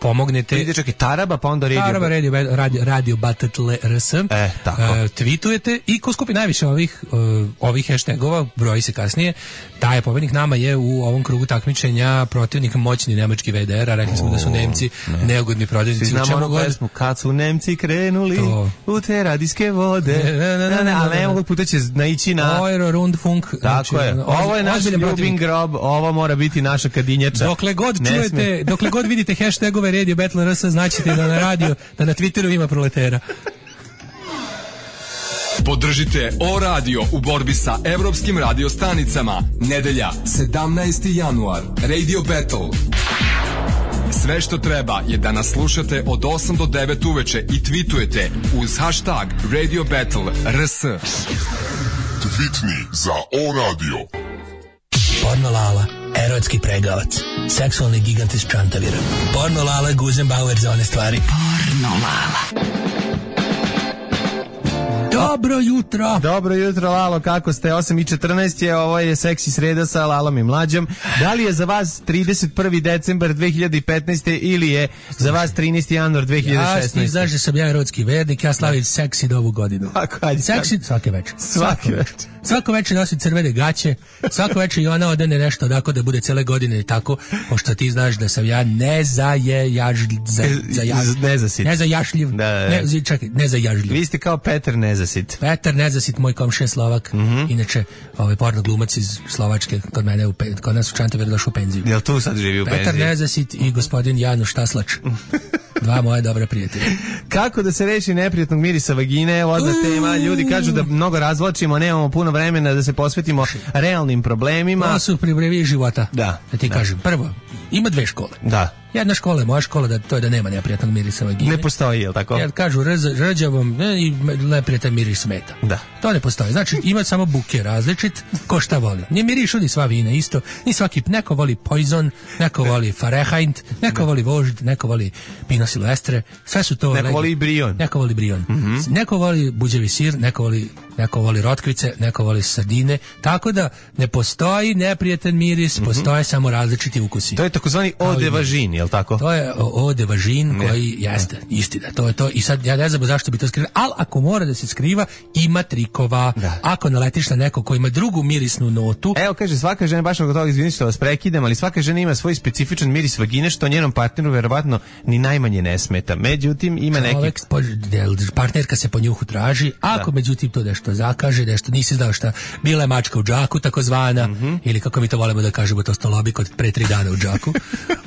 pomognete. Vidite čak i Taraba, pa onda Radio Taraba, Radio, radio, radio Battle R S. E, tako. Uh, tweetujete i ko skupi najviše ovih uh, ovih hashtagova, broji se kasnije, taj pobednik. Nama je u ovom krugu takmičenja protivnik moćni nemački V D R, a rekli smo da su Nemci ne. neugodni protivnici. Znamo ono pesmu, kad su Nemci krenuli to. u te radijske vode, ne, ne, ne, ne, ne, ali nekog puta će naići na Euro Rundfunk. Tako znači, je, ovo je naš ljubim grob, ovo mora biti naša kadinjača. Dokle god ne čujete, sme. dokle god vidite hashtagove Radio Battle R S, značite da na radio, da na Twitteru ima proletera. Podržite O radio u borbi sa evropskim radiostanicama. Nedelja, sedamnaesti januar. Radio Battle. Sve što treba je da nas slušate od osam do devet uveče i tweetujete uz hashtag Radio Battle R S. Tweetni za O radio. Porno Lala, erotski pregavac, seksualni gigant iz Čantavira. Porno Lala, Guzenbauer za one stvari. Porno Lala. Dobro jutro. Dobro jutro, Lalo, kako ste? osam i četrnaest je, ovo je Seksi sreda sa Lalom i Mlađom. Da li je za vas trideset prvi decembar dve hiljade petnaeste ili je za vas trinaesti januar dve hiljade šesnaeste? Ja, ti znaš da sam ja erotski vernik, ja slavim seksi do ovu godinu. Ako, ajde, seksi svake večer. Svake večer. Svako večer nosi crvene gaće, svako večer i ona odene nešto tako da bude cele godine tako, pošto ti znaš da sam ja ne za je jažljiv, za, za jaž, nezasit. Ne za jašljiv, da, da. Ne, čekaj, ne za jažljiv. Vi ste kao Petar Nezasit. Petar Nezasit, moj komšija Slovak, mm-hmm. inače ovaj porno glumac iz Slovačke, kod mene u, kod nas u Čantaviru došao u penziju. Jel tu sad živi u Petar penziji? Petar Nezasit i gospodin Januš Taslač. Dva moje dobra prijatelja. Kako da se reši neprijatnog mirisa vagine? Odna tema. Ljudi kažu da mnogo razvlačimo, nemamo puno vremena da se posvetimo realnim problemima. To su pribrevije života. Da. Da ti da. kažem. Prvo, ima dve škole. Da. Jedna škola je moja škola, da to je da nema neprijatnog mirisa vagine. Ne postoji, je li tako? Jer kažu rđavom ne, i neprijatan miris smeta. Da. To ne postoji. Znači ima samo buke različit, ko šta voli. Nije mirišu ni sva vina isto, ni svaki, neko voli Poison, neko voli Fahrenheit, neko da. voli vožd, neko voli Pinot Silvestre, sve su to. Neko legi. voli Brion. Neko voli Brion. Mm-hmm. Neko voli buđevi sir, neko voli neko voli rotkvice, neko voli sardine, tako da ne postoji neprijatan miris, mm-hmm. postoje samo različiti ukusi. To je takozvani eau de vagine, je li tako? To je eau de vagine koji ne. jeste, istina, to je to. I sad ja ne znam zašto bi to skrivao, ali ako mora da se skriva, ima trikova. Da. Ako naletiš na neko ko ima drugu mirisnu notu. Evo kaže, svaka žena, baš oko toga, izvinite što vas prekidam, ali svaka žena ima svoj specifičan miris vagine, što njenom partneru verovatno ni najmanje ne smeta. Međutim, ima neki... Čovek, partnerka se po njuhu traži, ako da. međutim to nešto zakaže, nešto nisi znao šta, bila je mačka u džaku takozvana, mm-hmm. ili kako mi to volimo da kažemo, to stolobik od pre tri dana u džaku,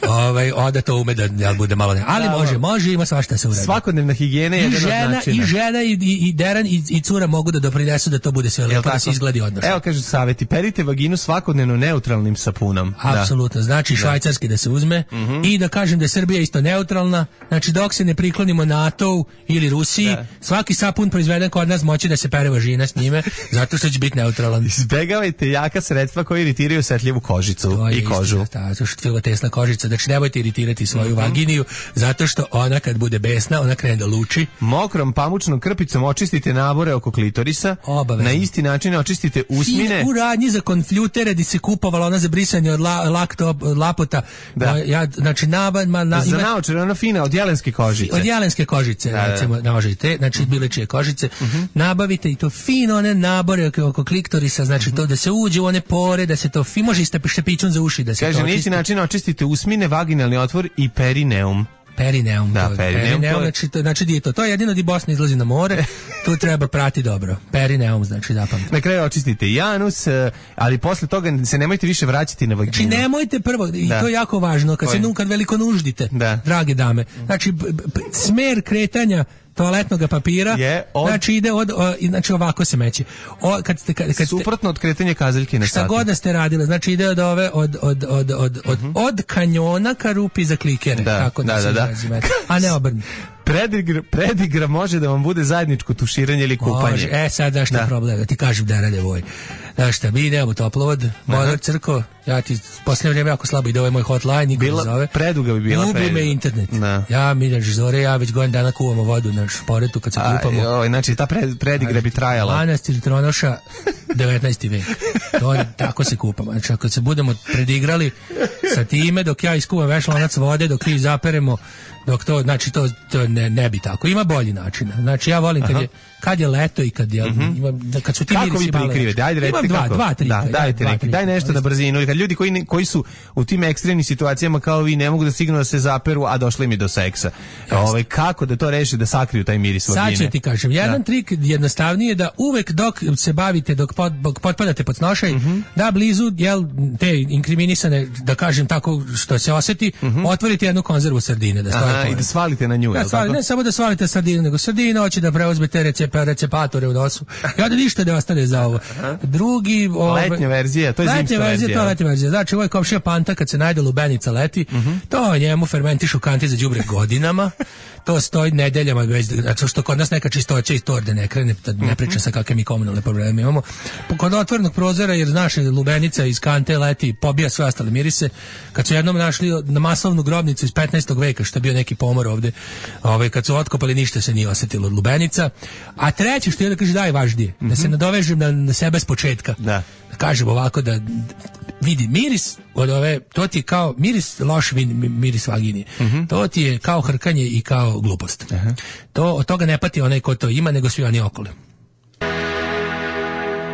ovaj, onda to ume da ja bude malo ne, ali da, može, može, ima svašta se uradi. Svakodnevna higijena je jedan od načina. I žena i, i, i deran i, i cura mogu da doprinesu da to bude sve lepo, da se izgledi odnosno. Evo kaže savjeti, perite vaginu svakodnevno neutralnim sapunom. Apsolutno, da. Znači švajcarski da se uzme mm-hmm. i da kažem da je Srbija isto neutralna, znači dok se ne priklonimo NATO ili Rusiji, da. svaki sapun proizveden kod nas moći da se pere vagina s njime, zato što će biti neutralan. Izbegavajte jaka sredstva koji iritiraju osetljivu kožicu to i kožu. Ta, to što tesna kožica, znači nemojte agitirati svoju vaginiju, zato što ona kad bude besna, ona krene da luči. Mokrom pamučnom krpicom očistite nabore oko klitorisa. Obavezno. Na isti način očistite usmine. I u radnji za konfljutere di se kupovala ona za brisanje od la, lakto, lapota. Da. Ja, znači, naba, ma, na, za ima, naočare, ona fina, od jelenske kožice. Od jelenske kožice, da, recimo, da. Naožite, znači uh-huh. bilećije kožice. Uh-huh. Nabavite i to fino one nabore oko, oko kliktorisa, znači uh-huh. to da se uđe u one pore, da se to fi, može i štepićun za uši da se kaže, to očisti. Kaže, na način očistite usmine, vaginalni otvor i perineum. Perineum, da, to, perineum, perineum to je... znači, to, znači di je to, to je jedino di Bosna izlazi na more, tu treba prati dobro. Perineum, znači zapamtite. Na kraju očistite janus, ali posle toga se nemojte više vraćati na vaginu. Znači nemojte prvo, i da. To je jako važno, kad Koji? se kad veliko nuždite, da. drage dame, znači b, b, smer kretanja toaletnog papira, je od... znači ide od, o, znači ovako se meće. O, kad ste, kad, kad suprotno od kretanja kazaljke na satu. Šta god da ste radili, znači ide od ove, od, od, od, od, od, uh-huh. od kanjona ka rupi za klikere, da, tako da, da, da, da. A ne obrnuto. Predigra, predigra može da vam bude zajedničko tuširanje ili kupanje. Može. E sad daš da problem, da ti kažem da rade voj. Znaš šta, mi nemamo toplovod, Modar Crko, ja ti posljednje vrijeme jako slabo ide ovaj moj hotline, niko bila, ne zove. Preduga bi bila. Gubi me internet. Da. Ja, Miljan Žizore, ja već godin dana kuvamo vodu na šporetu kad se kupamo. Joj, znači ta pred, predigra bi trajala. Manastir Tronoša, devetnaesti vek. To, tako se kupamo. Znači ako se budemo predigrali sa time, dok ja iskuvam vešlanac vode, dok vi zaperemo, dok to, znači to, to ne, ne bi tako. Ima bolji način. Znači ja volim kad je, kad je leto i kad je, mm-hmm. ima, kad su ti kako mirisi vi prikrivete? Ajde recite dva, kako. Dva, tri, da, dajte dva, neki, tri, daj nešto tri, na brzinu. I kad ljudi koji, ne, koji su u tim ekstremnim situacijama kao vi ne mogu da stignu da se zaperu, a došli mi do seksa. Ove, kako da to reši da sakriju taj miris vagine? Sad ću ti kažem. Jedan da. trik jednostavniji je da uvek dok se bavite, dok pot, potpadate pod snošaj, mm-hmm. da blizu jel, te inkriminisane, da kažem tako što se osjeti, mm-hmm. otvorite jednu konzervu sardine. Da Aha, i da svalite na nju. Da, svali, ne samo da svalite sardinu, nego sardina hoće da preuzmete recep, recepatore u nosu. I onda ništa ne ostane za ovo. Drugi... Ove, letnja verzija, to je zimska verzija. verzija. To je letnja verzija. Znači, ovaj komšija Panta, kad se najde lubenica leti, uh-huh. to njemu fermentišu kanti za đubre godinama. To stoji nedeljama, već, znači što kod nas neka čistoća iz torde ne krene, ne priča sa kakve mi komunalne probleme imamo. Kod otvorenog prozora, jer znaš, lubenica iz kante leti, pobija sve ostale mirise. Kad su jednom našli na masovnu grobnicu iz petnaestog veka, što je bio neki pomor ovde, ovaj, kad su otkopali, ništa se nije osjetilo od lubenica. A treće, što je da kaže najvažnije, mm-hmm. da se nadovežem na, na sebe s početka. Da. Da kažem ovako da, vidi, miris od ove, to ti je kao miris loš miris vagini. Mm-hmm. To ti je kao hrkanje i kao glupost. Uh-huh. To, od toga ne pati onaj ko to ima, nego svi oni okolo.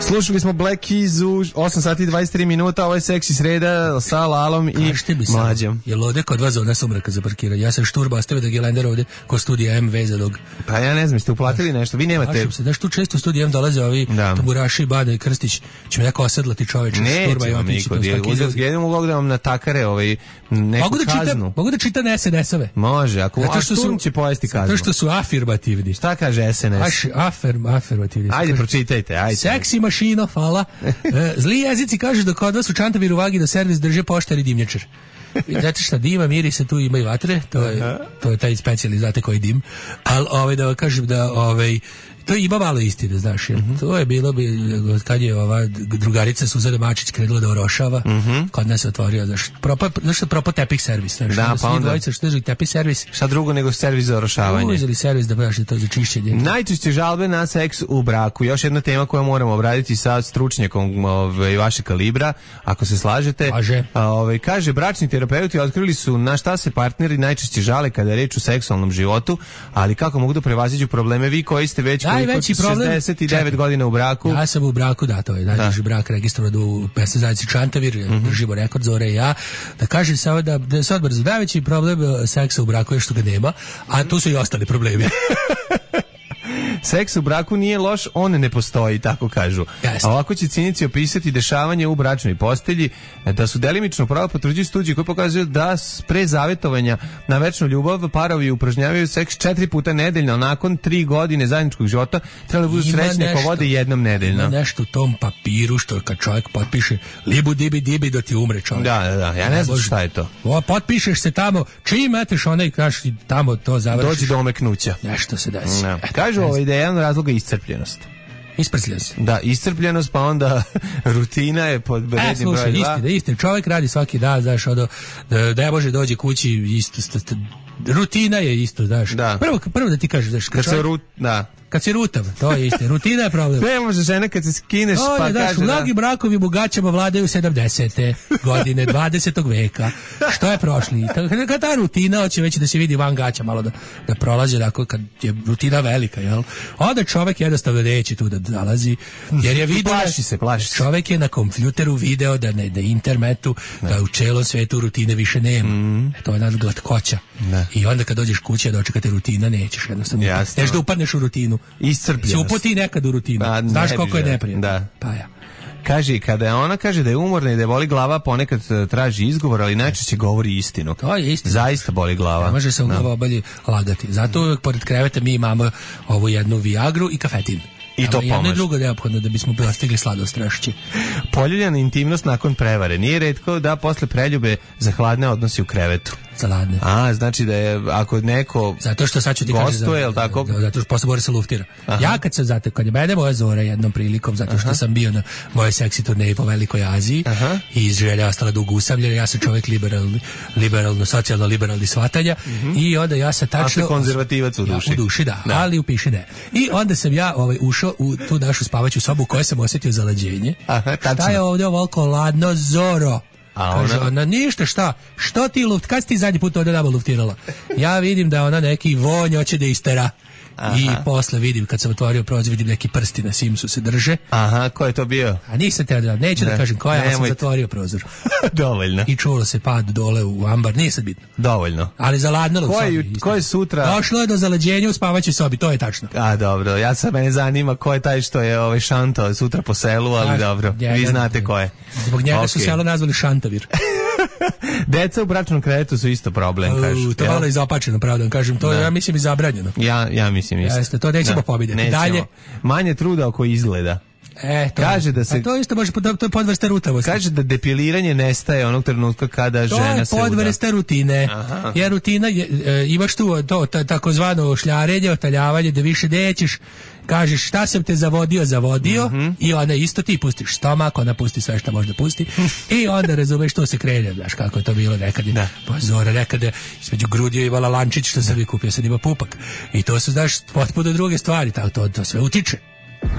Slušali smo Black Keys u osam sati i dvadeset tri minuta, ovo je Seksi sreda sa Lalom i Mlađom. Jel ovde kod vas zona sumraka za parkiranje? Ja sam šturba ostavio da Gelender ovde kod studija M V za dog. Pa ja ne znam, ste uplatili nešto, vi nemate... Pašim se, daš tu često u studiju M dolaze ovi da. Tamburaši, Bada i Krstić, će me neko osedlati čoveče, šturba i opići. Uzet mogu da vam natakare ovaj, neku mogu da kaznu. Čita, mogu da čita na S N S-ove. Može, ako a Šturm će pojesti kaznu. Zato što su afirmativni. Šta kaže S N S? Aš, afirm, afirmativni. Ajde, pročitajte, ajde. Seksi mašino, hvala. Zli jezici kažu da kod vas u Čantaviru vagi da servis drže poštar i dimnjačar. Znate šta, dima, miri se tu ima i vatre, to je, to je taj specijali, znate koji dim. Ali ovaj, da kažem da ovaj, to ima malo istine, znaš, jer mm-hmm. to je bilo bi, kad je ova drugarica Suzana Mačić krenula da orošava, mm-hmm. kod nas se otvorio, znaš, propa, znaš, propa tepih servis, znaš, da, pa onda, dvojica što drži tepih servis. Šta drugo nego servis za orošavanje? Uzeli servis da baš to za čišćenje. Najčešće žalbe na seks u braku, još jedna tema koju moramo obraditi sa stručnjakom ovaj, vaše kalibra, ako se slažete. Kaže. Ovaj, kaže, bračni terapeuti otkrili su na šta se partneri najčešće žale kada je reč o seksualnom životu, ali kako mogu da prevaziđu probleme vi koji ste već najveći problem šezdeset devet čekaj, godina u braku. Ja sam u braku, da, to je najduži brak registrovan u mesnoj zajednici Čantavir, mm-hmm. držimo rekord Zore i ja. Da kažem samo da, da se odbrzo, najveći problem seksa u braku je što ga nema, a tu su i ostali problemi. Seks u braku nije loš, on ne postoji, tako kažu. Jasne. A ovako će cinici opisati dešavanje u bračnoj postelji, da su delimično pravo potvrđuju studije koje pokazuju da pre zavetovanja na večnu ljubav parovi upražnjavaju seks četiri puta nedeljno, nakon tri godine zajedničkog života trebali budu srećni ako vode jednom nedeljno. Ima nešto u tom papiru što kad čovjek potpiše libu dibi dibi da ti umre čovjek. Da, da, da, ja ne znam šta je to. O, potpišeš se tamo, čim meteš onaj kaš tamo to završiš. Dođi do omeknuća. Nešto se desi. No. Kažu ovaj da je jedan razlog iscrpljenost. Isprslio se. Da, iscrpljenost, pa onda rutina je pod rednim e, slušaj, broj dva. istina, istina. Čovjek radi svaki dan, znaš, ono, da, da može dođe kući, isto, st, st, rutina je isto, znaš. Da. Prvo, prvo da ti kažeš, znaš, kad čovjek, se rut, da. Kad si rutav, to je isto. Rutina je problem. Ne može žena kad se skineš o, pa je, daš, kaže... Mnogi da. brakovi bogaćama vladaju sedamdesete godine, dvadesetog veka. Što je prošli? Kad ta rutina hoće već da se vidi van gaća malo da, da prolaze, dakle, kad je rutina velika, jel? Onda čovek jednostavno neće tu da dolazi, jer je video... plaši se, plaši se. Čovek je na kompjuteru video da na da internetu, ne. Da u celom svetu rutine više nema. Mm. To je nadglatkoća. Ne. I onda kad dođeš kuće, dočekate rutina, nećeš jednostavno. Jasno. Neš da upadneš u rutinu. Iscrpljenost. Se upoti nekad u rutinu. Pa, znaš koliko je neprijatno. Da. Pa ja. Kaže, kada je ona kaže da je umorna i da je boli glava, ponekad traži izgovor, ali najčešće govori istinu. To je istina. Zaista boli glava. Ne može se u glava obalji lagati. Zato uvijek pored kreveta mi imamo ovu jednu Viagru i kafetin. I to pomaže. Jedno i drugo neophodno da bismo dostigli sladostrašće. Poljuljana intimnost nakon prevare. Nije retko da posle preljube za hladne odnosi u krevetu. Za hladne. A, znači da je, ako neko zato što sad ću ti kažem, gostuje, jel tako? Da, zato što posle Bora se luftira. Aha. Ja kad sam zato, kad je mene moja Zora jednom prilikom, zato što Aha. sam bio na moje seksi turneji po Velikoj Aziji Aha. i iz želja ostala dugo usamljena, ja sam čovjek liberalni, liberalno, socijalno liberalni shvatanja mm-hmm. i onda ja sam tačno... A ste konzervativac u duši. Ja, u duši, da, da, ali u piši ne. I onda sam ja ovaj, ušao u tu našu spavaću sobu u kojoj sam osjetio zalađenje. Aha, šta je ovdje ovoliko ladno, Zoro? A kaže ona, ona ništa, šta? Što ti luft? Kad si ti zadnji put ovdje nama luftirala? Ja vidim da ona neki vonj hoće da istera. Aha. I posle vidim, kad sam otvorio prozor, vidim neki prsti na Simsu se drže. Aha, ko je to bio? A nisam te odradila, neću ne. da kažem ko je, ali sam zatvorio prozor. Dovoljno. I čulo se pad dole u ambar, nije sad bitno. Dovoljno. Ali zaladnalo u sobi. Ko je sutra? Došlo je do zalađenja u spavaćoj sobi, to je tačno. A, dobro, ja sad mene zanima ko je taj što je ovaj šanto sutra po selu, ali Aš, dobro, njega, vi znate ko je. Zbog njega okay. su selo nazvali Šantavir. Deca u bračnom krevetu su isto problem, kažu. To je malo izopačeno, pravda, kažem, to je, ja mislim, i zabranjeno. Ja, ja mislim isto. Jeste, to nećemo pobjediti. Dalje. Manje truda oko izgleda. E, to, kaže da se, a to isto može, to je podvrsta rutavosti. Kaže da depiliranje nestaje onog trenutka kada to žena se uda. To je podvrsta rutine. Aha. Jer rutina, je, e, imaš tu to ta, takozvano šljarenje, otaljavanje, da više nećeš, kažeš šta sam te zavodio, zavodio mm-hmm. i onda isto ti pustiš stomak, ona pusti sve što može da pusti i onda razumeš što se krene, znaš kako je to bilo nekad je pozora, nekad je između grudio i vala lančić što sam vi kupio, sad ima pupak i to su, znaš, potpuno druge stvari, tako to, to sve utiče.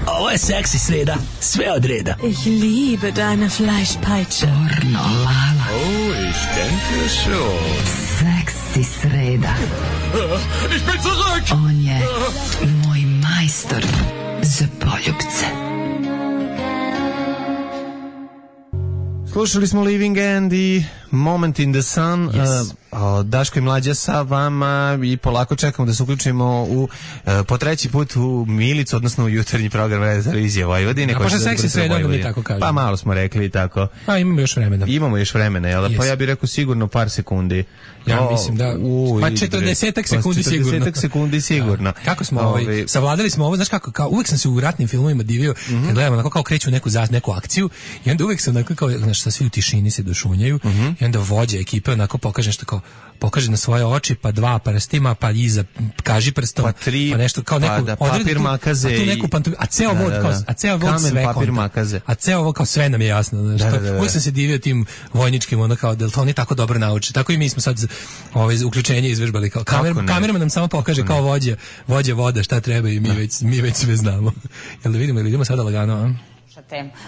Ovo je seksi sreda, sve od reda. Ich liebe deine Fleischpeitsche. Pornolala. Oh, ich denke schon. Seksi sreda. Ich bin zurück. On je moj majstor za poljubce. Slušali smo Living End i Moment in the Sun. Yes. Uh, Daško i Mlađa sa vama i polako čekamo da se uključimo u, uh, po treći put u Milicu, odnosno u jutarnji program Radio Televizije Vojvodine. A pošto seksi sreda, onda mi tako kažemo. Pa malo smo rekli tako. Pa imamo još vremena. Imamo još vremena, jel? Yes. Pa ja bih rekao sigurno par sekundi. Ja o, mislim da, u, pa četrdesetak sekundi sigurno. četrdesetak sekundi sigurno. Ja. Kako smo ovaj, ovaj, savladali smo ovo, znaš kako, kao, uvek sam se u ratnim filmovima divio, mm-hmm. kad gledamo, onako kao kreću neku, zaz, neku akciju, i onda uvek sam onako kao, znaš, svi u tišini se došunjaju, mm-hmm. i onda vođa ekipe onako pokaže nešto kao, pokaže na svoje oči, pa dva prstima, pa iza, kaži prstom, pa, tri, pa nešto, kao neku, pa da, papir tu, makaze, a tu neku pantu, a ceo vod, kao, a ceo vod kamen, sve papir, konta, makaze. A ceo ovo kao sve nam je jasno, znaš, da, da, da, da. Uvek sam se divio tim vojničkim, ono kao, da to oni tako dobro nauče, tako i mi smo sad ovaj, uključenje izvežbali, kao kamer, kamerman nam samo pokaže kao vođa, vođa voda šta treba i mi, da. već, mi već sve znamo. Jel da vidimo, ili idemo sada lagano, a?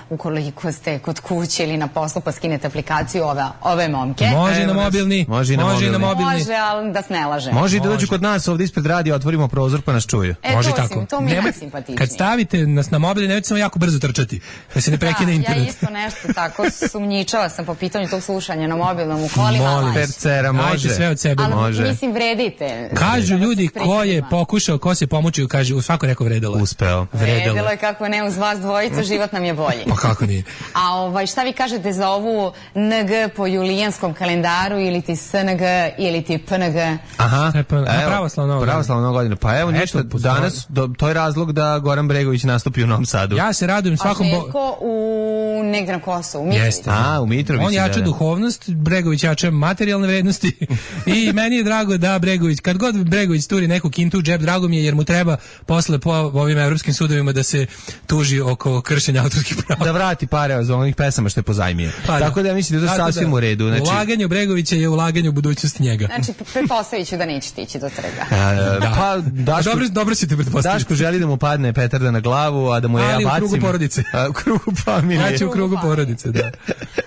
Ukoliko ste kod kuće ili na poslu pa skinete aplikaciju ove, ove momke. Može na mobilni. Može i na mobilni. Može, ali da se ne lažemo. Može i da dođu kod nas ovdje ispred radija, otvorimo prozor pa nas čuju. E, može to, tako. Sim, to mi je najsimpatičnije. Kad stavite nas na mobilni, nemojte samo jako brzo trčati. Da se ne prekine da, internet. Ja isto nešto tako sumnjičava sam po pitanju tog slušanja na mobilnom u kolima. Molim, percera, može. Sve od sebe. Ali može. Mislim, vredite. Kažu ljudi ko je pokušao, ko se pomučio, kaže, u svako neko vredelo. Uspeo. Vredelo je kako ne uz vas dvojica život nam je bolji. Pa kako nije? A ovaj, šta vi kažete za ovu N G po julijanskom kalendaru ili ti S N G ili ti P N G? Aha, e, pa, evo, pravoslavno pravoslavno godinu. Pa evo nešto, danas do, to je razlog da Goran Bregović nastupi u Novom Sadu. Ja se radujem svakom... A Željko u negdje na Kosovu, u Mitrovici. Jeste. A, u Mitrovici. On jača da, da. duhovnost, Bregović jača materijalne vrednosti i meni je drago da Bregović, kad god Bregović turi neku kintu u džep, drago mi je jer mu treba posle po ovim evropskim sudovima da se tuži oko kršenja autorskih prava. Da vrati pare za onih pesama što je pozajmio. Pa Tako da ja mislim da je to sasvim da, u redu. Znači... Ulaganje u Bregovića je ulaganje u budućnost njega. Znači, pretpostavit ću da nećete ići do trga. A, da. Pa, Daško, dobro, dobro si te pretpostaviti. Daško želi da mu padne petarda na glavu, a da mu je ja bacim. Ali u krugu porodice. A, u krugu familije. Znači u krugu porodice, da.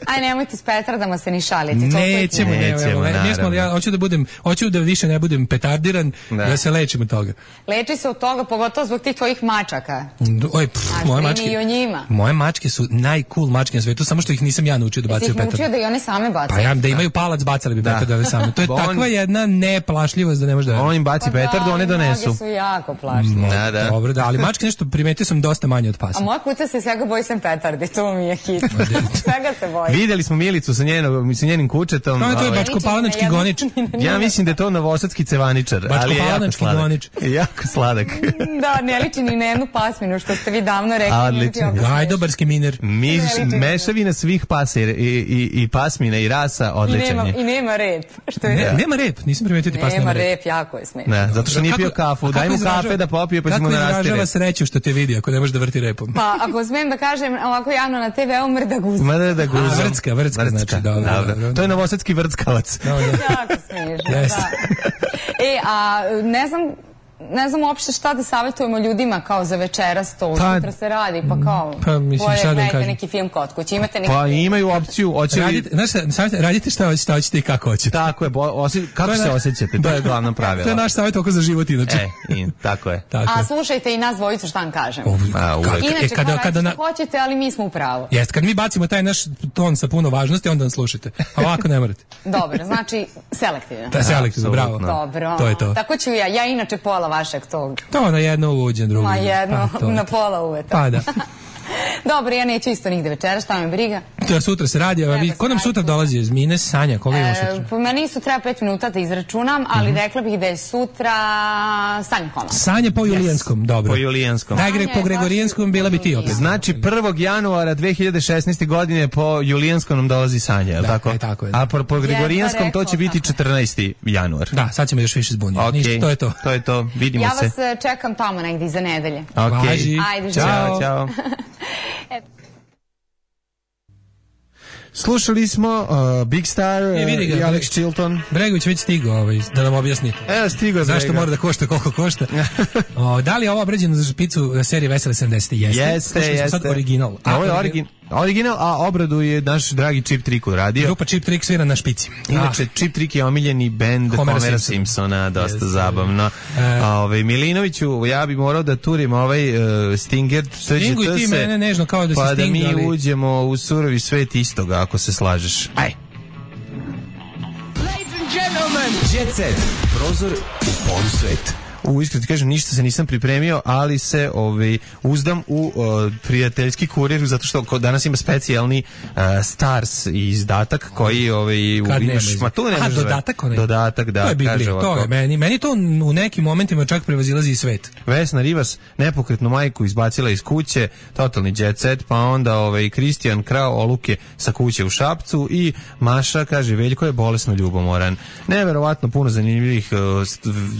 Aj, nemojte s petardama se ni šaliti. Nećemo, nećemo, nećemo. Ja hoću da budem, hoću da više ne budem petardiran, da, da se lečim od toga. Leči se od toga, pogotovo zbog tih tvojih mačaka. Oj, pff, moje mačke. I o njima. Moje mačke su najcool mačke na svetu, samo što ih nisam ja naučio da bacaju petarde. Jesi ih naučio da i one same bacaju? Pa ja, da imaju palac, bacali bi petarde same. To je on, takva jedna neplašljivost da ne može da... On im baci pa petardu, one donesu. Noge su jako plašljive. Da, da. Dobro, da, ali mačke nešto primetio sam dosta manje od pasa. A moja kuća se svega boji sem petardi, to mi je hit. Svega se boji. Videli smo Milicu sa, njeno, sa njenim kučetom. No, to je bačkopalanački gonič. Ja mislim da je to novosadski cevaničar, ali je jako sladak. Jako sladak. Da, ne liči ni na jednu pasminu, što ste vi davno rekli. Odlično. Gajdobarski miner. Miš, mešavina svih pasa i, i, i pasmina i rasa, odličan je. I nema rep. Što je ne, nema rep, nisam primetio ti pas nema rep. Nema rep, jako je smešno. Ne, zato što nije pio kafu, daj mu kafe da popije pa ćemo narasti rep. Kako izražava sreću što te vidi ako ne može da vrti repom? Pa, ako smijem da kažem ovako javno na te ve-u, mrda guzom. Mrda guzom. Vrcka, vrcka, znači, dobro, dobro. To je novosadski vrckavac. Jako smiješno, da. E, a ne znam, ne znam uopšte šta da savjetujemo ljudima kao za večeras to, pa, sutra se radi, pa kao pa, mislim, bolje gledajte kažem. neki film kod kuće, imate neki... Pa imaju opciju, hoće radite, znaš šta, savjet, radite šta hoćete, hoćete i kako hoćete. Tako je, bo, osje, kako se osjećate, to je glavno pravilo. To je naš savjet oko za život inače. E, i, tako je. Tako a slušajte i nas dvojicu šta vam kažemo. A, inače, e, kada, kada na... hoćete, ali mi smo u pravu. Jeste, kad mi bacimo taj naš ton sa puno važnosti, onda nas slušajte. A ovako ne morate. Dobro, znači selektivno. Da, selektivno, bravo. Dobro. To je to. Tako ću ja, ja inače pola vašeg tog. To na jedno uđem, drugo. Ma jedno, pa, na pola uveta. Pa da. Dobro, ja neću isto nigde večera, šta me briga. To sutra se radi, a vi, ko nam sutra dolazi? Iz Mine, Sanja, koga imamo sutra? Po meni su treba pet minuta da izračunam, ali mm-hmm. rekla bih da je sutra Sanja Koma. Sanja po julijanskom, yes. Dobro. Po julijanskom. Da je po gregorijanskom bila bi ti opet. Znači prvog januara dve hiljade šesnaeste. godine po julijanskom nam dolazi Sanja, je li da, tako? E, tako je. A po, po gregorijanskom to će biti četrnaesti januar. Da, sad ćemo još više zbuniti. Okay. Ništa, to je to. To je to, vidimo ja se. Ja vas čekam tamo negdje iza nedelje. Okay. Ajde, čao, čao. Slušali smo uh, Big Star uh, i Alex Chilton. Bregović već stigao ovaj, da nam objasni. Evo stigao Zašto Brega. Mora da košta koliko košta. o, da li je ovo obrađeno za špicu serije Vesele sedamdesete? Jeste. Jeste, jeste. Sad original. A, ovo je origin, original, a obradu je naš dragi Chip Trick uradio. Grupa Chip Trick svira na špici. Inače, a. Chip Trick je omiljeni bend Homera, Homera Simpsona, Simpsona, dosta yes, zabavno. E, a, ovaj, Milinoviću, ja bi morao da turim ovaj uh, Stinger. Stingu i ti mene nežno kao da pa se Sting, da mi ali... uđemo u surovi svet istoga, ako se slažeš. Aj! Ladies and gentlemen, Jet Set, prozor u polusvet. U iskreno ti kažem, ništa se nisam pripremio, ali se ovaj, uzdam u uh, prijateljski kurir, zato što ko, danas ima specijalni uh, Stars izdatak koji ovaj, vidiš, ma tu ne možeš. Dodatak onaj? Dodatak, da. To je Biblija, to je meni. Meni to u nekim momentima čak prevazilazi i svet. Vesna Rivas, nepokretnu majku izbacila iz kuće, totalni jet set, pa onda ovaj, Kristijan krao oluke sa kuće u Šapcu i Maša kaže, Veljko je bolesno ljubomoran. Neverovatno puno zanimljivih uh,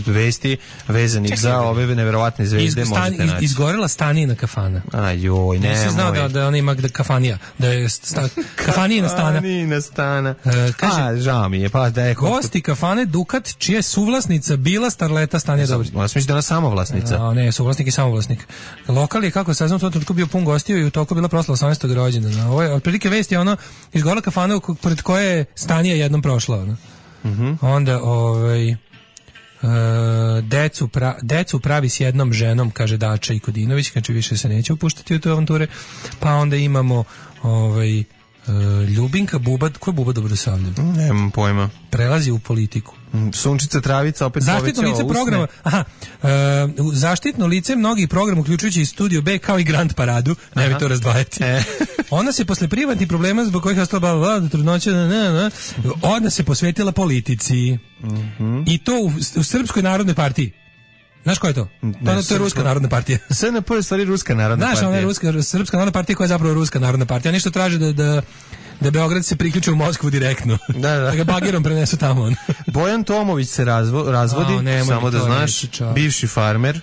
vesti vezanih Čekaj, za ove neverovatne zvezde iz, možete naći. Izgorela Stanina kafana. Ajoj, nemoj. Nisam znao da, da ona ima kafanija, da je sta, kafanina stana. Kafanina stana. Uh, kaže, A, žao mi je, pa da je... Gosti kafane Dukat, čija je suvlasnica bila starleta Stanja Dobrić. Ona se misli da ona samovlasnica. A, ne, suvlasnik i samovlasnik. Lokal je, kako saznam, to toliko bio pun gostio i u toku bila proslava osamnaestog rođendana. Ovo je, otprilike vest je ono, izgorela kafana pored koje je Stanija jednom prošla. Ono. Mm-hmm. Onda, ovaj... Uh, decu, pra, decu pravi s jednom ženom, kaže Dača i Kodinović, znači više se neće upuštati u te avanture. Pa onda imamo ovaj, uh, Uh, Ljubinka Bubad, ko je Bubad Dobrodosavljev? Nemam pojma. Prelazi u politiku. Sunčica Travica opet zaštitno povećava lice programa. Aha, uh, zaštitno lice mnogih programa, uključujući i Studio B, kao i Grand Paradu, ne bi to razdvajati. E. Ona se posle privatnih problema zbog kojih je ostala do trudnoće, ne, ne, ne, ona se posvetila politici. Mm-hmm. I to u, u Srpskoj narodnoj partiji. Znaš ko je to? Ne, to, to je Ruska narodna partija. S N P je stvari Ruska narodna Znaš, partija. Znaš, ona je Ruska, Srpska narodna partija koja je zapravo Ruska narodna partija. Nešto traže da, da, da Beograd se priključi u Moskvu direktno. Da, da. Da ga bagirom prenesu tamo. Bojan Tomović se razvo, razvodi, o, nemoj, samo da znaš, neći, bivši farmer.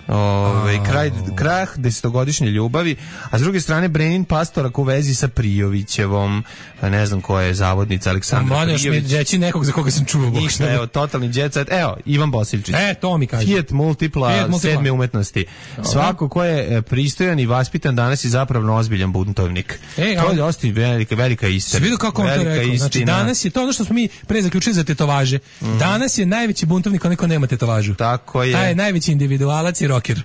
Ove, kraj, krah desetogodišnje ljubavi, a s druge strane Brenin Pastorak u vezi sa Prijovićevom, ne znam ko je zavodnica Aleksandra Prijović. Mlađe, još mi reći nekog za koga sam čuo. Ništa, evo, totalni jet set. Evo, Ivan Bosiljčić. E, to mi kaže. Fiat Multipla, Fiat Multipla. sedme umetnosti. Svako ko je pristojan i vaspitan danas je zapravo ozbiljan buntovnik. E, to je dosta velika, velika istina. Se vidio kako on to rekao. Znači, danas je to ono što smo mi pre zaključili za tetovaže. Mm. Danas je najveći buntovnik onaj ko nema tetovažu. Tako je. Taj je najveći individualac i rocker.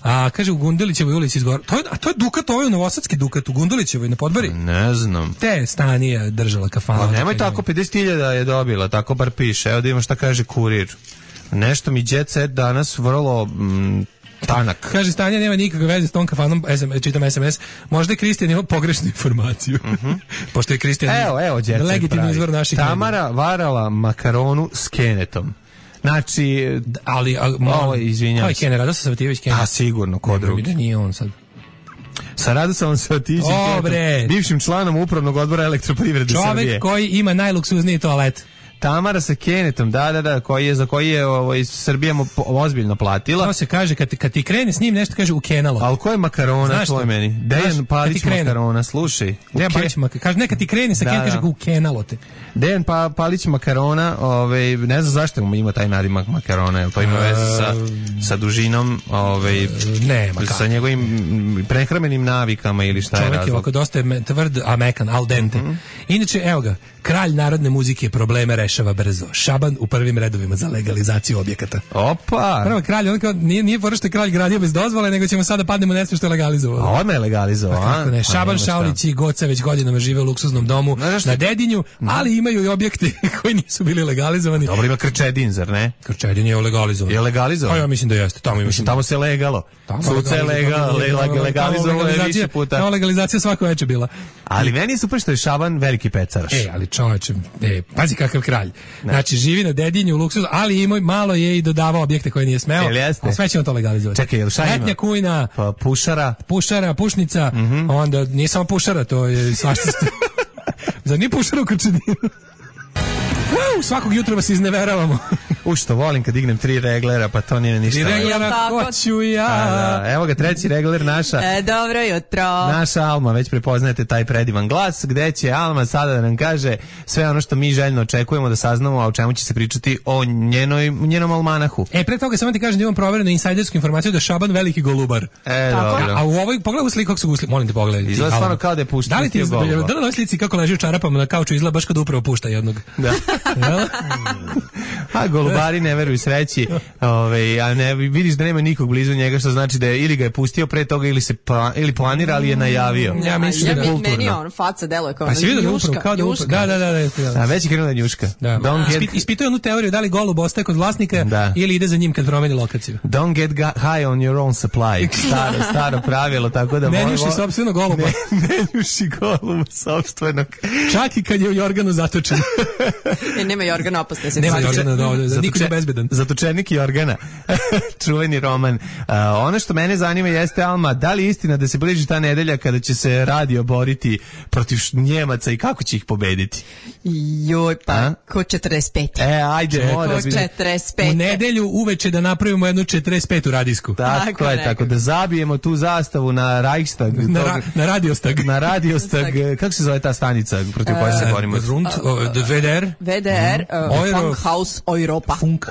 A kaže u Gundulićevoj ulici izgor. To je, a to je Dukat, ovo je Novosadski Dukat u Gundulićevoj na Podbari. Ne znam. Te Stanija držala kafana. Pa nemoj tako, pedeset hiljada je dobila, tako bar piše. Evo da imamo šta kaže Kurir. Nešto mi jet set danas vrlo mm, tanak. Kaže Stanja nema nikakve veze s tom kafanom, S M, čitam S M S. Možda je Kristijan ima pogrešnu informaciju. Uh-huh. Pošto je Kristijan evo, evo, legitimni izvor naših Tamara medija. Varala makaronu s Kenetom. Znači, ali a, ovo, izvinjam se. Kener, Radoslav Savatijević Kener. A sigurno, ko drugi. Da nije on sad. Sa Radoslavom Savatijevićem Kenetom, bivšim članom upravnog odbora Elektroprivrede Čovek Srbije. Čovek koji ima najluksuzniji toalet. Tamara sa Kenetom, da, da, da, koji je, za koji je ovaj, Srbija mu ozbiljno platila. To se kaže, kad, kad ti krene s njim nešto, kaže ukenalo. Ali ko je makarona, tvoj meni? Dejan Palić makarona, slušaj. Dejan Palić makarona, kaže, neka ti krene sa Kenetom, kaže ukenalo te. Dejan pa, Palić makarona, ovaj, ne znam zašto mu ima taj nadimak makarona, jel to ima veze sa, sa dužinom, ovaj, ne, sa njegovim prehrambenim navikama ili šta je razlog. Čovjek je ovako dosta tvrd, a mekan, al dente. Mm-hmm. Inače, evo ga, kralj narodne muzike probleme rešava brzo. Šaban u prvim redovima za legalizaciju objekata. Opa! Prvo kralj, on kao, nije, nije pora što je kralj gradio bez dozvole, nego ćemo sada padnemo nešto što je legalizovalo. A on je legalizovao, a? Ne, Šaban Šaulić i Goca već godinama žive u luksuznom domu na Dedinju, ali imaju i objekte koji nisu bili legalizovani. Dobro, ima Krčedin, zar ne? Krčedin je legalizovan. Je legalizovan? Pa ja mislim da jeste. Tamo, ima mislim, tamo se legalo. Suce je legal, legalizovalo je više puta. Tamo legalizacija svako veče bila. Ali meni je super što je Šaban veliki pecaraš. E, ali čovječe, e, pazi kakav kralj. Ne. Znači, živi na Dedinju u luksuzu, ali ima, malo je i dodavao objekte koje nije smeo. A sve ćemo to legalizovati. Čekaj, jel šta ima? Letnja kujna. Pa, pušara. Pušara, pušnica. Mm-hmm. Onda, nije samo pušara, to je svašta. Zar nije pušara u Krčedinu? Uh, svakog jutra vas izneveravamo. U što volim kad dignem tri reglera, pa to nije ništa. Tri reglera hoću ja. A, da. Evo ga treći regler naša. E, dobro jutro. Naša Alma, već prepoznajete taj predivan glas, gde će Alma sada da nam kaže sve ono što mi željno očekujemo da saznamo, a o čemu će se pričati o njenoj, njenom almanahu. E, pre toga samo ti kažem da imam proverenu insajdersku informaciju da Šaban veliki golubar. E, dobro. A u ovoj, pogledaj u sliku kako su gusli, molim te pogledaj. Izgleda stvarno kao da je puštio. Da li ti je da na slici kako leži u čarapama na kauču, izgleda baš kao da upravo pušta jednog. Da. A golubari ne veruju sreći, ove, a ne, vidiš da nema nikog blizu njega, što znači da je ili ga je pustio pre toga ili se pa, ili planira, ali je najavio. Ja mislim ja, da je kulturno. Meni on faca deluje kao njuška. Kao da, njuška. Da, da, da, da. A već je krenuo da njuška. Da. Get... Ispituje onu teoriju da li golub ostaje kod vlasnika da. Ili ide za njim kad promeni lokaciju. Don't get high on your own supply. Staro, staro pravilo, tako da... Ne njuši sopstvenog goluba. Ne, ne njuši goluba sopstvenog. Čak i kad je u jorganu zatočen. E, nema jorgana opasne se. Nema jorgana, da, da, niko je bezbedan. Zatočenik Jorgana. Čuveni roman. Uh, ono što mene zanima jeste, Alma, da li je istina da se bliži ta nedelja kada će se radio boriti protiv Njemaca i kako će ih pobediti? Joj, pa, a? Ko četrdeset pet. E, ajde, mora. Ko četrdeset pet. U nedelju uveče da napravimo jednu četrdeset petu radijsku. Tako, tako je, tako da zabijemo tu zastavu na Reichstag. Na, ra, na radiostag. Na radiostag. Kako se zove ta stanica protiv koje se borimo? Rund, V D R. V D R, Funkhaus Europa. Funk.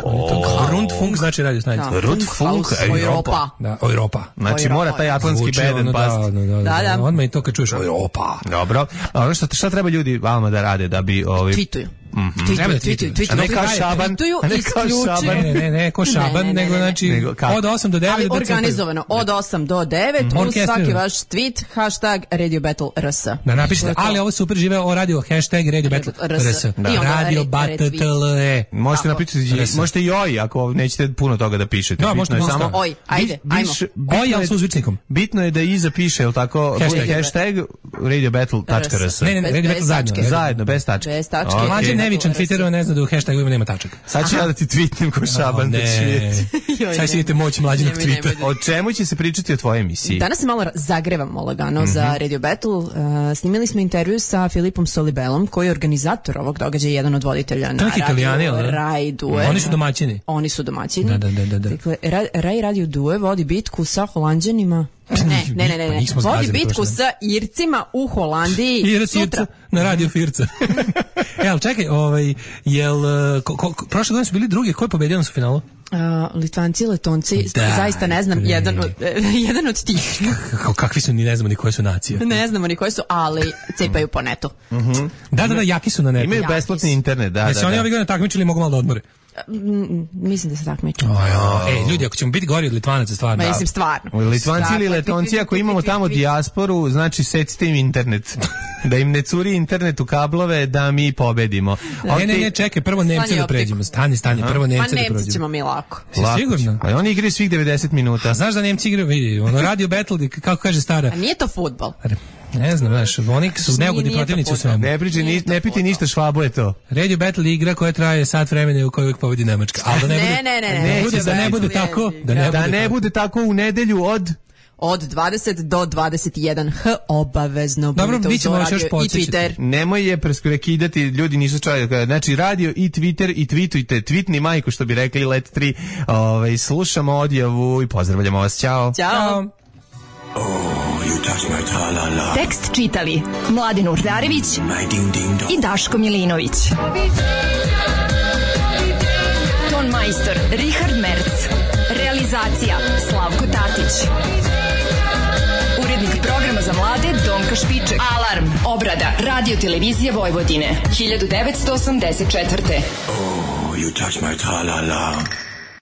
Rundfunk znači radio stanica. Rundfunk Europa. Da, Europa. Znači mora taj atlantski beden pasti. Da, da, da. Odmah i to kad čuješ Europa. Dobro. A ono što šta treba ljudi vama da rade da bi ovi Tweetuju. Treba da tweetuju. A ne kao Šaban. A ne kao Šaban. Ne, ne, ne, kao Šaban, nego znači od osam do devet. Ali organizovano, od osam do devet, uz svaki vaš tweet, hashtag Radio Battle R S. Da, napišite, ali ovo super žive o radio, hashtag Radio Battle R S. Radio Battle. Možete napisati, možete i oj, ako nećete puno toga da pišete. Da, možete samo oj, ajde, ajmo. Oj, ali s uzvičnikom. Bitno je da iza piše, jel tako, hashtag radiobattle.rs. Ne, ne, Radio Battle zajedno. Zajedno, bez tačke. Bez tačke. Mlađe nevičan Twitterova ne zna da u hashtagu nema tačaka. Sad ću ja da ti tweetnem ko Šaban da čujete. Sad ćete vidjeti moć mlađinog tweeta. O čemu će se pričati o tvojoj emisiji? Danas se malo zagrevamo lagano za Radio Battle. Uh, snimili smo intervju sa Filipom Solibelom, koji je organizator ovog događaja, jedan od voditelja na Radio Rai Due. Oni su domaćini. Oni su domaćini. Da, da, da, da. Dakle, Rai Radio Due vodi bitku sa Holanđanima. Ne, ne, ne, ne, ne. Vodi bitku sa Ircima u Holandiji. Irac, Irca, na Radio Firca. E, ali čekaj, ovaj, jel, ko, ko, prošle godine su bili drugi, ko je pobedio na su finalu? Uh, Litvanci, Letonci, da, zaista ne znam, jedan od, jedan od tih. Kako, kakvi su, ni ne znamo ni koje su nacije. Ne znamo ni koje su, ali cepaju po netu. Uh -huh. Da, da, da, jaki su na netu. Imaju besplatni internet, da, da. Da se oni ovih godina takmičili, mogu malo da odmore. Mm, mislim da se takmiče. Ej, ljudi, ako ćemo biti gori od Litvanaca, stvarno. Ma, mislim, stvarno. Litvanci ili Letonci, ako imamo tamo dijasporu, znači secite im internet. Da im ne curi internet u kablove, da mi pobedimo. Ne, ne, ne, čekaj, prvo Nemce da pređemo. Stani, stani, prvo Nemce da prođemo. Pa Nemci ćemo mi lako. Sigurno? A oni igraju svih devedeset minuta. Znaš da Nemci igraju, vidi, ono Radio Battle, kako kaže stara. A nije to fudbal. Ne znam, znaš, oni su neugodni protivnici u svemu. Ne priči, ni, ne piti ništa, Švabo je to. Radio Battle igra koja traje sat vremena u kojoj uvijek pobedi Nemačka. Ali da ne, ne, bude, ne, ne, ne, bude, da ne bude tako, da ne, da bude, ne tako. bude tako u nedelju od od dvadeset do dvadeset jedan h obavezno. Dobro, budite mi ćemo uz još radio i Twitter. Nemoj je prekidati, ljudi nisu čovjek. Znači radio i Twitter i tweetujte, tweetni majku što bi rekli Let tri. Ovaj slušamo odjavu i pozdravljamo vas. Ćao. Ćao. Oh, you touch my tra-la-la. Tekst čitali Mladin Urdarević i Daško Milinović. Ton majstor Richard Merc. Realizacija Slavko Tatić. Urednik programa za mlade Donka Špiček. Alarm, obrada, radio televizije Vojvodine, hiljadu devetsto osamdeset četvrte. Oh, you touch my tra-la-la.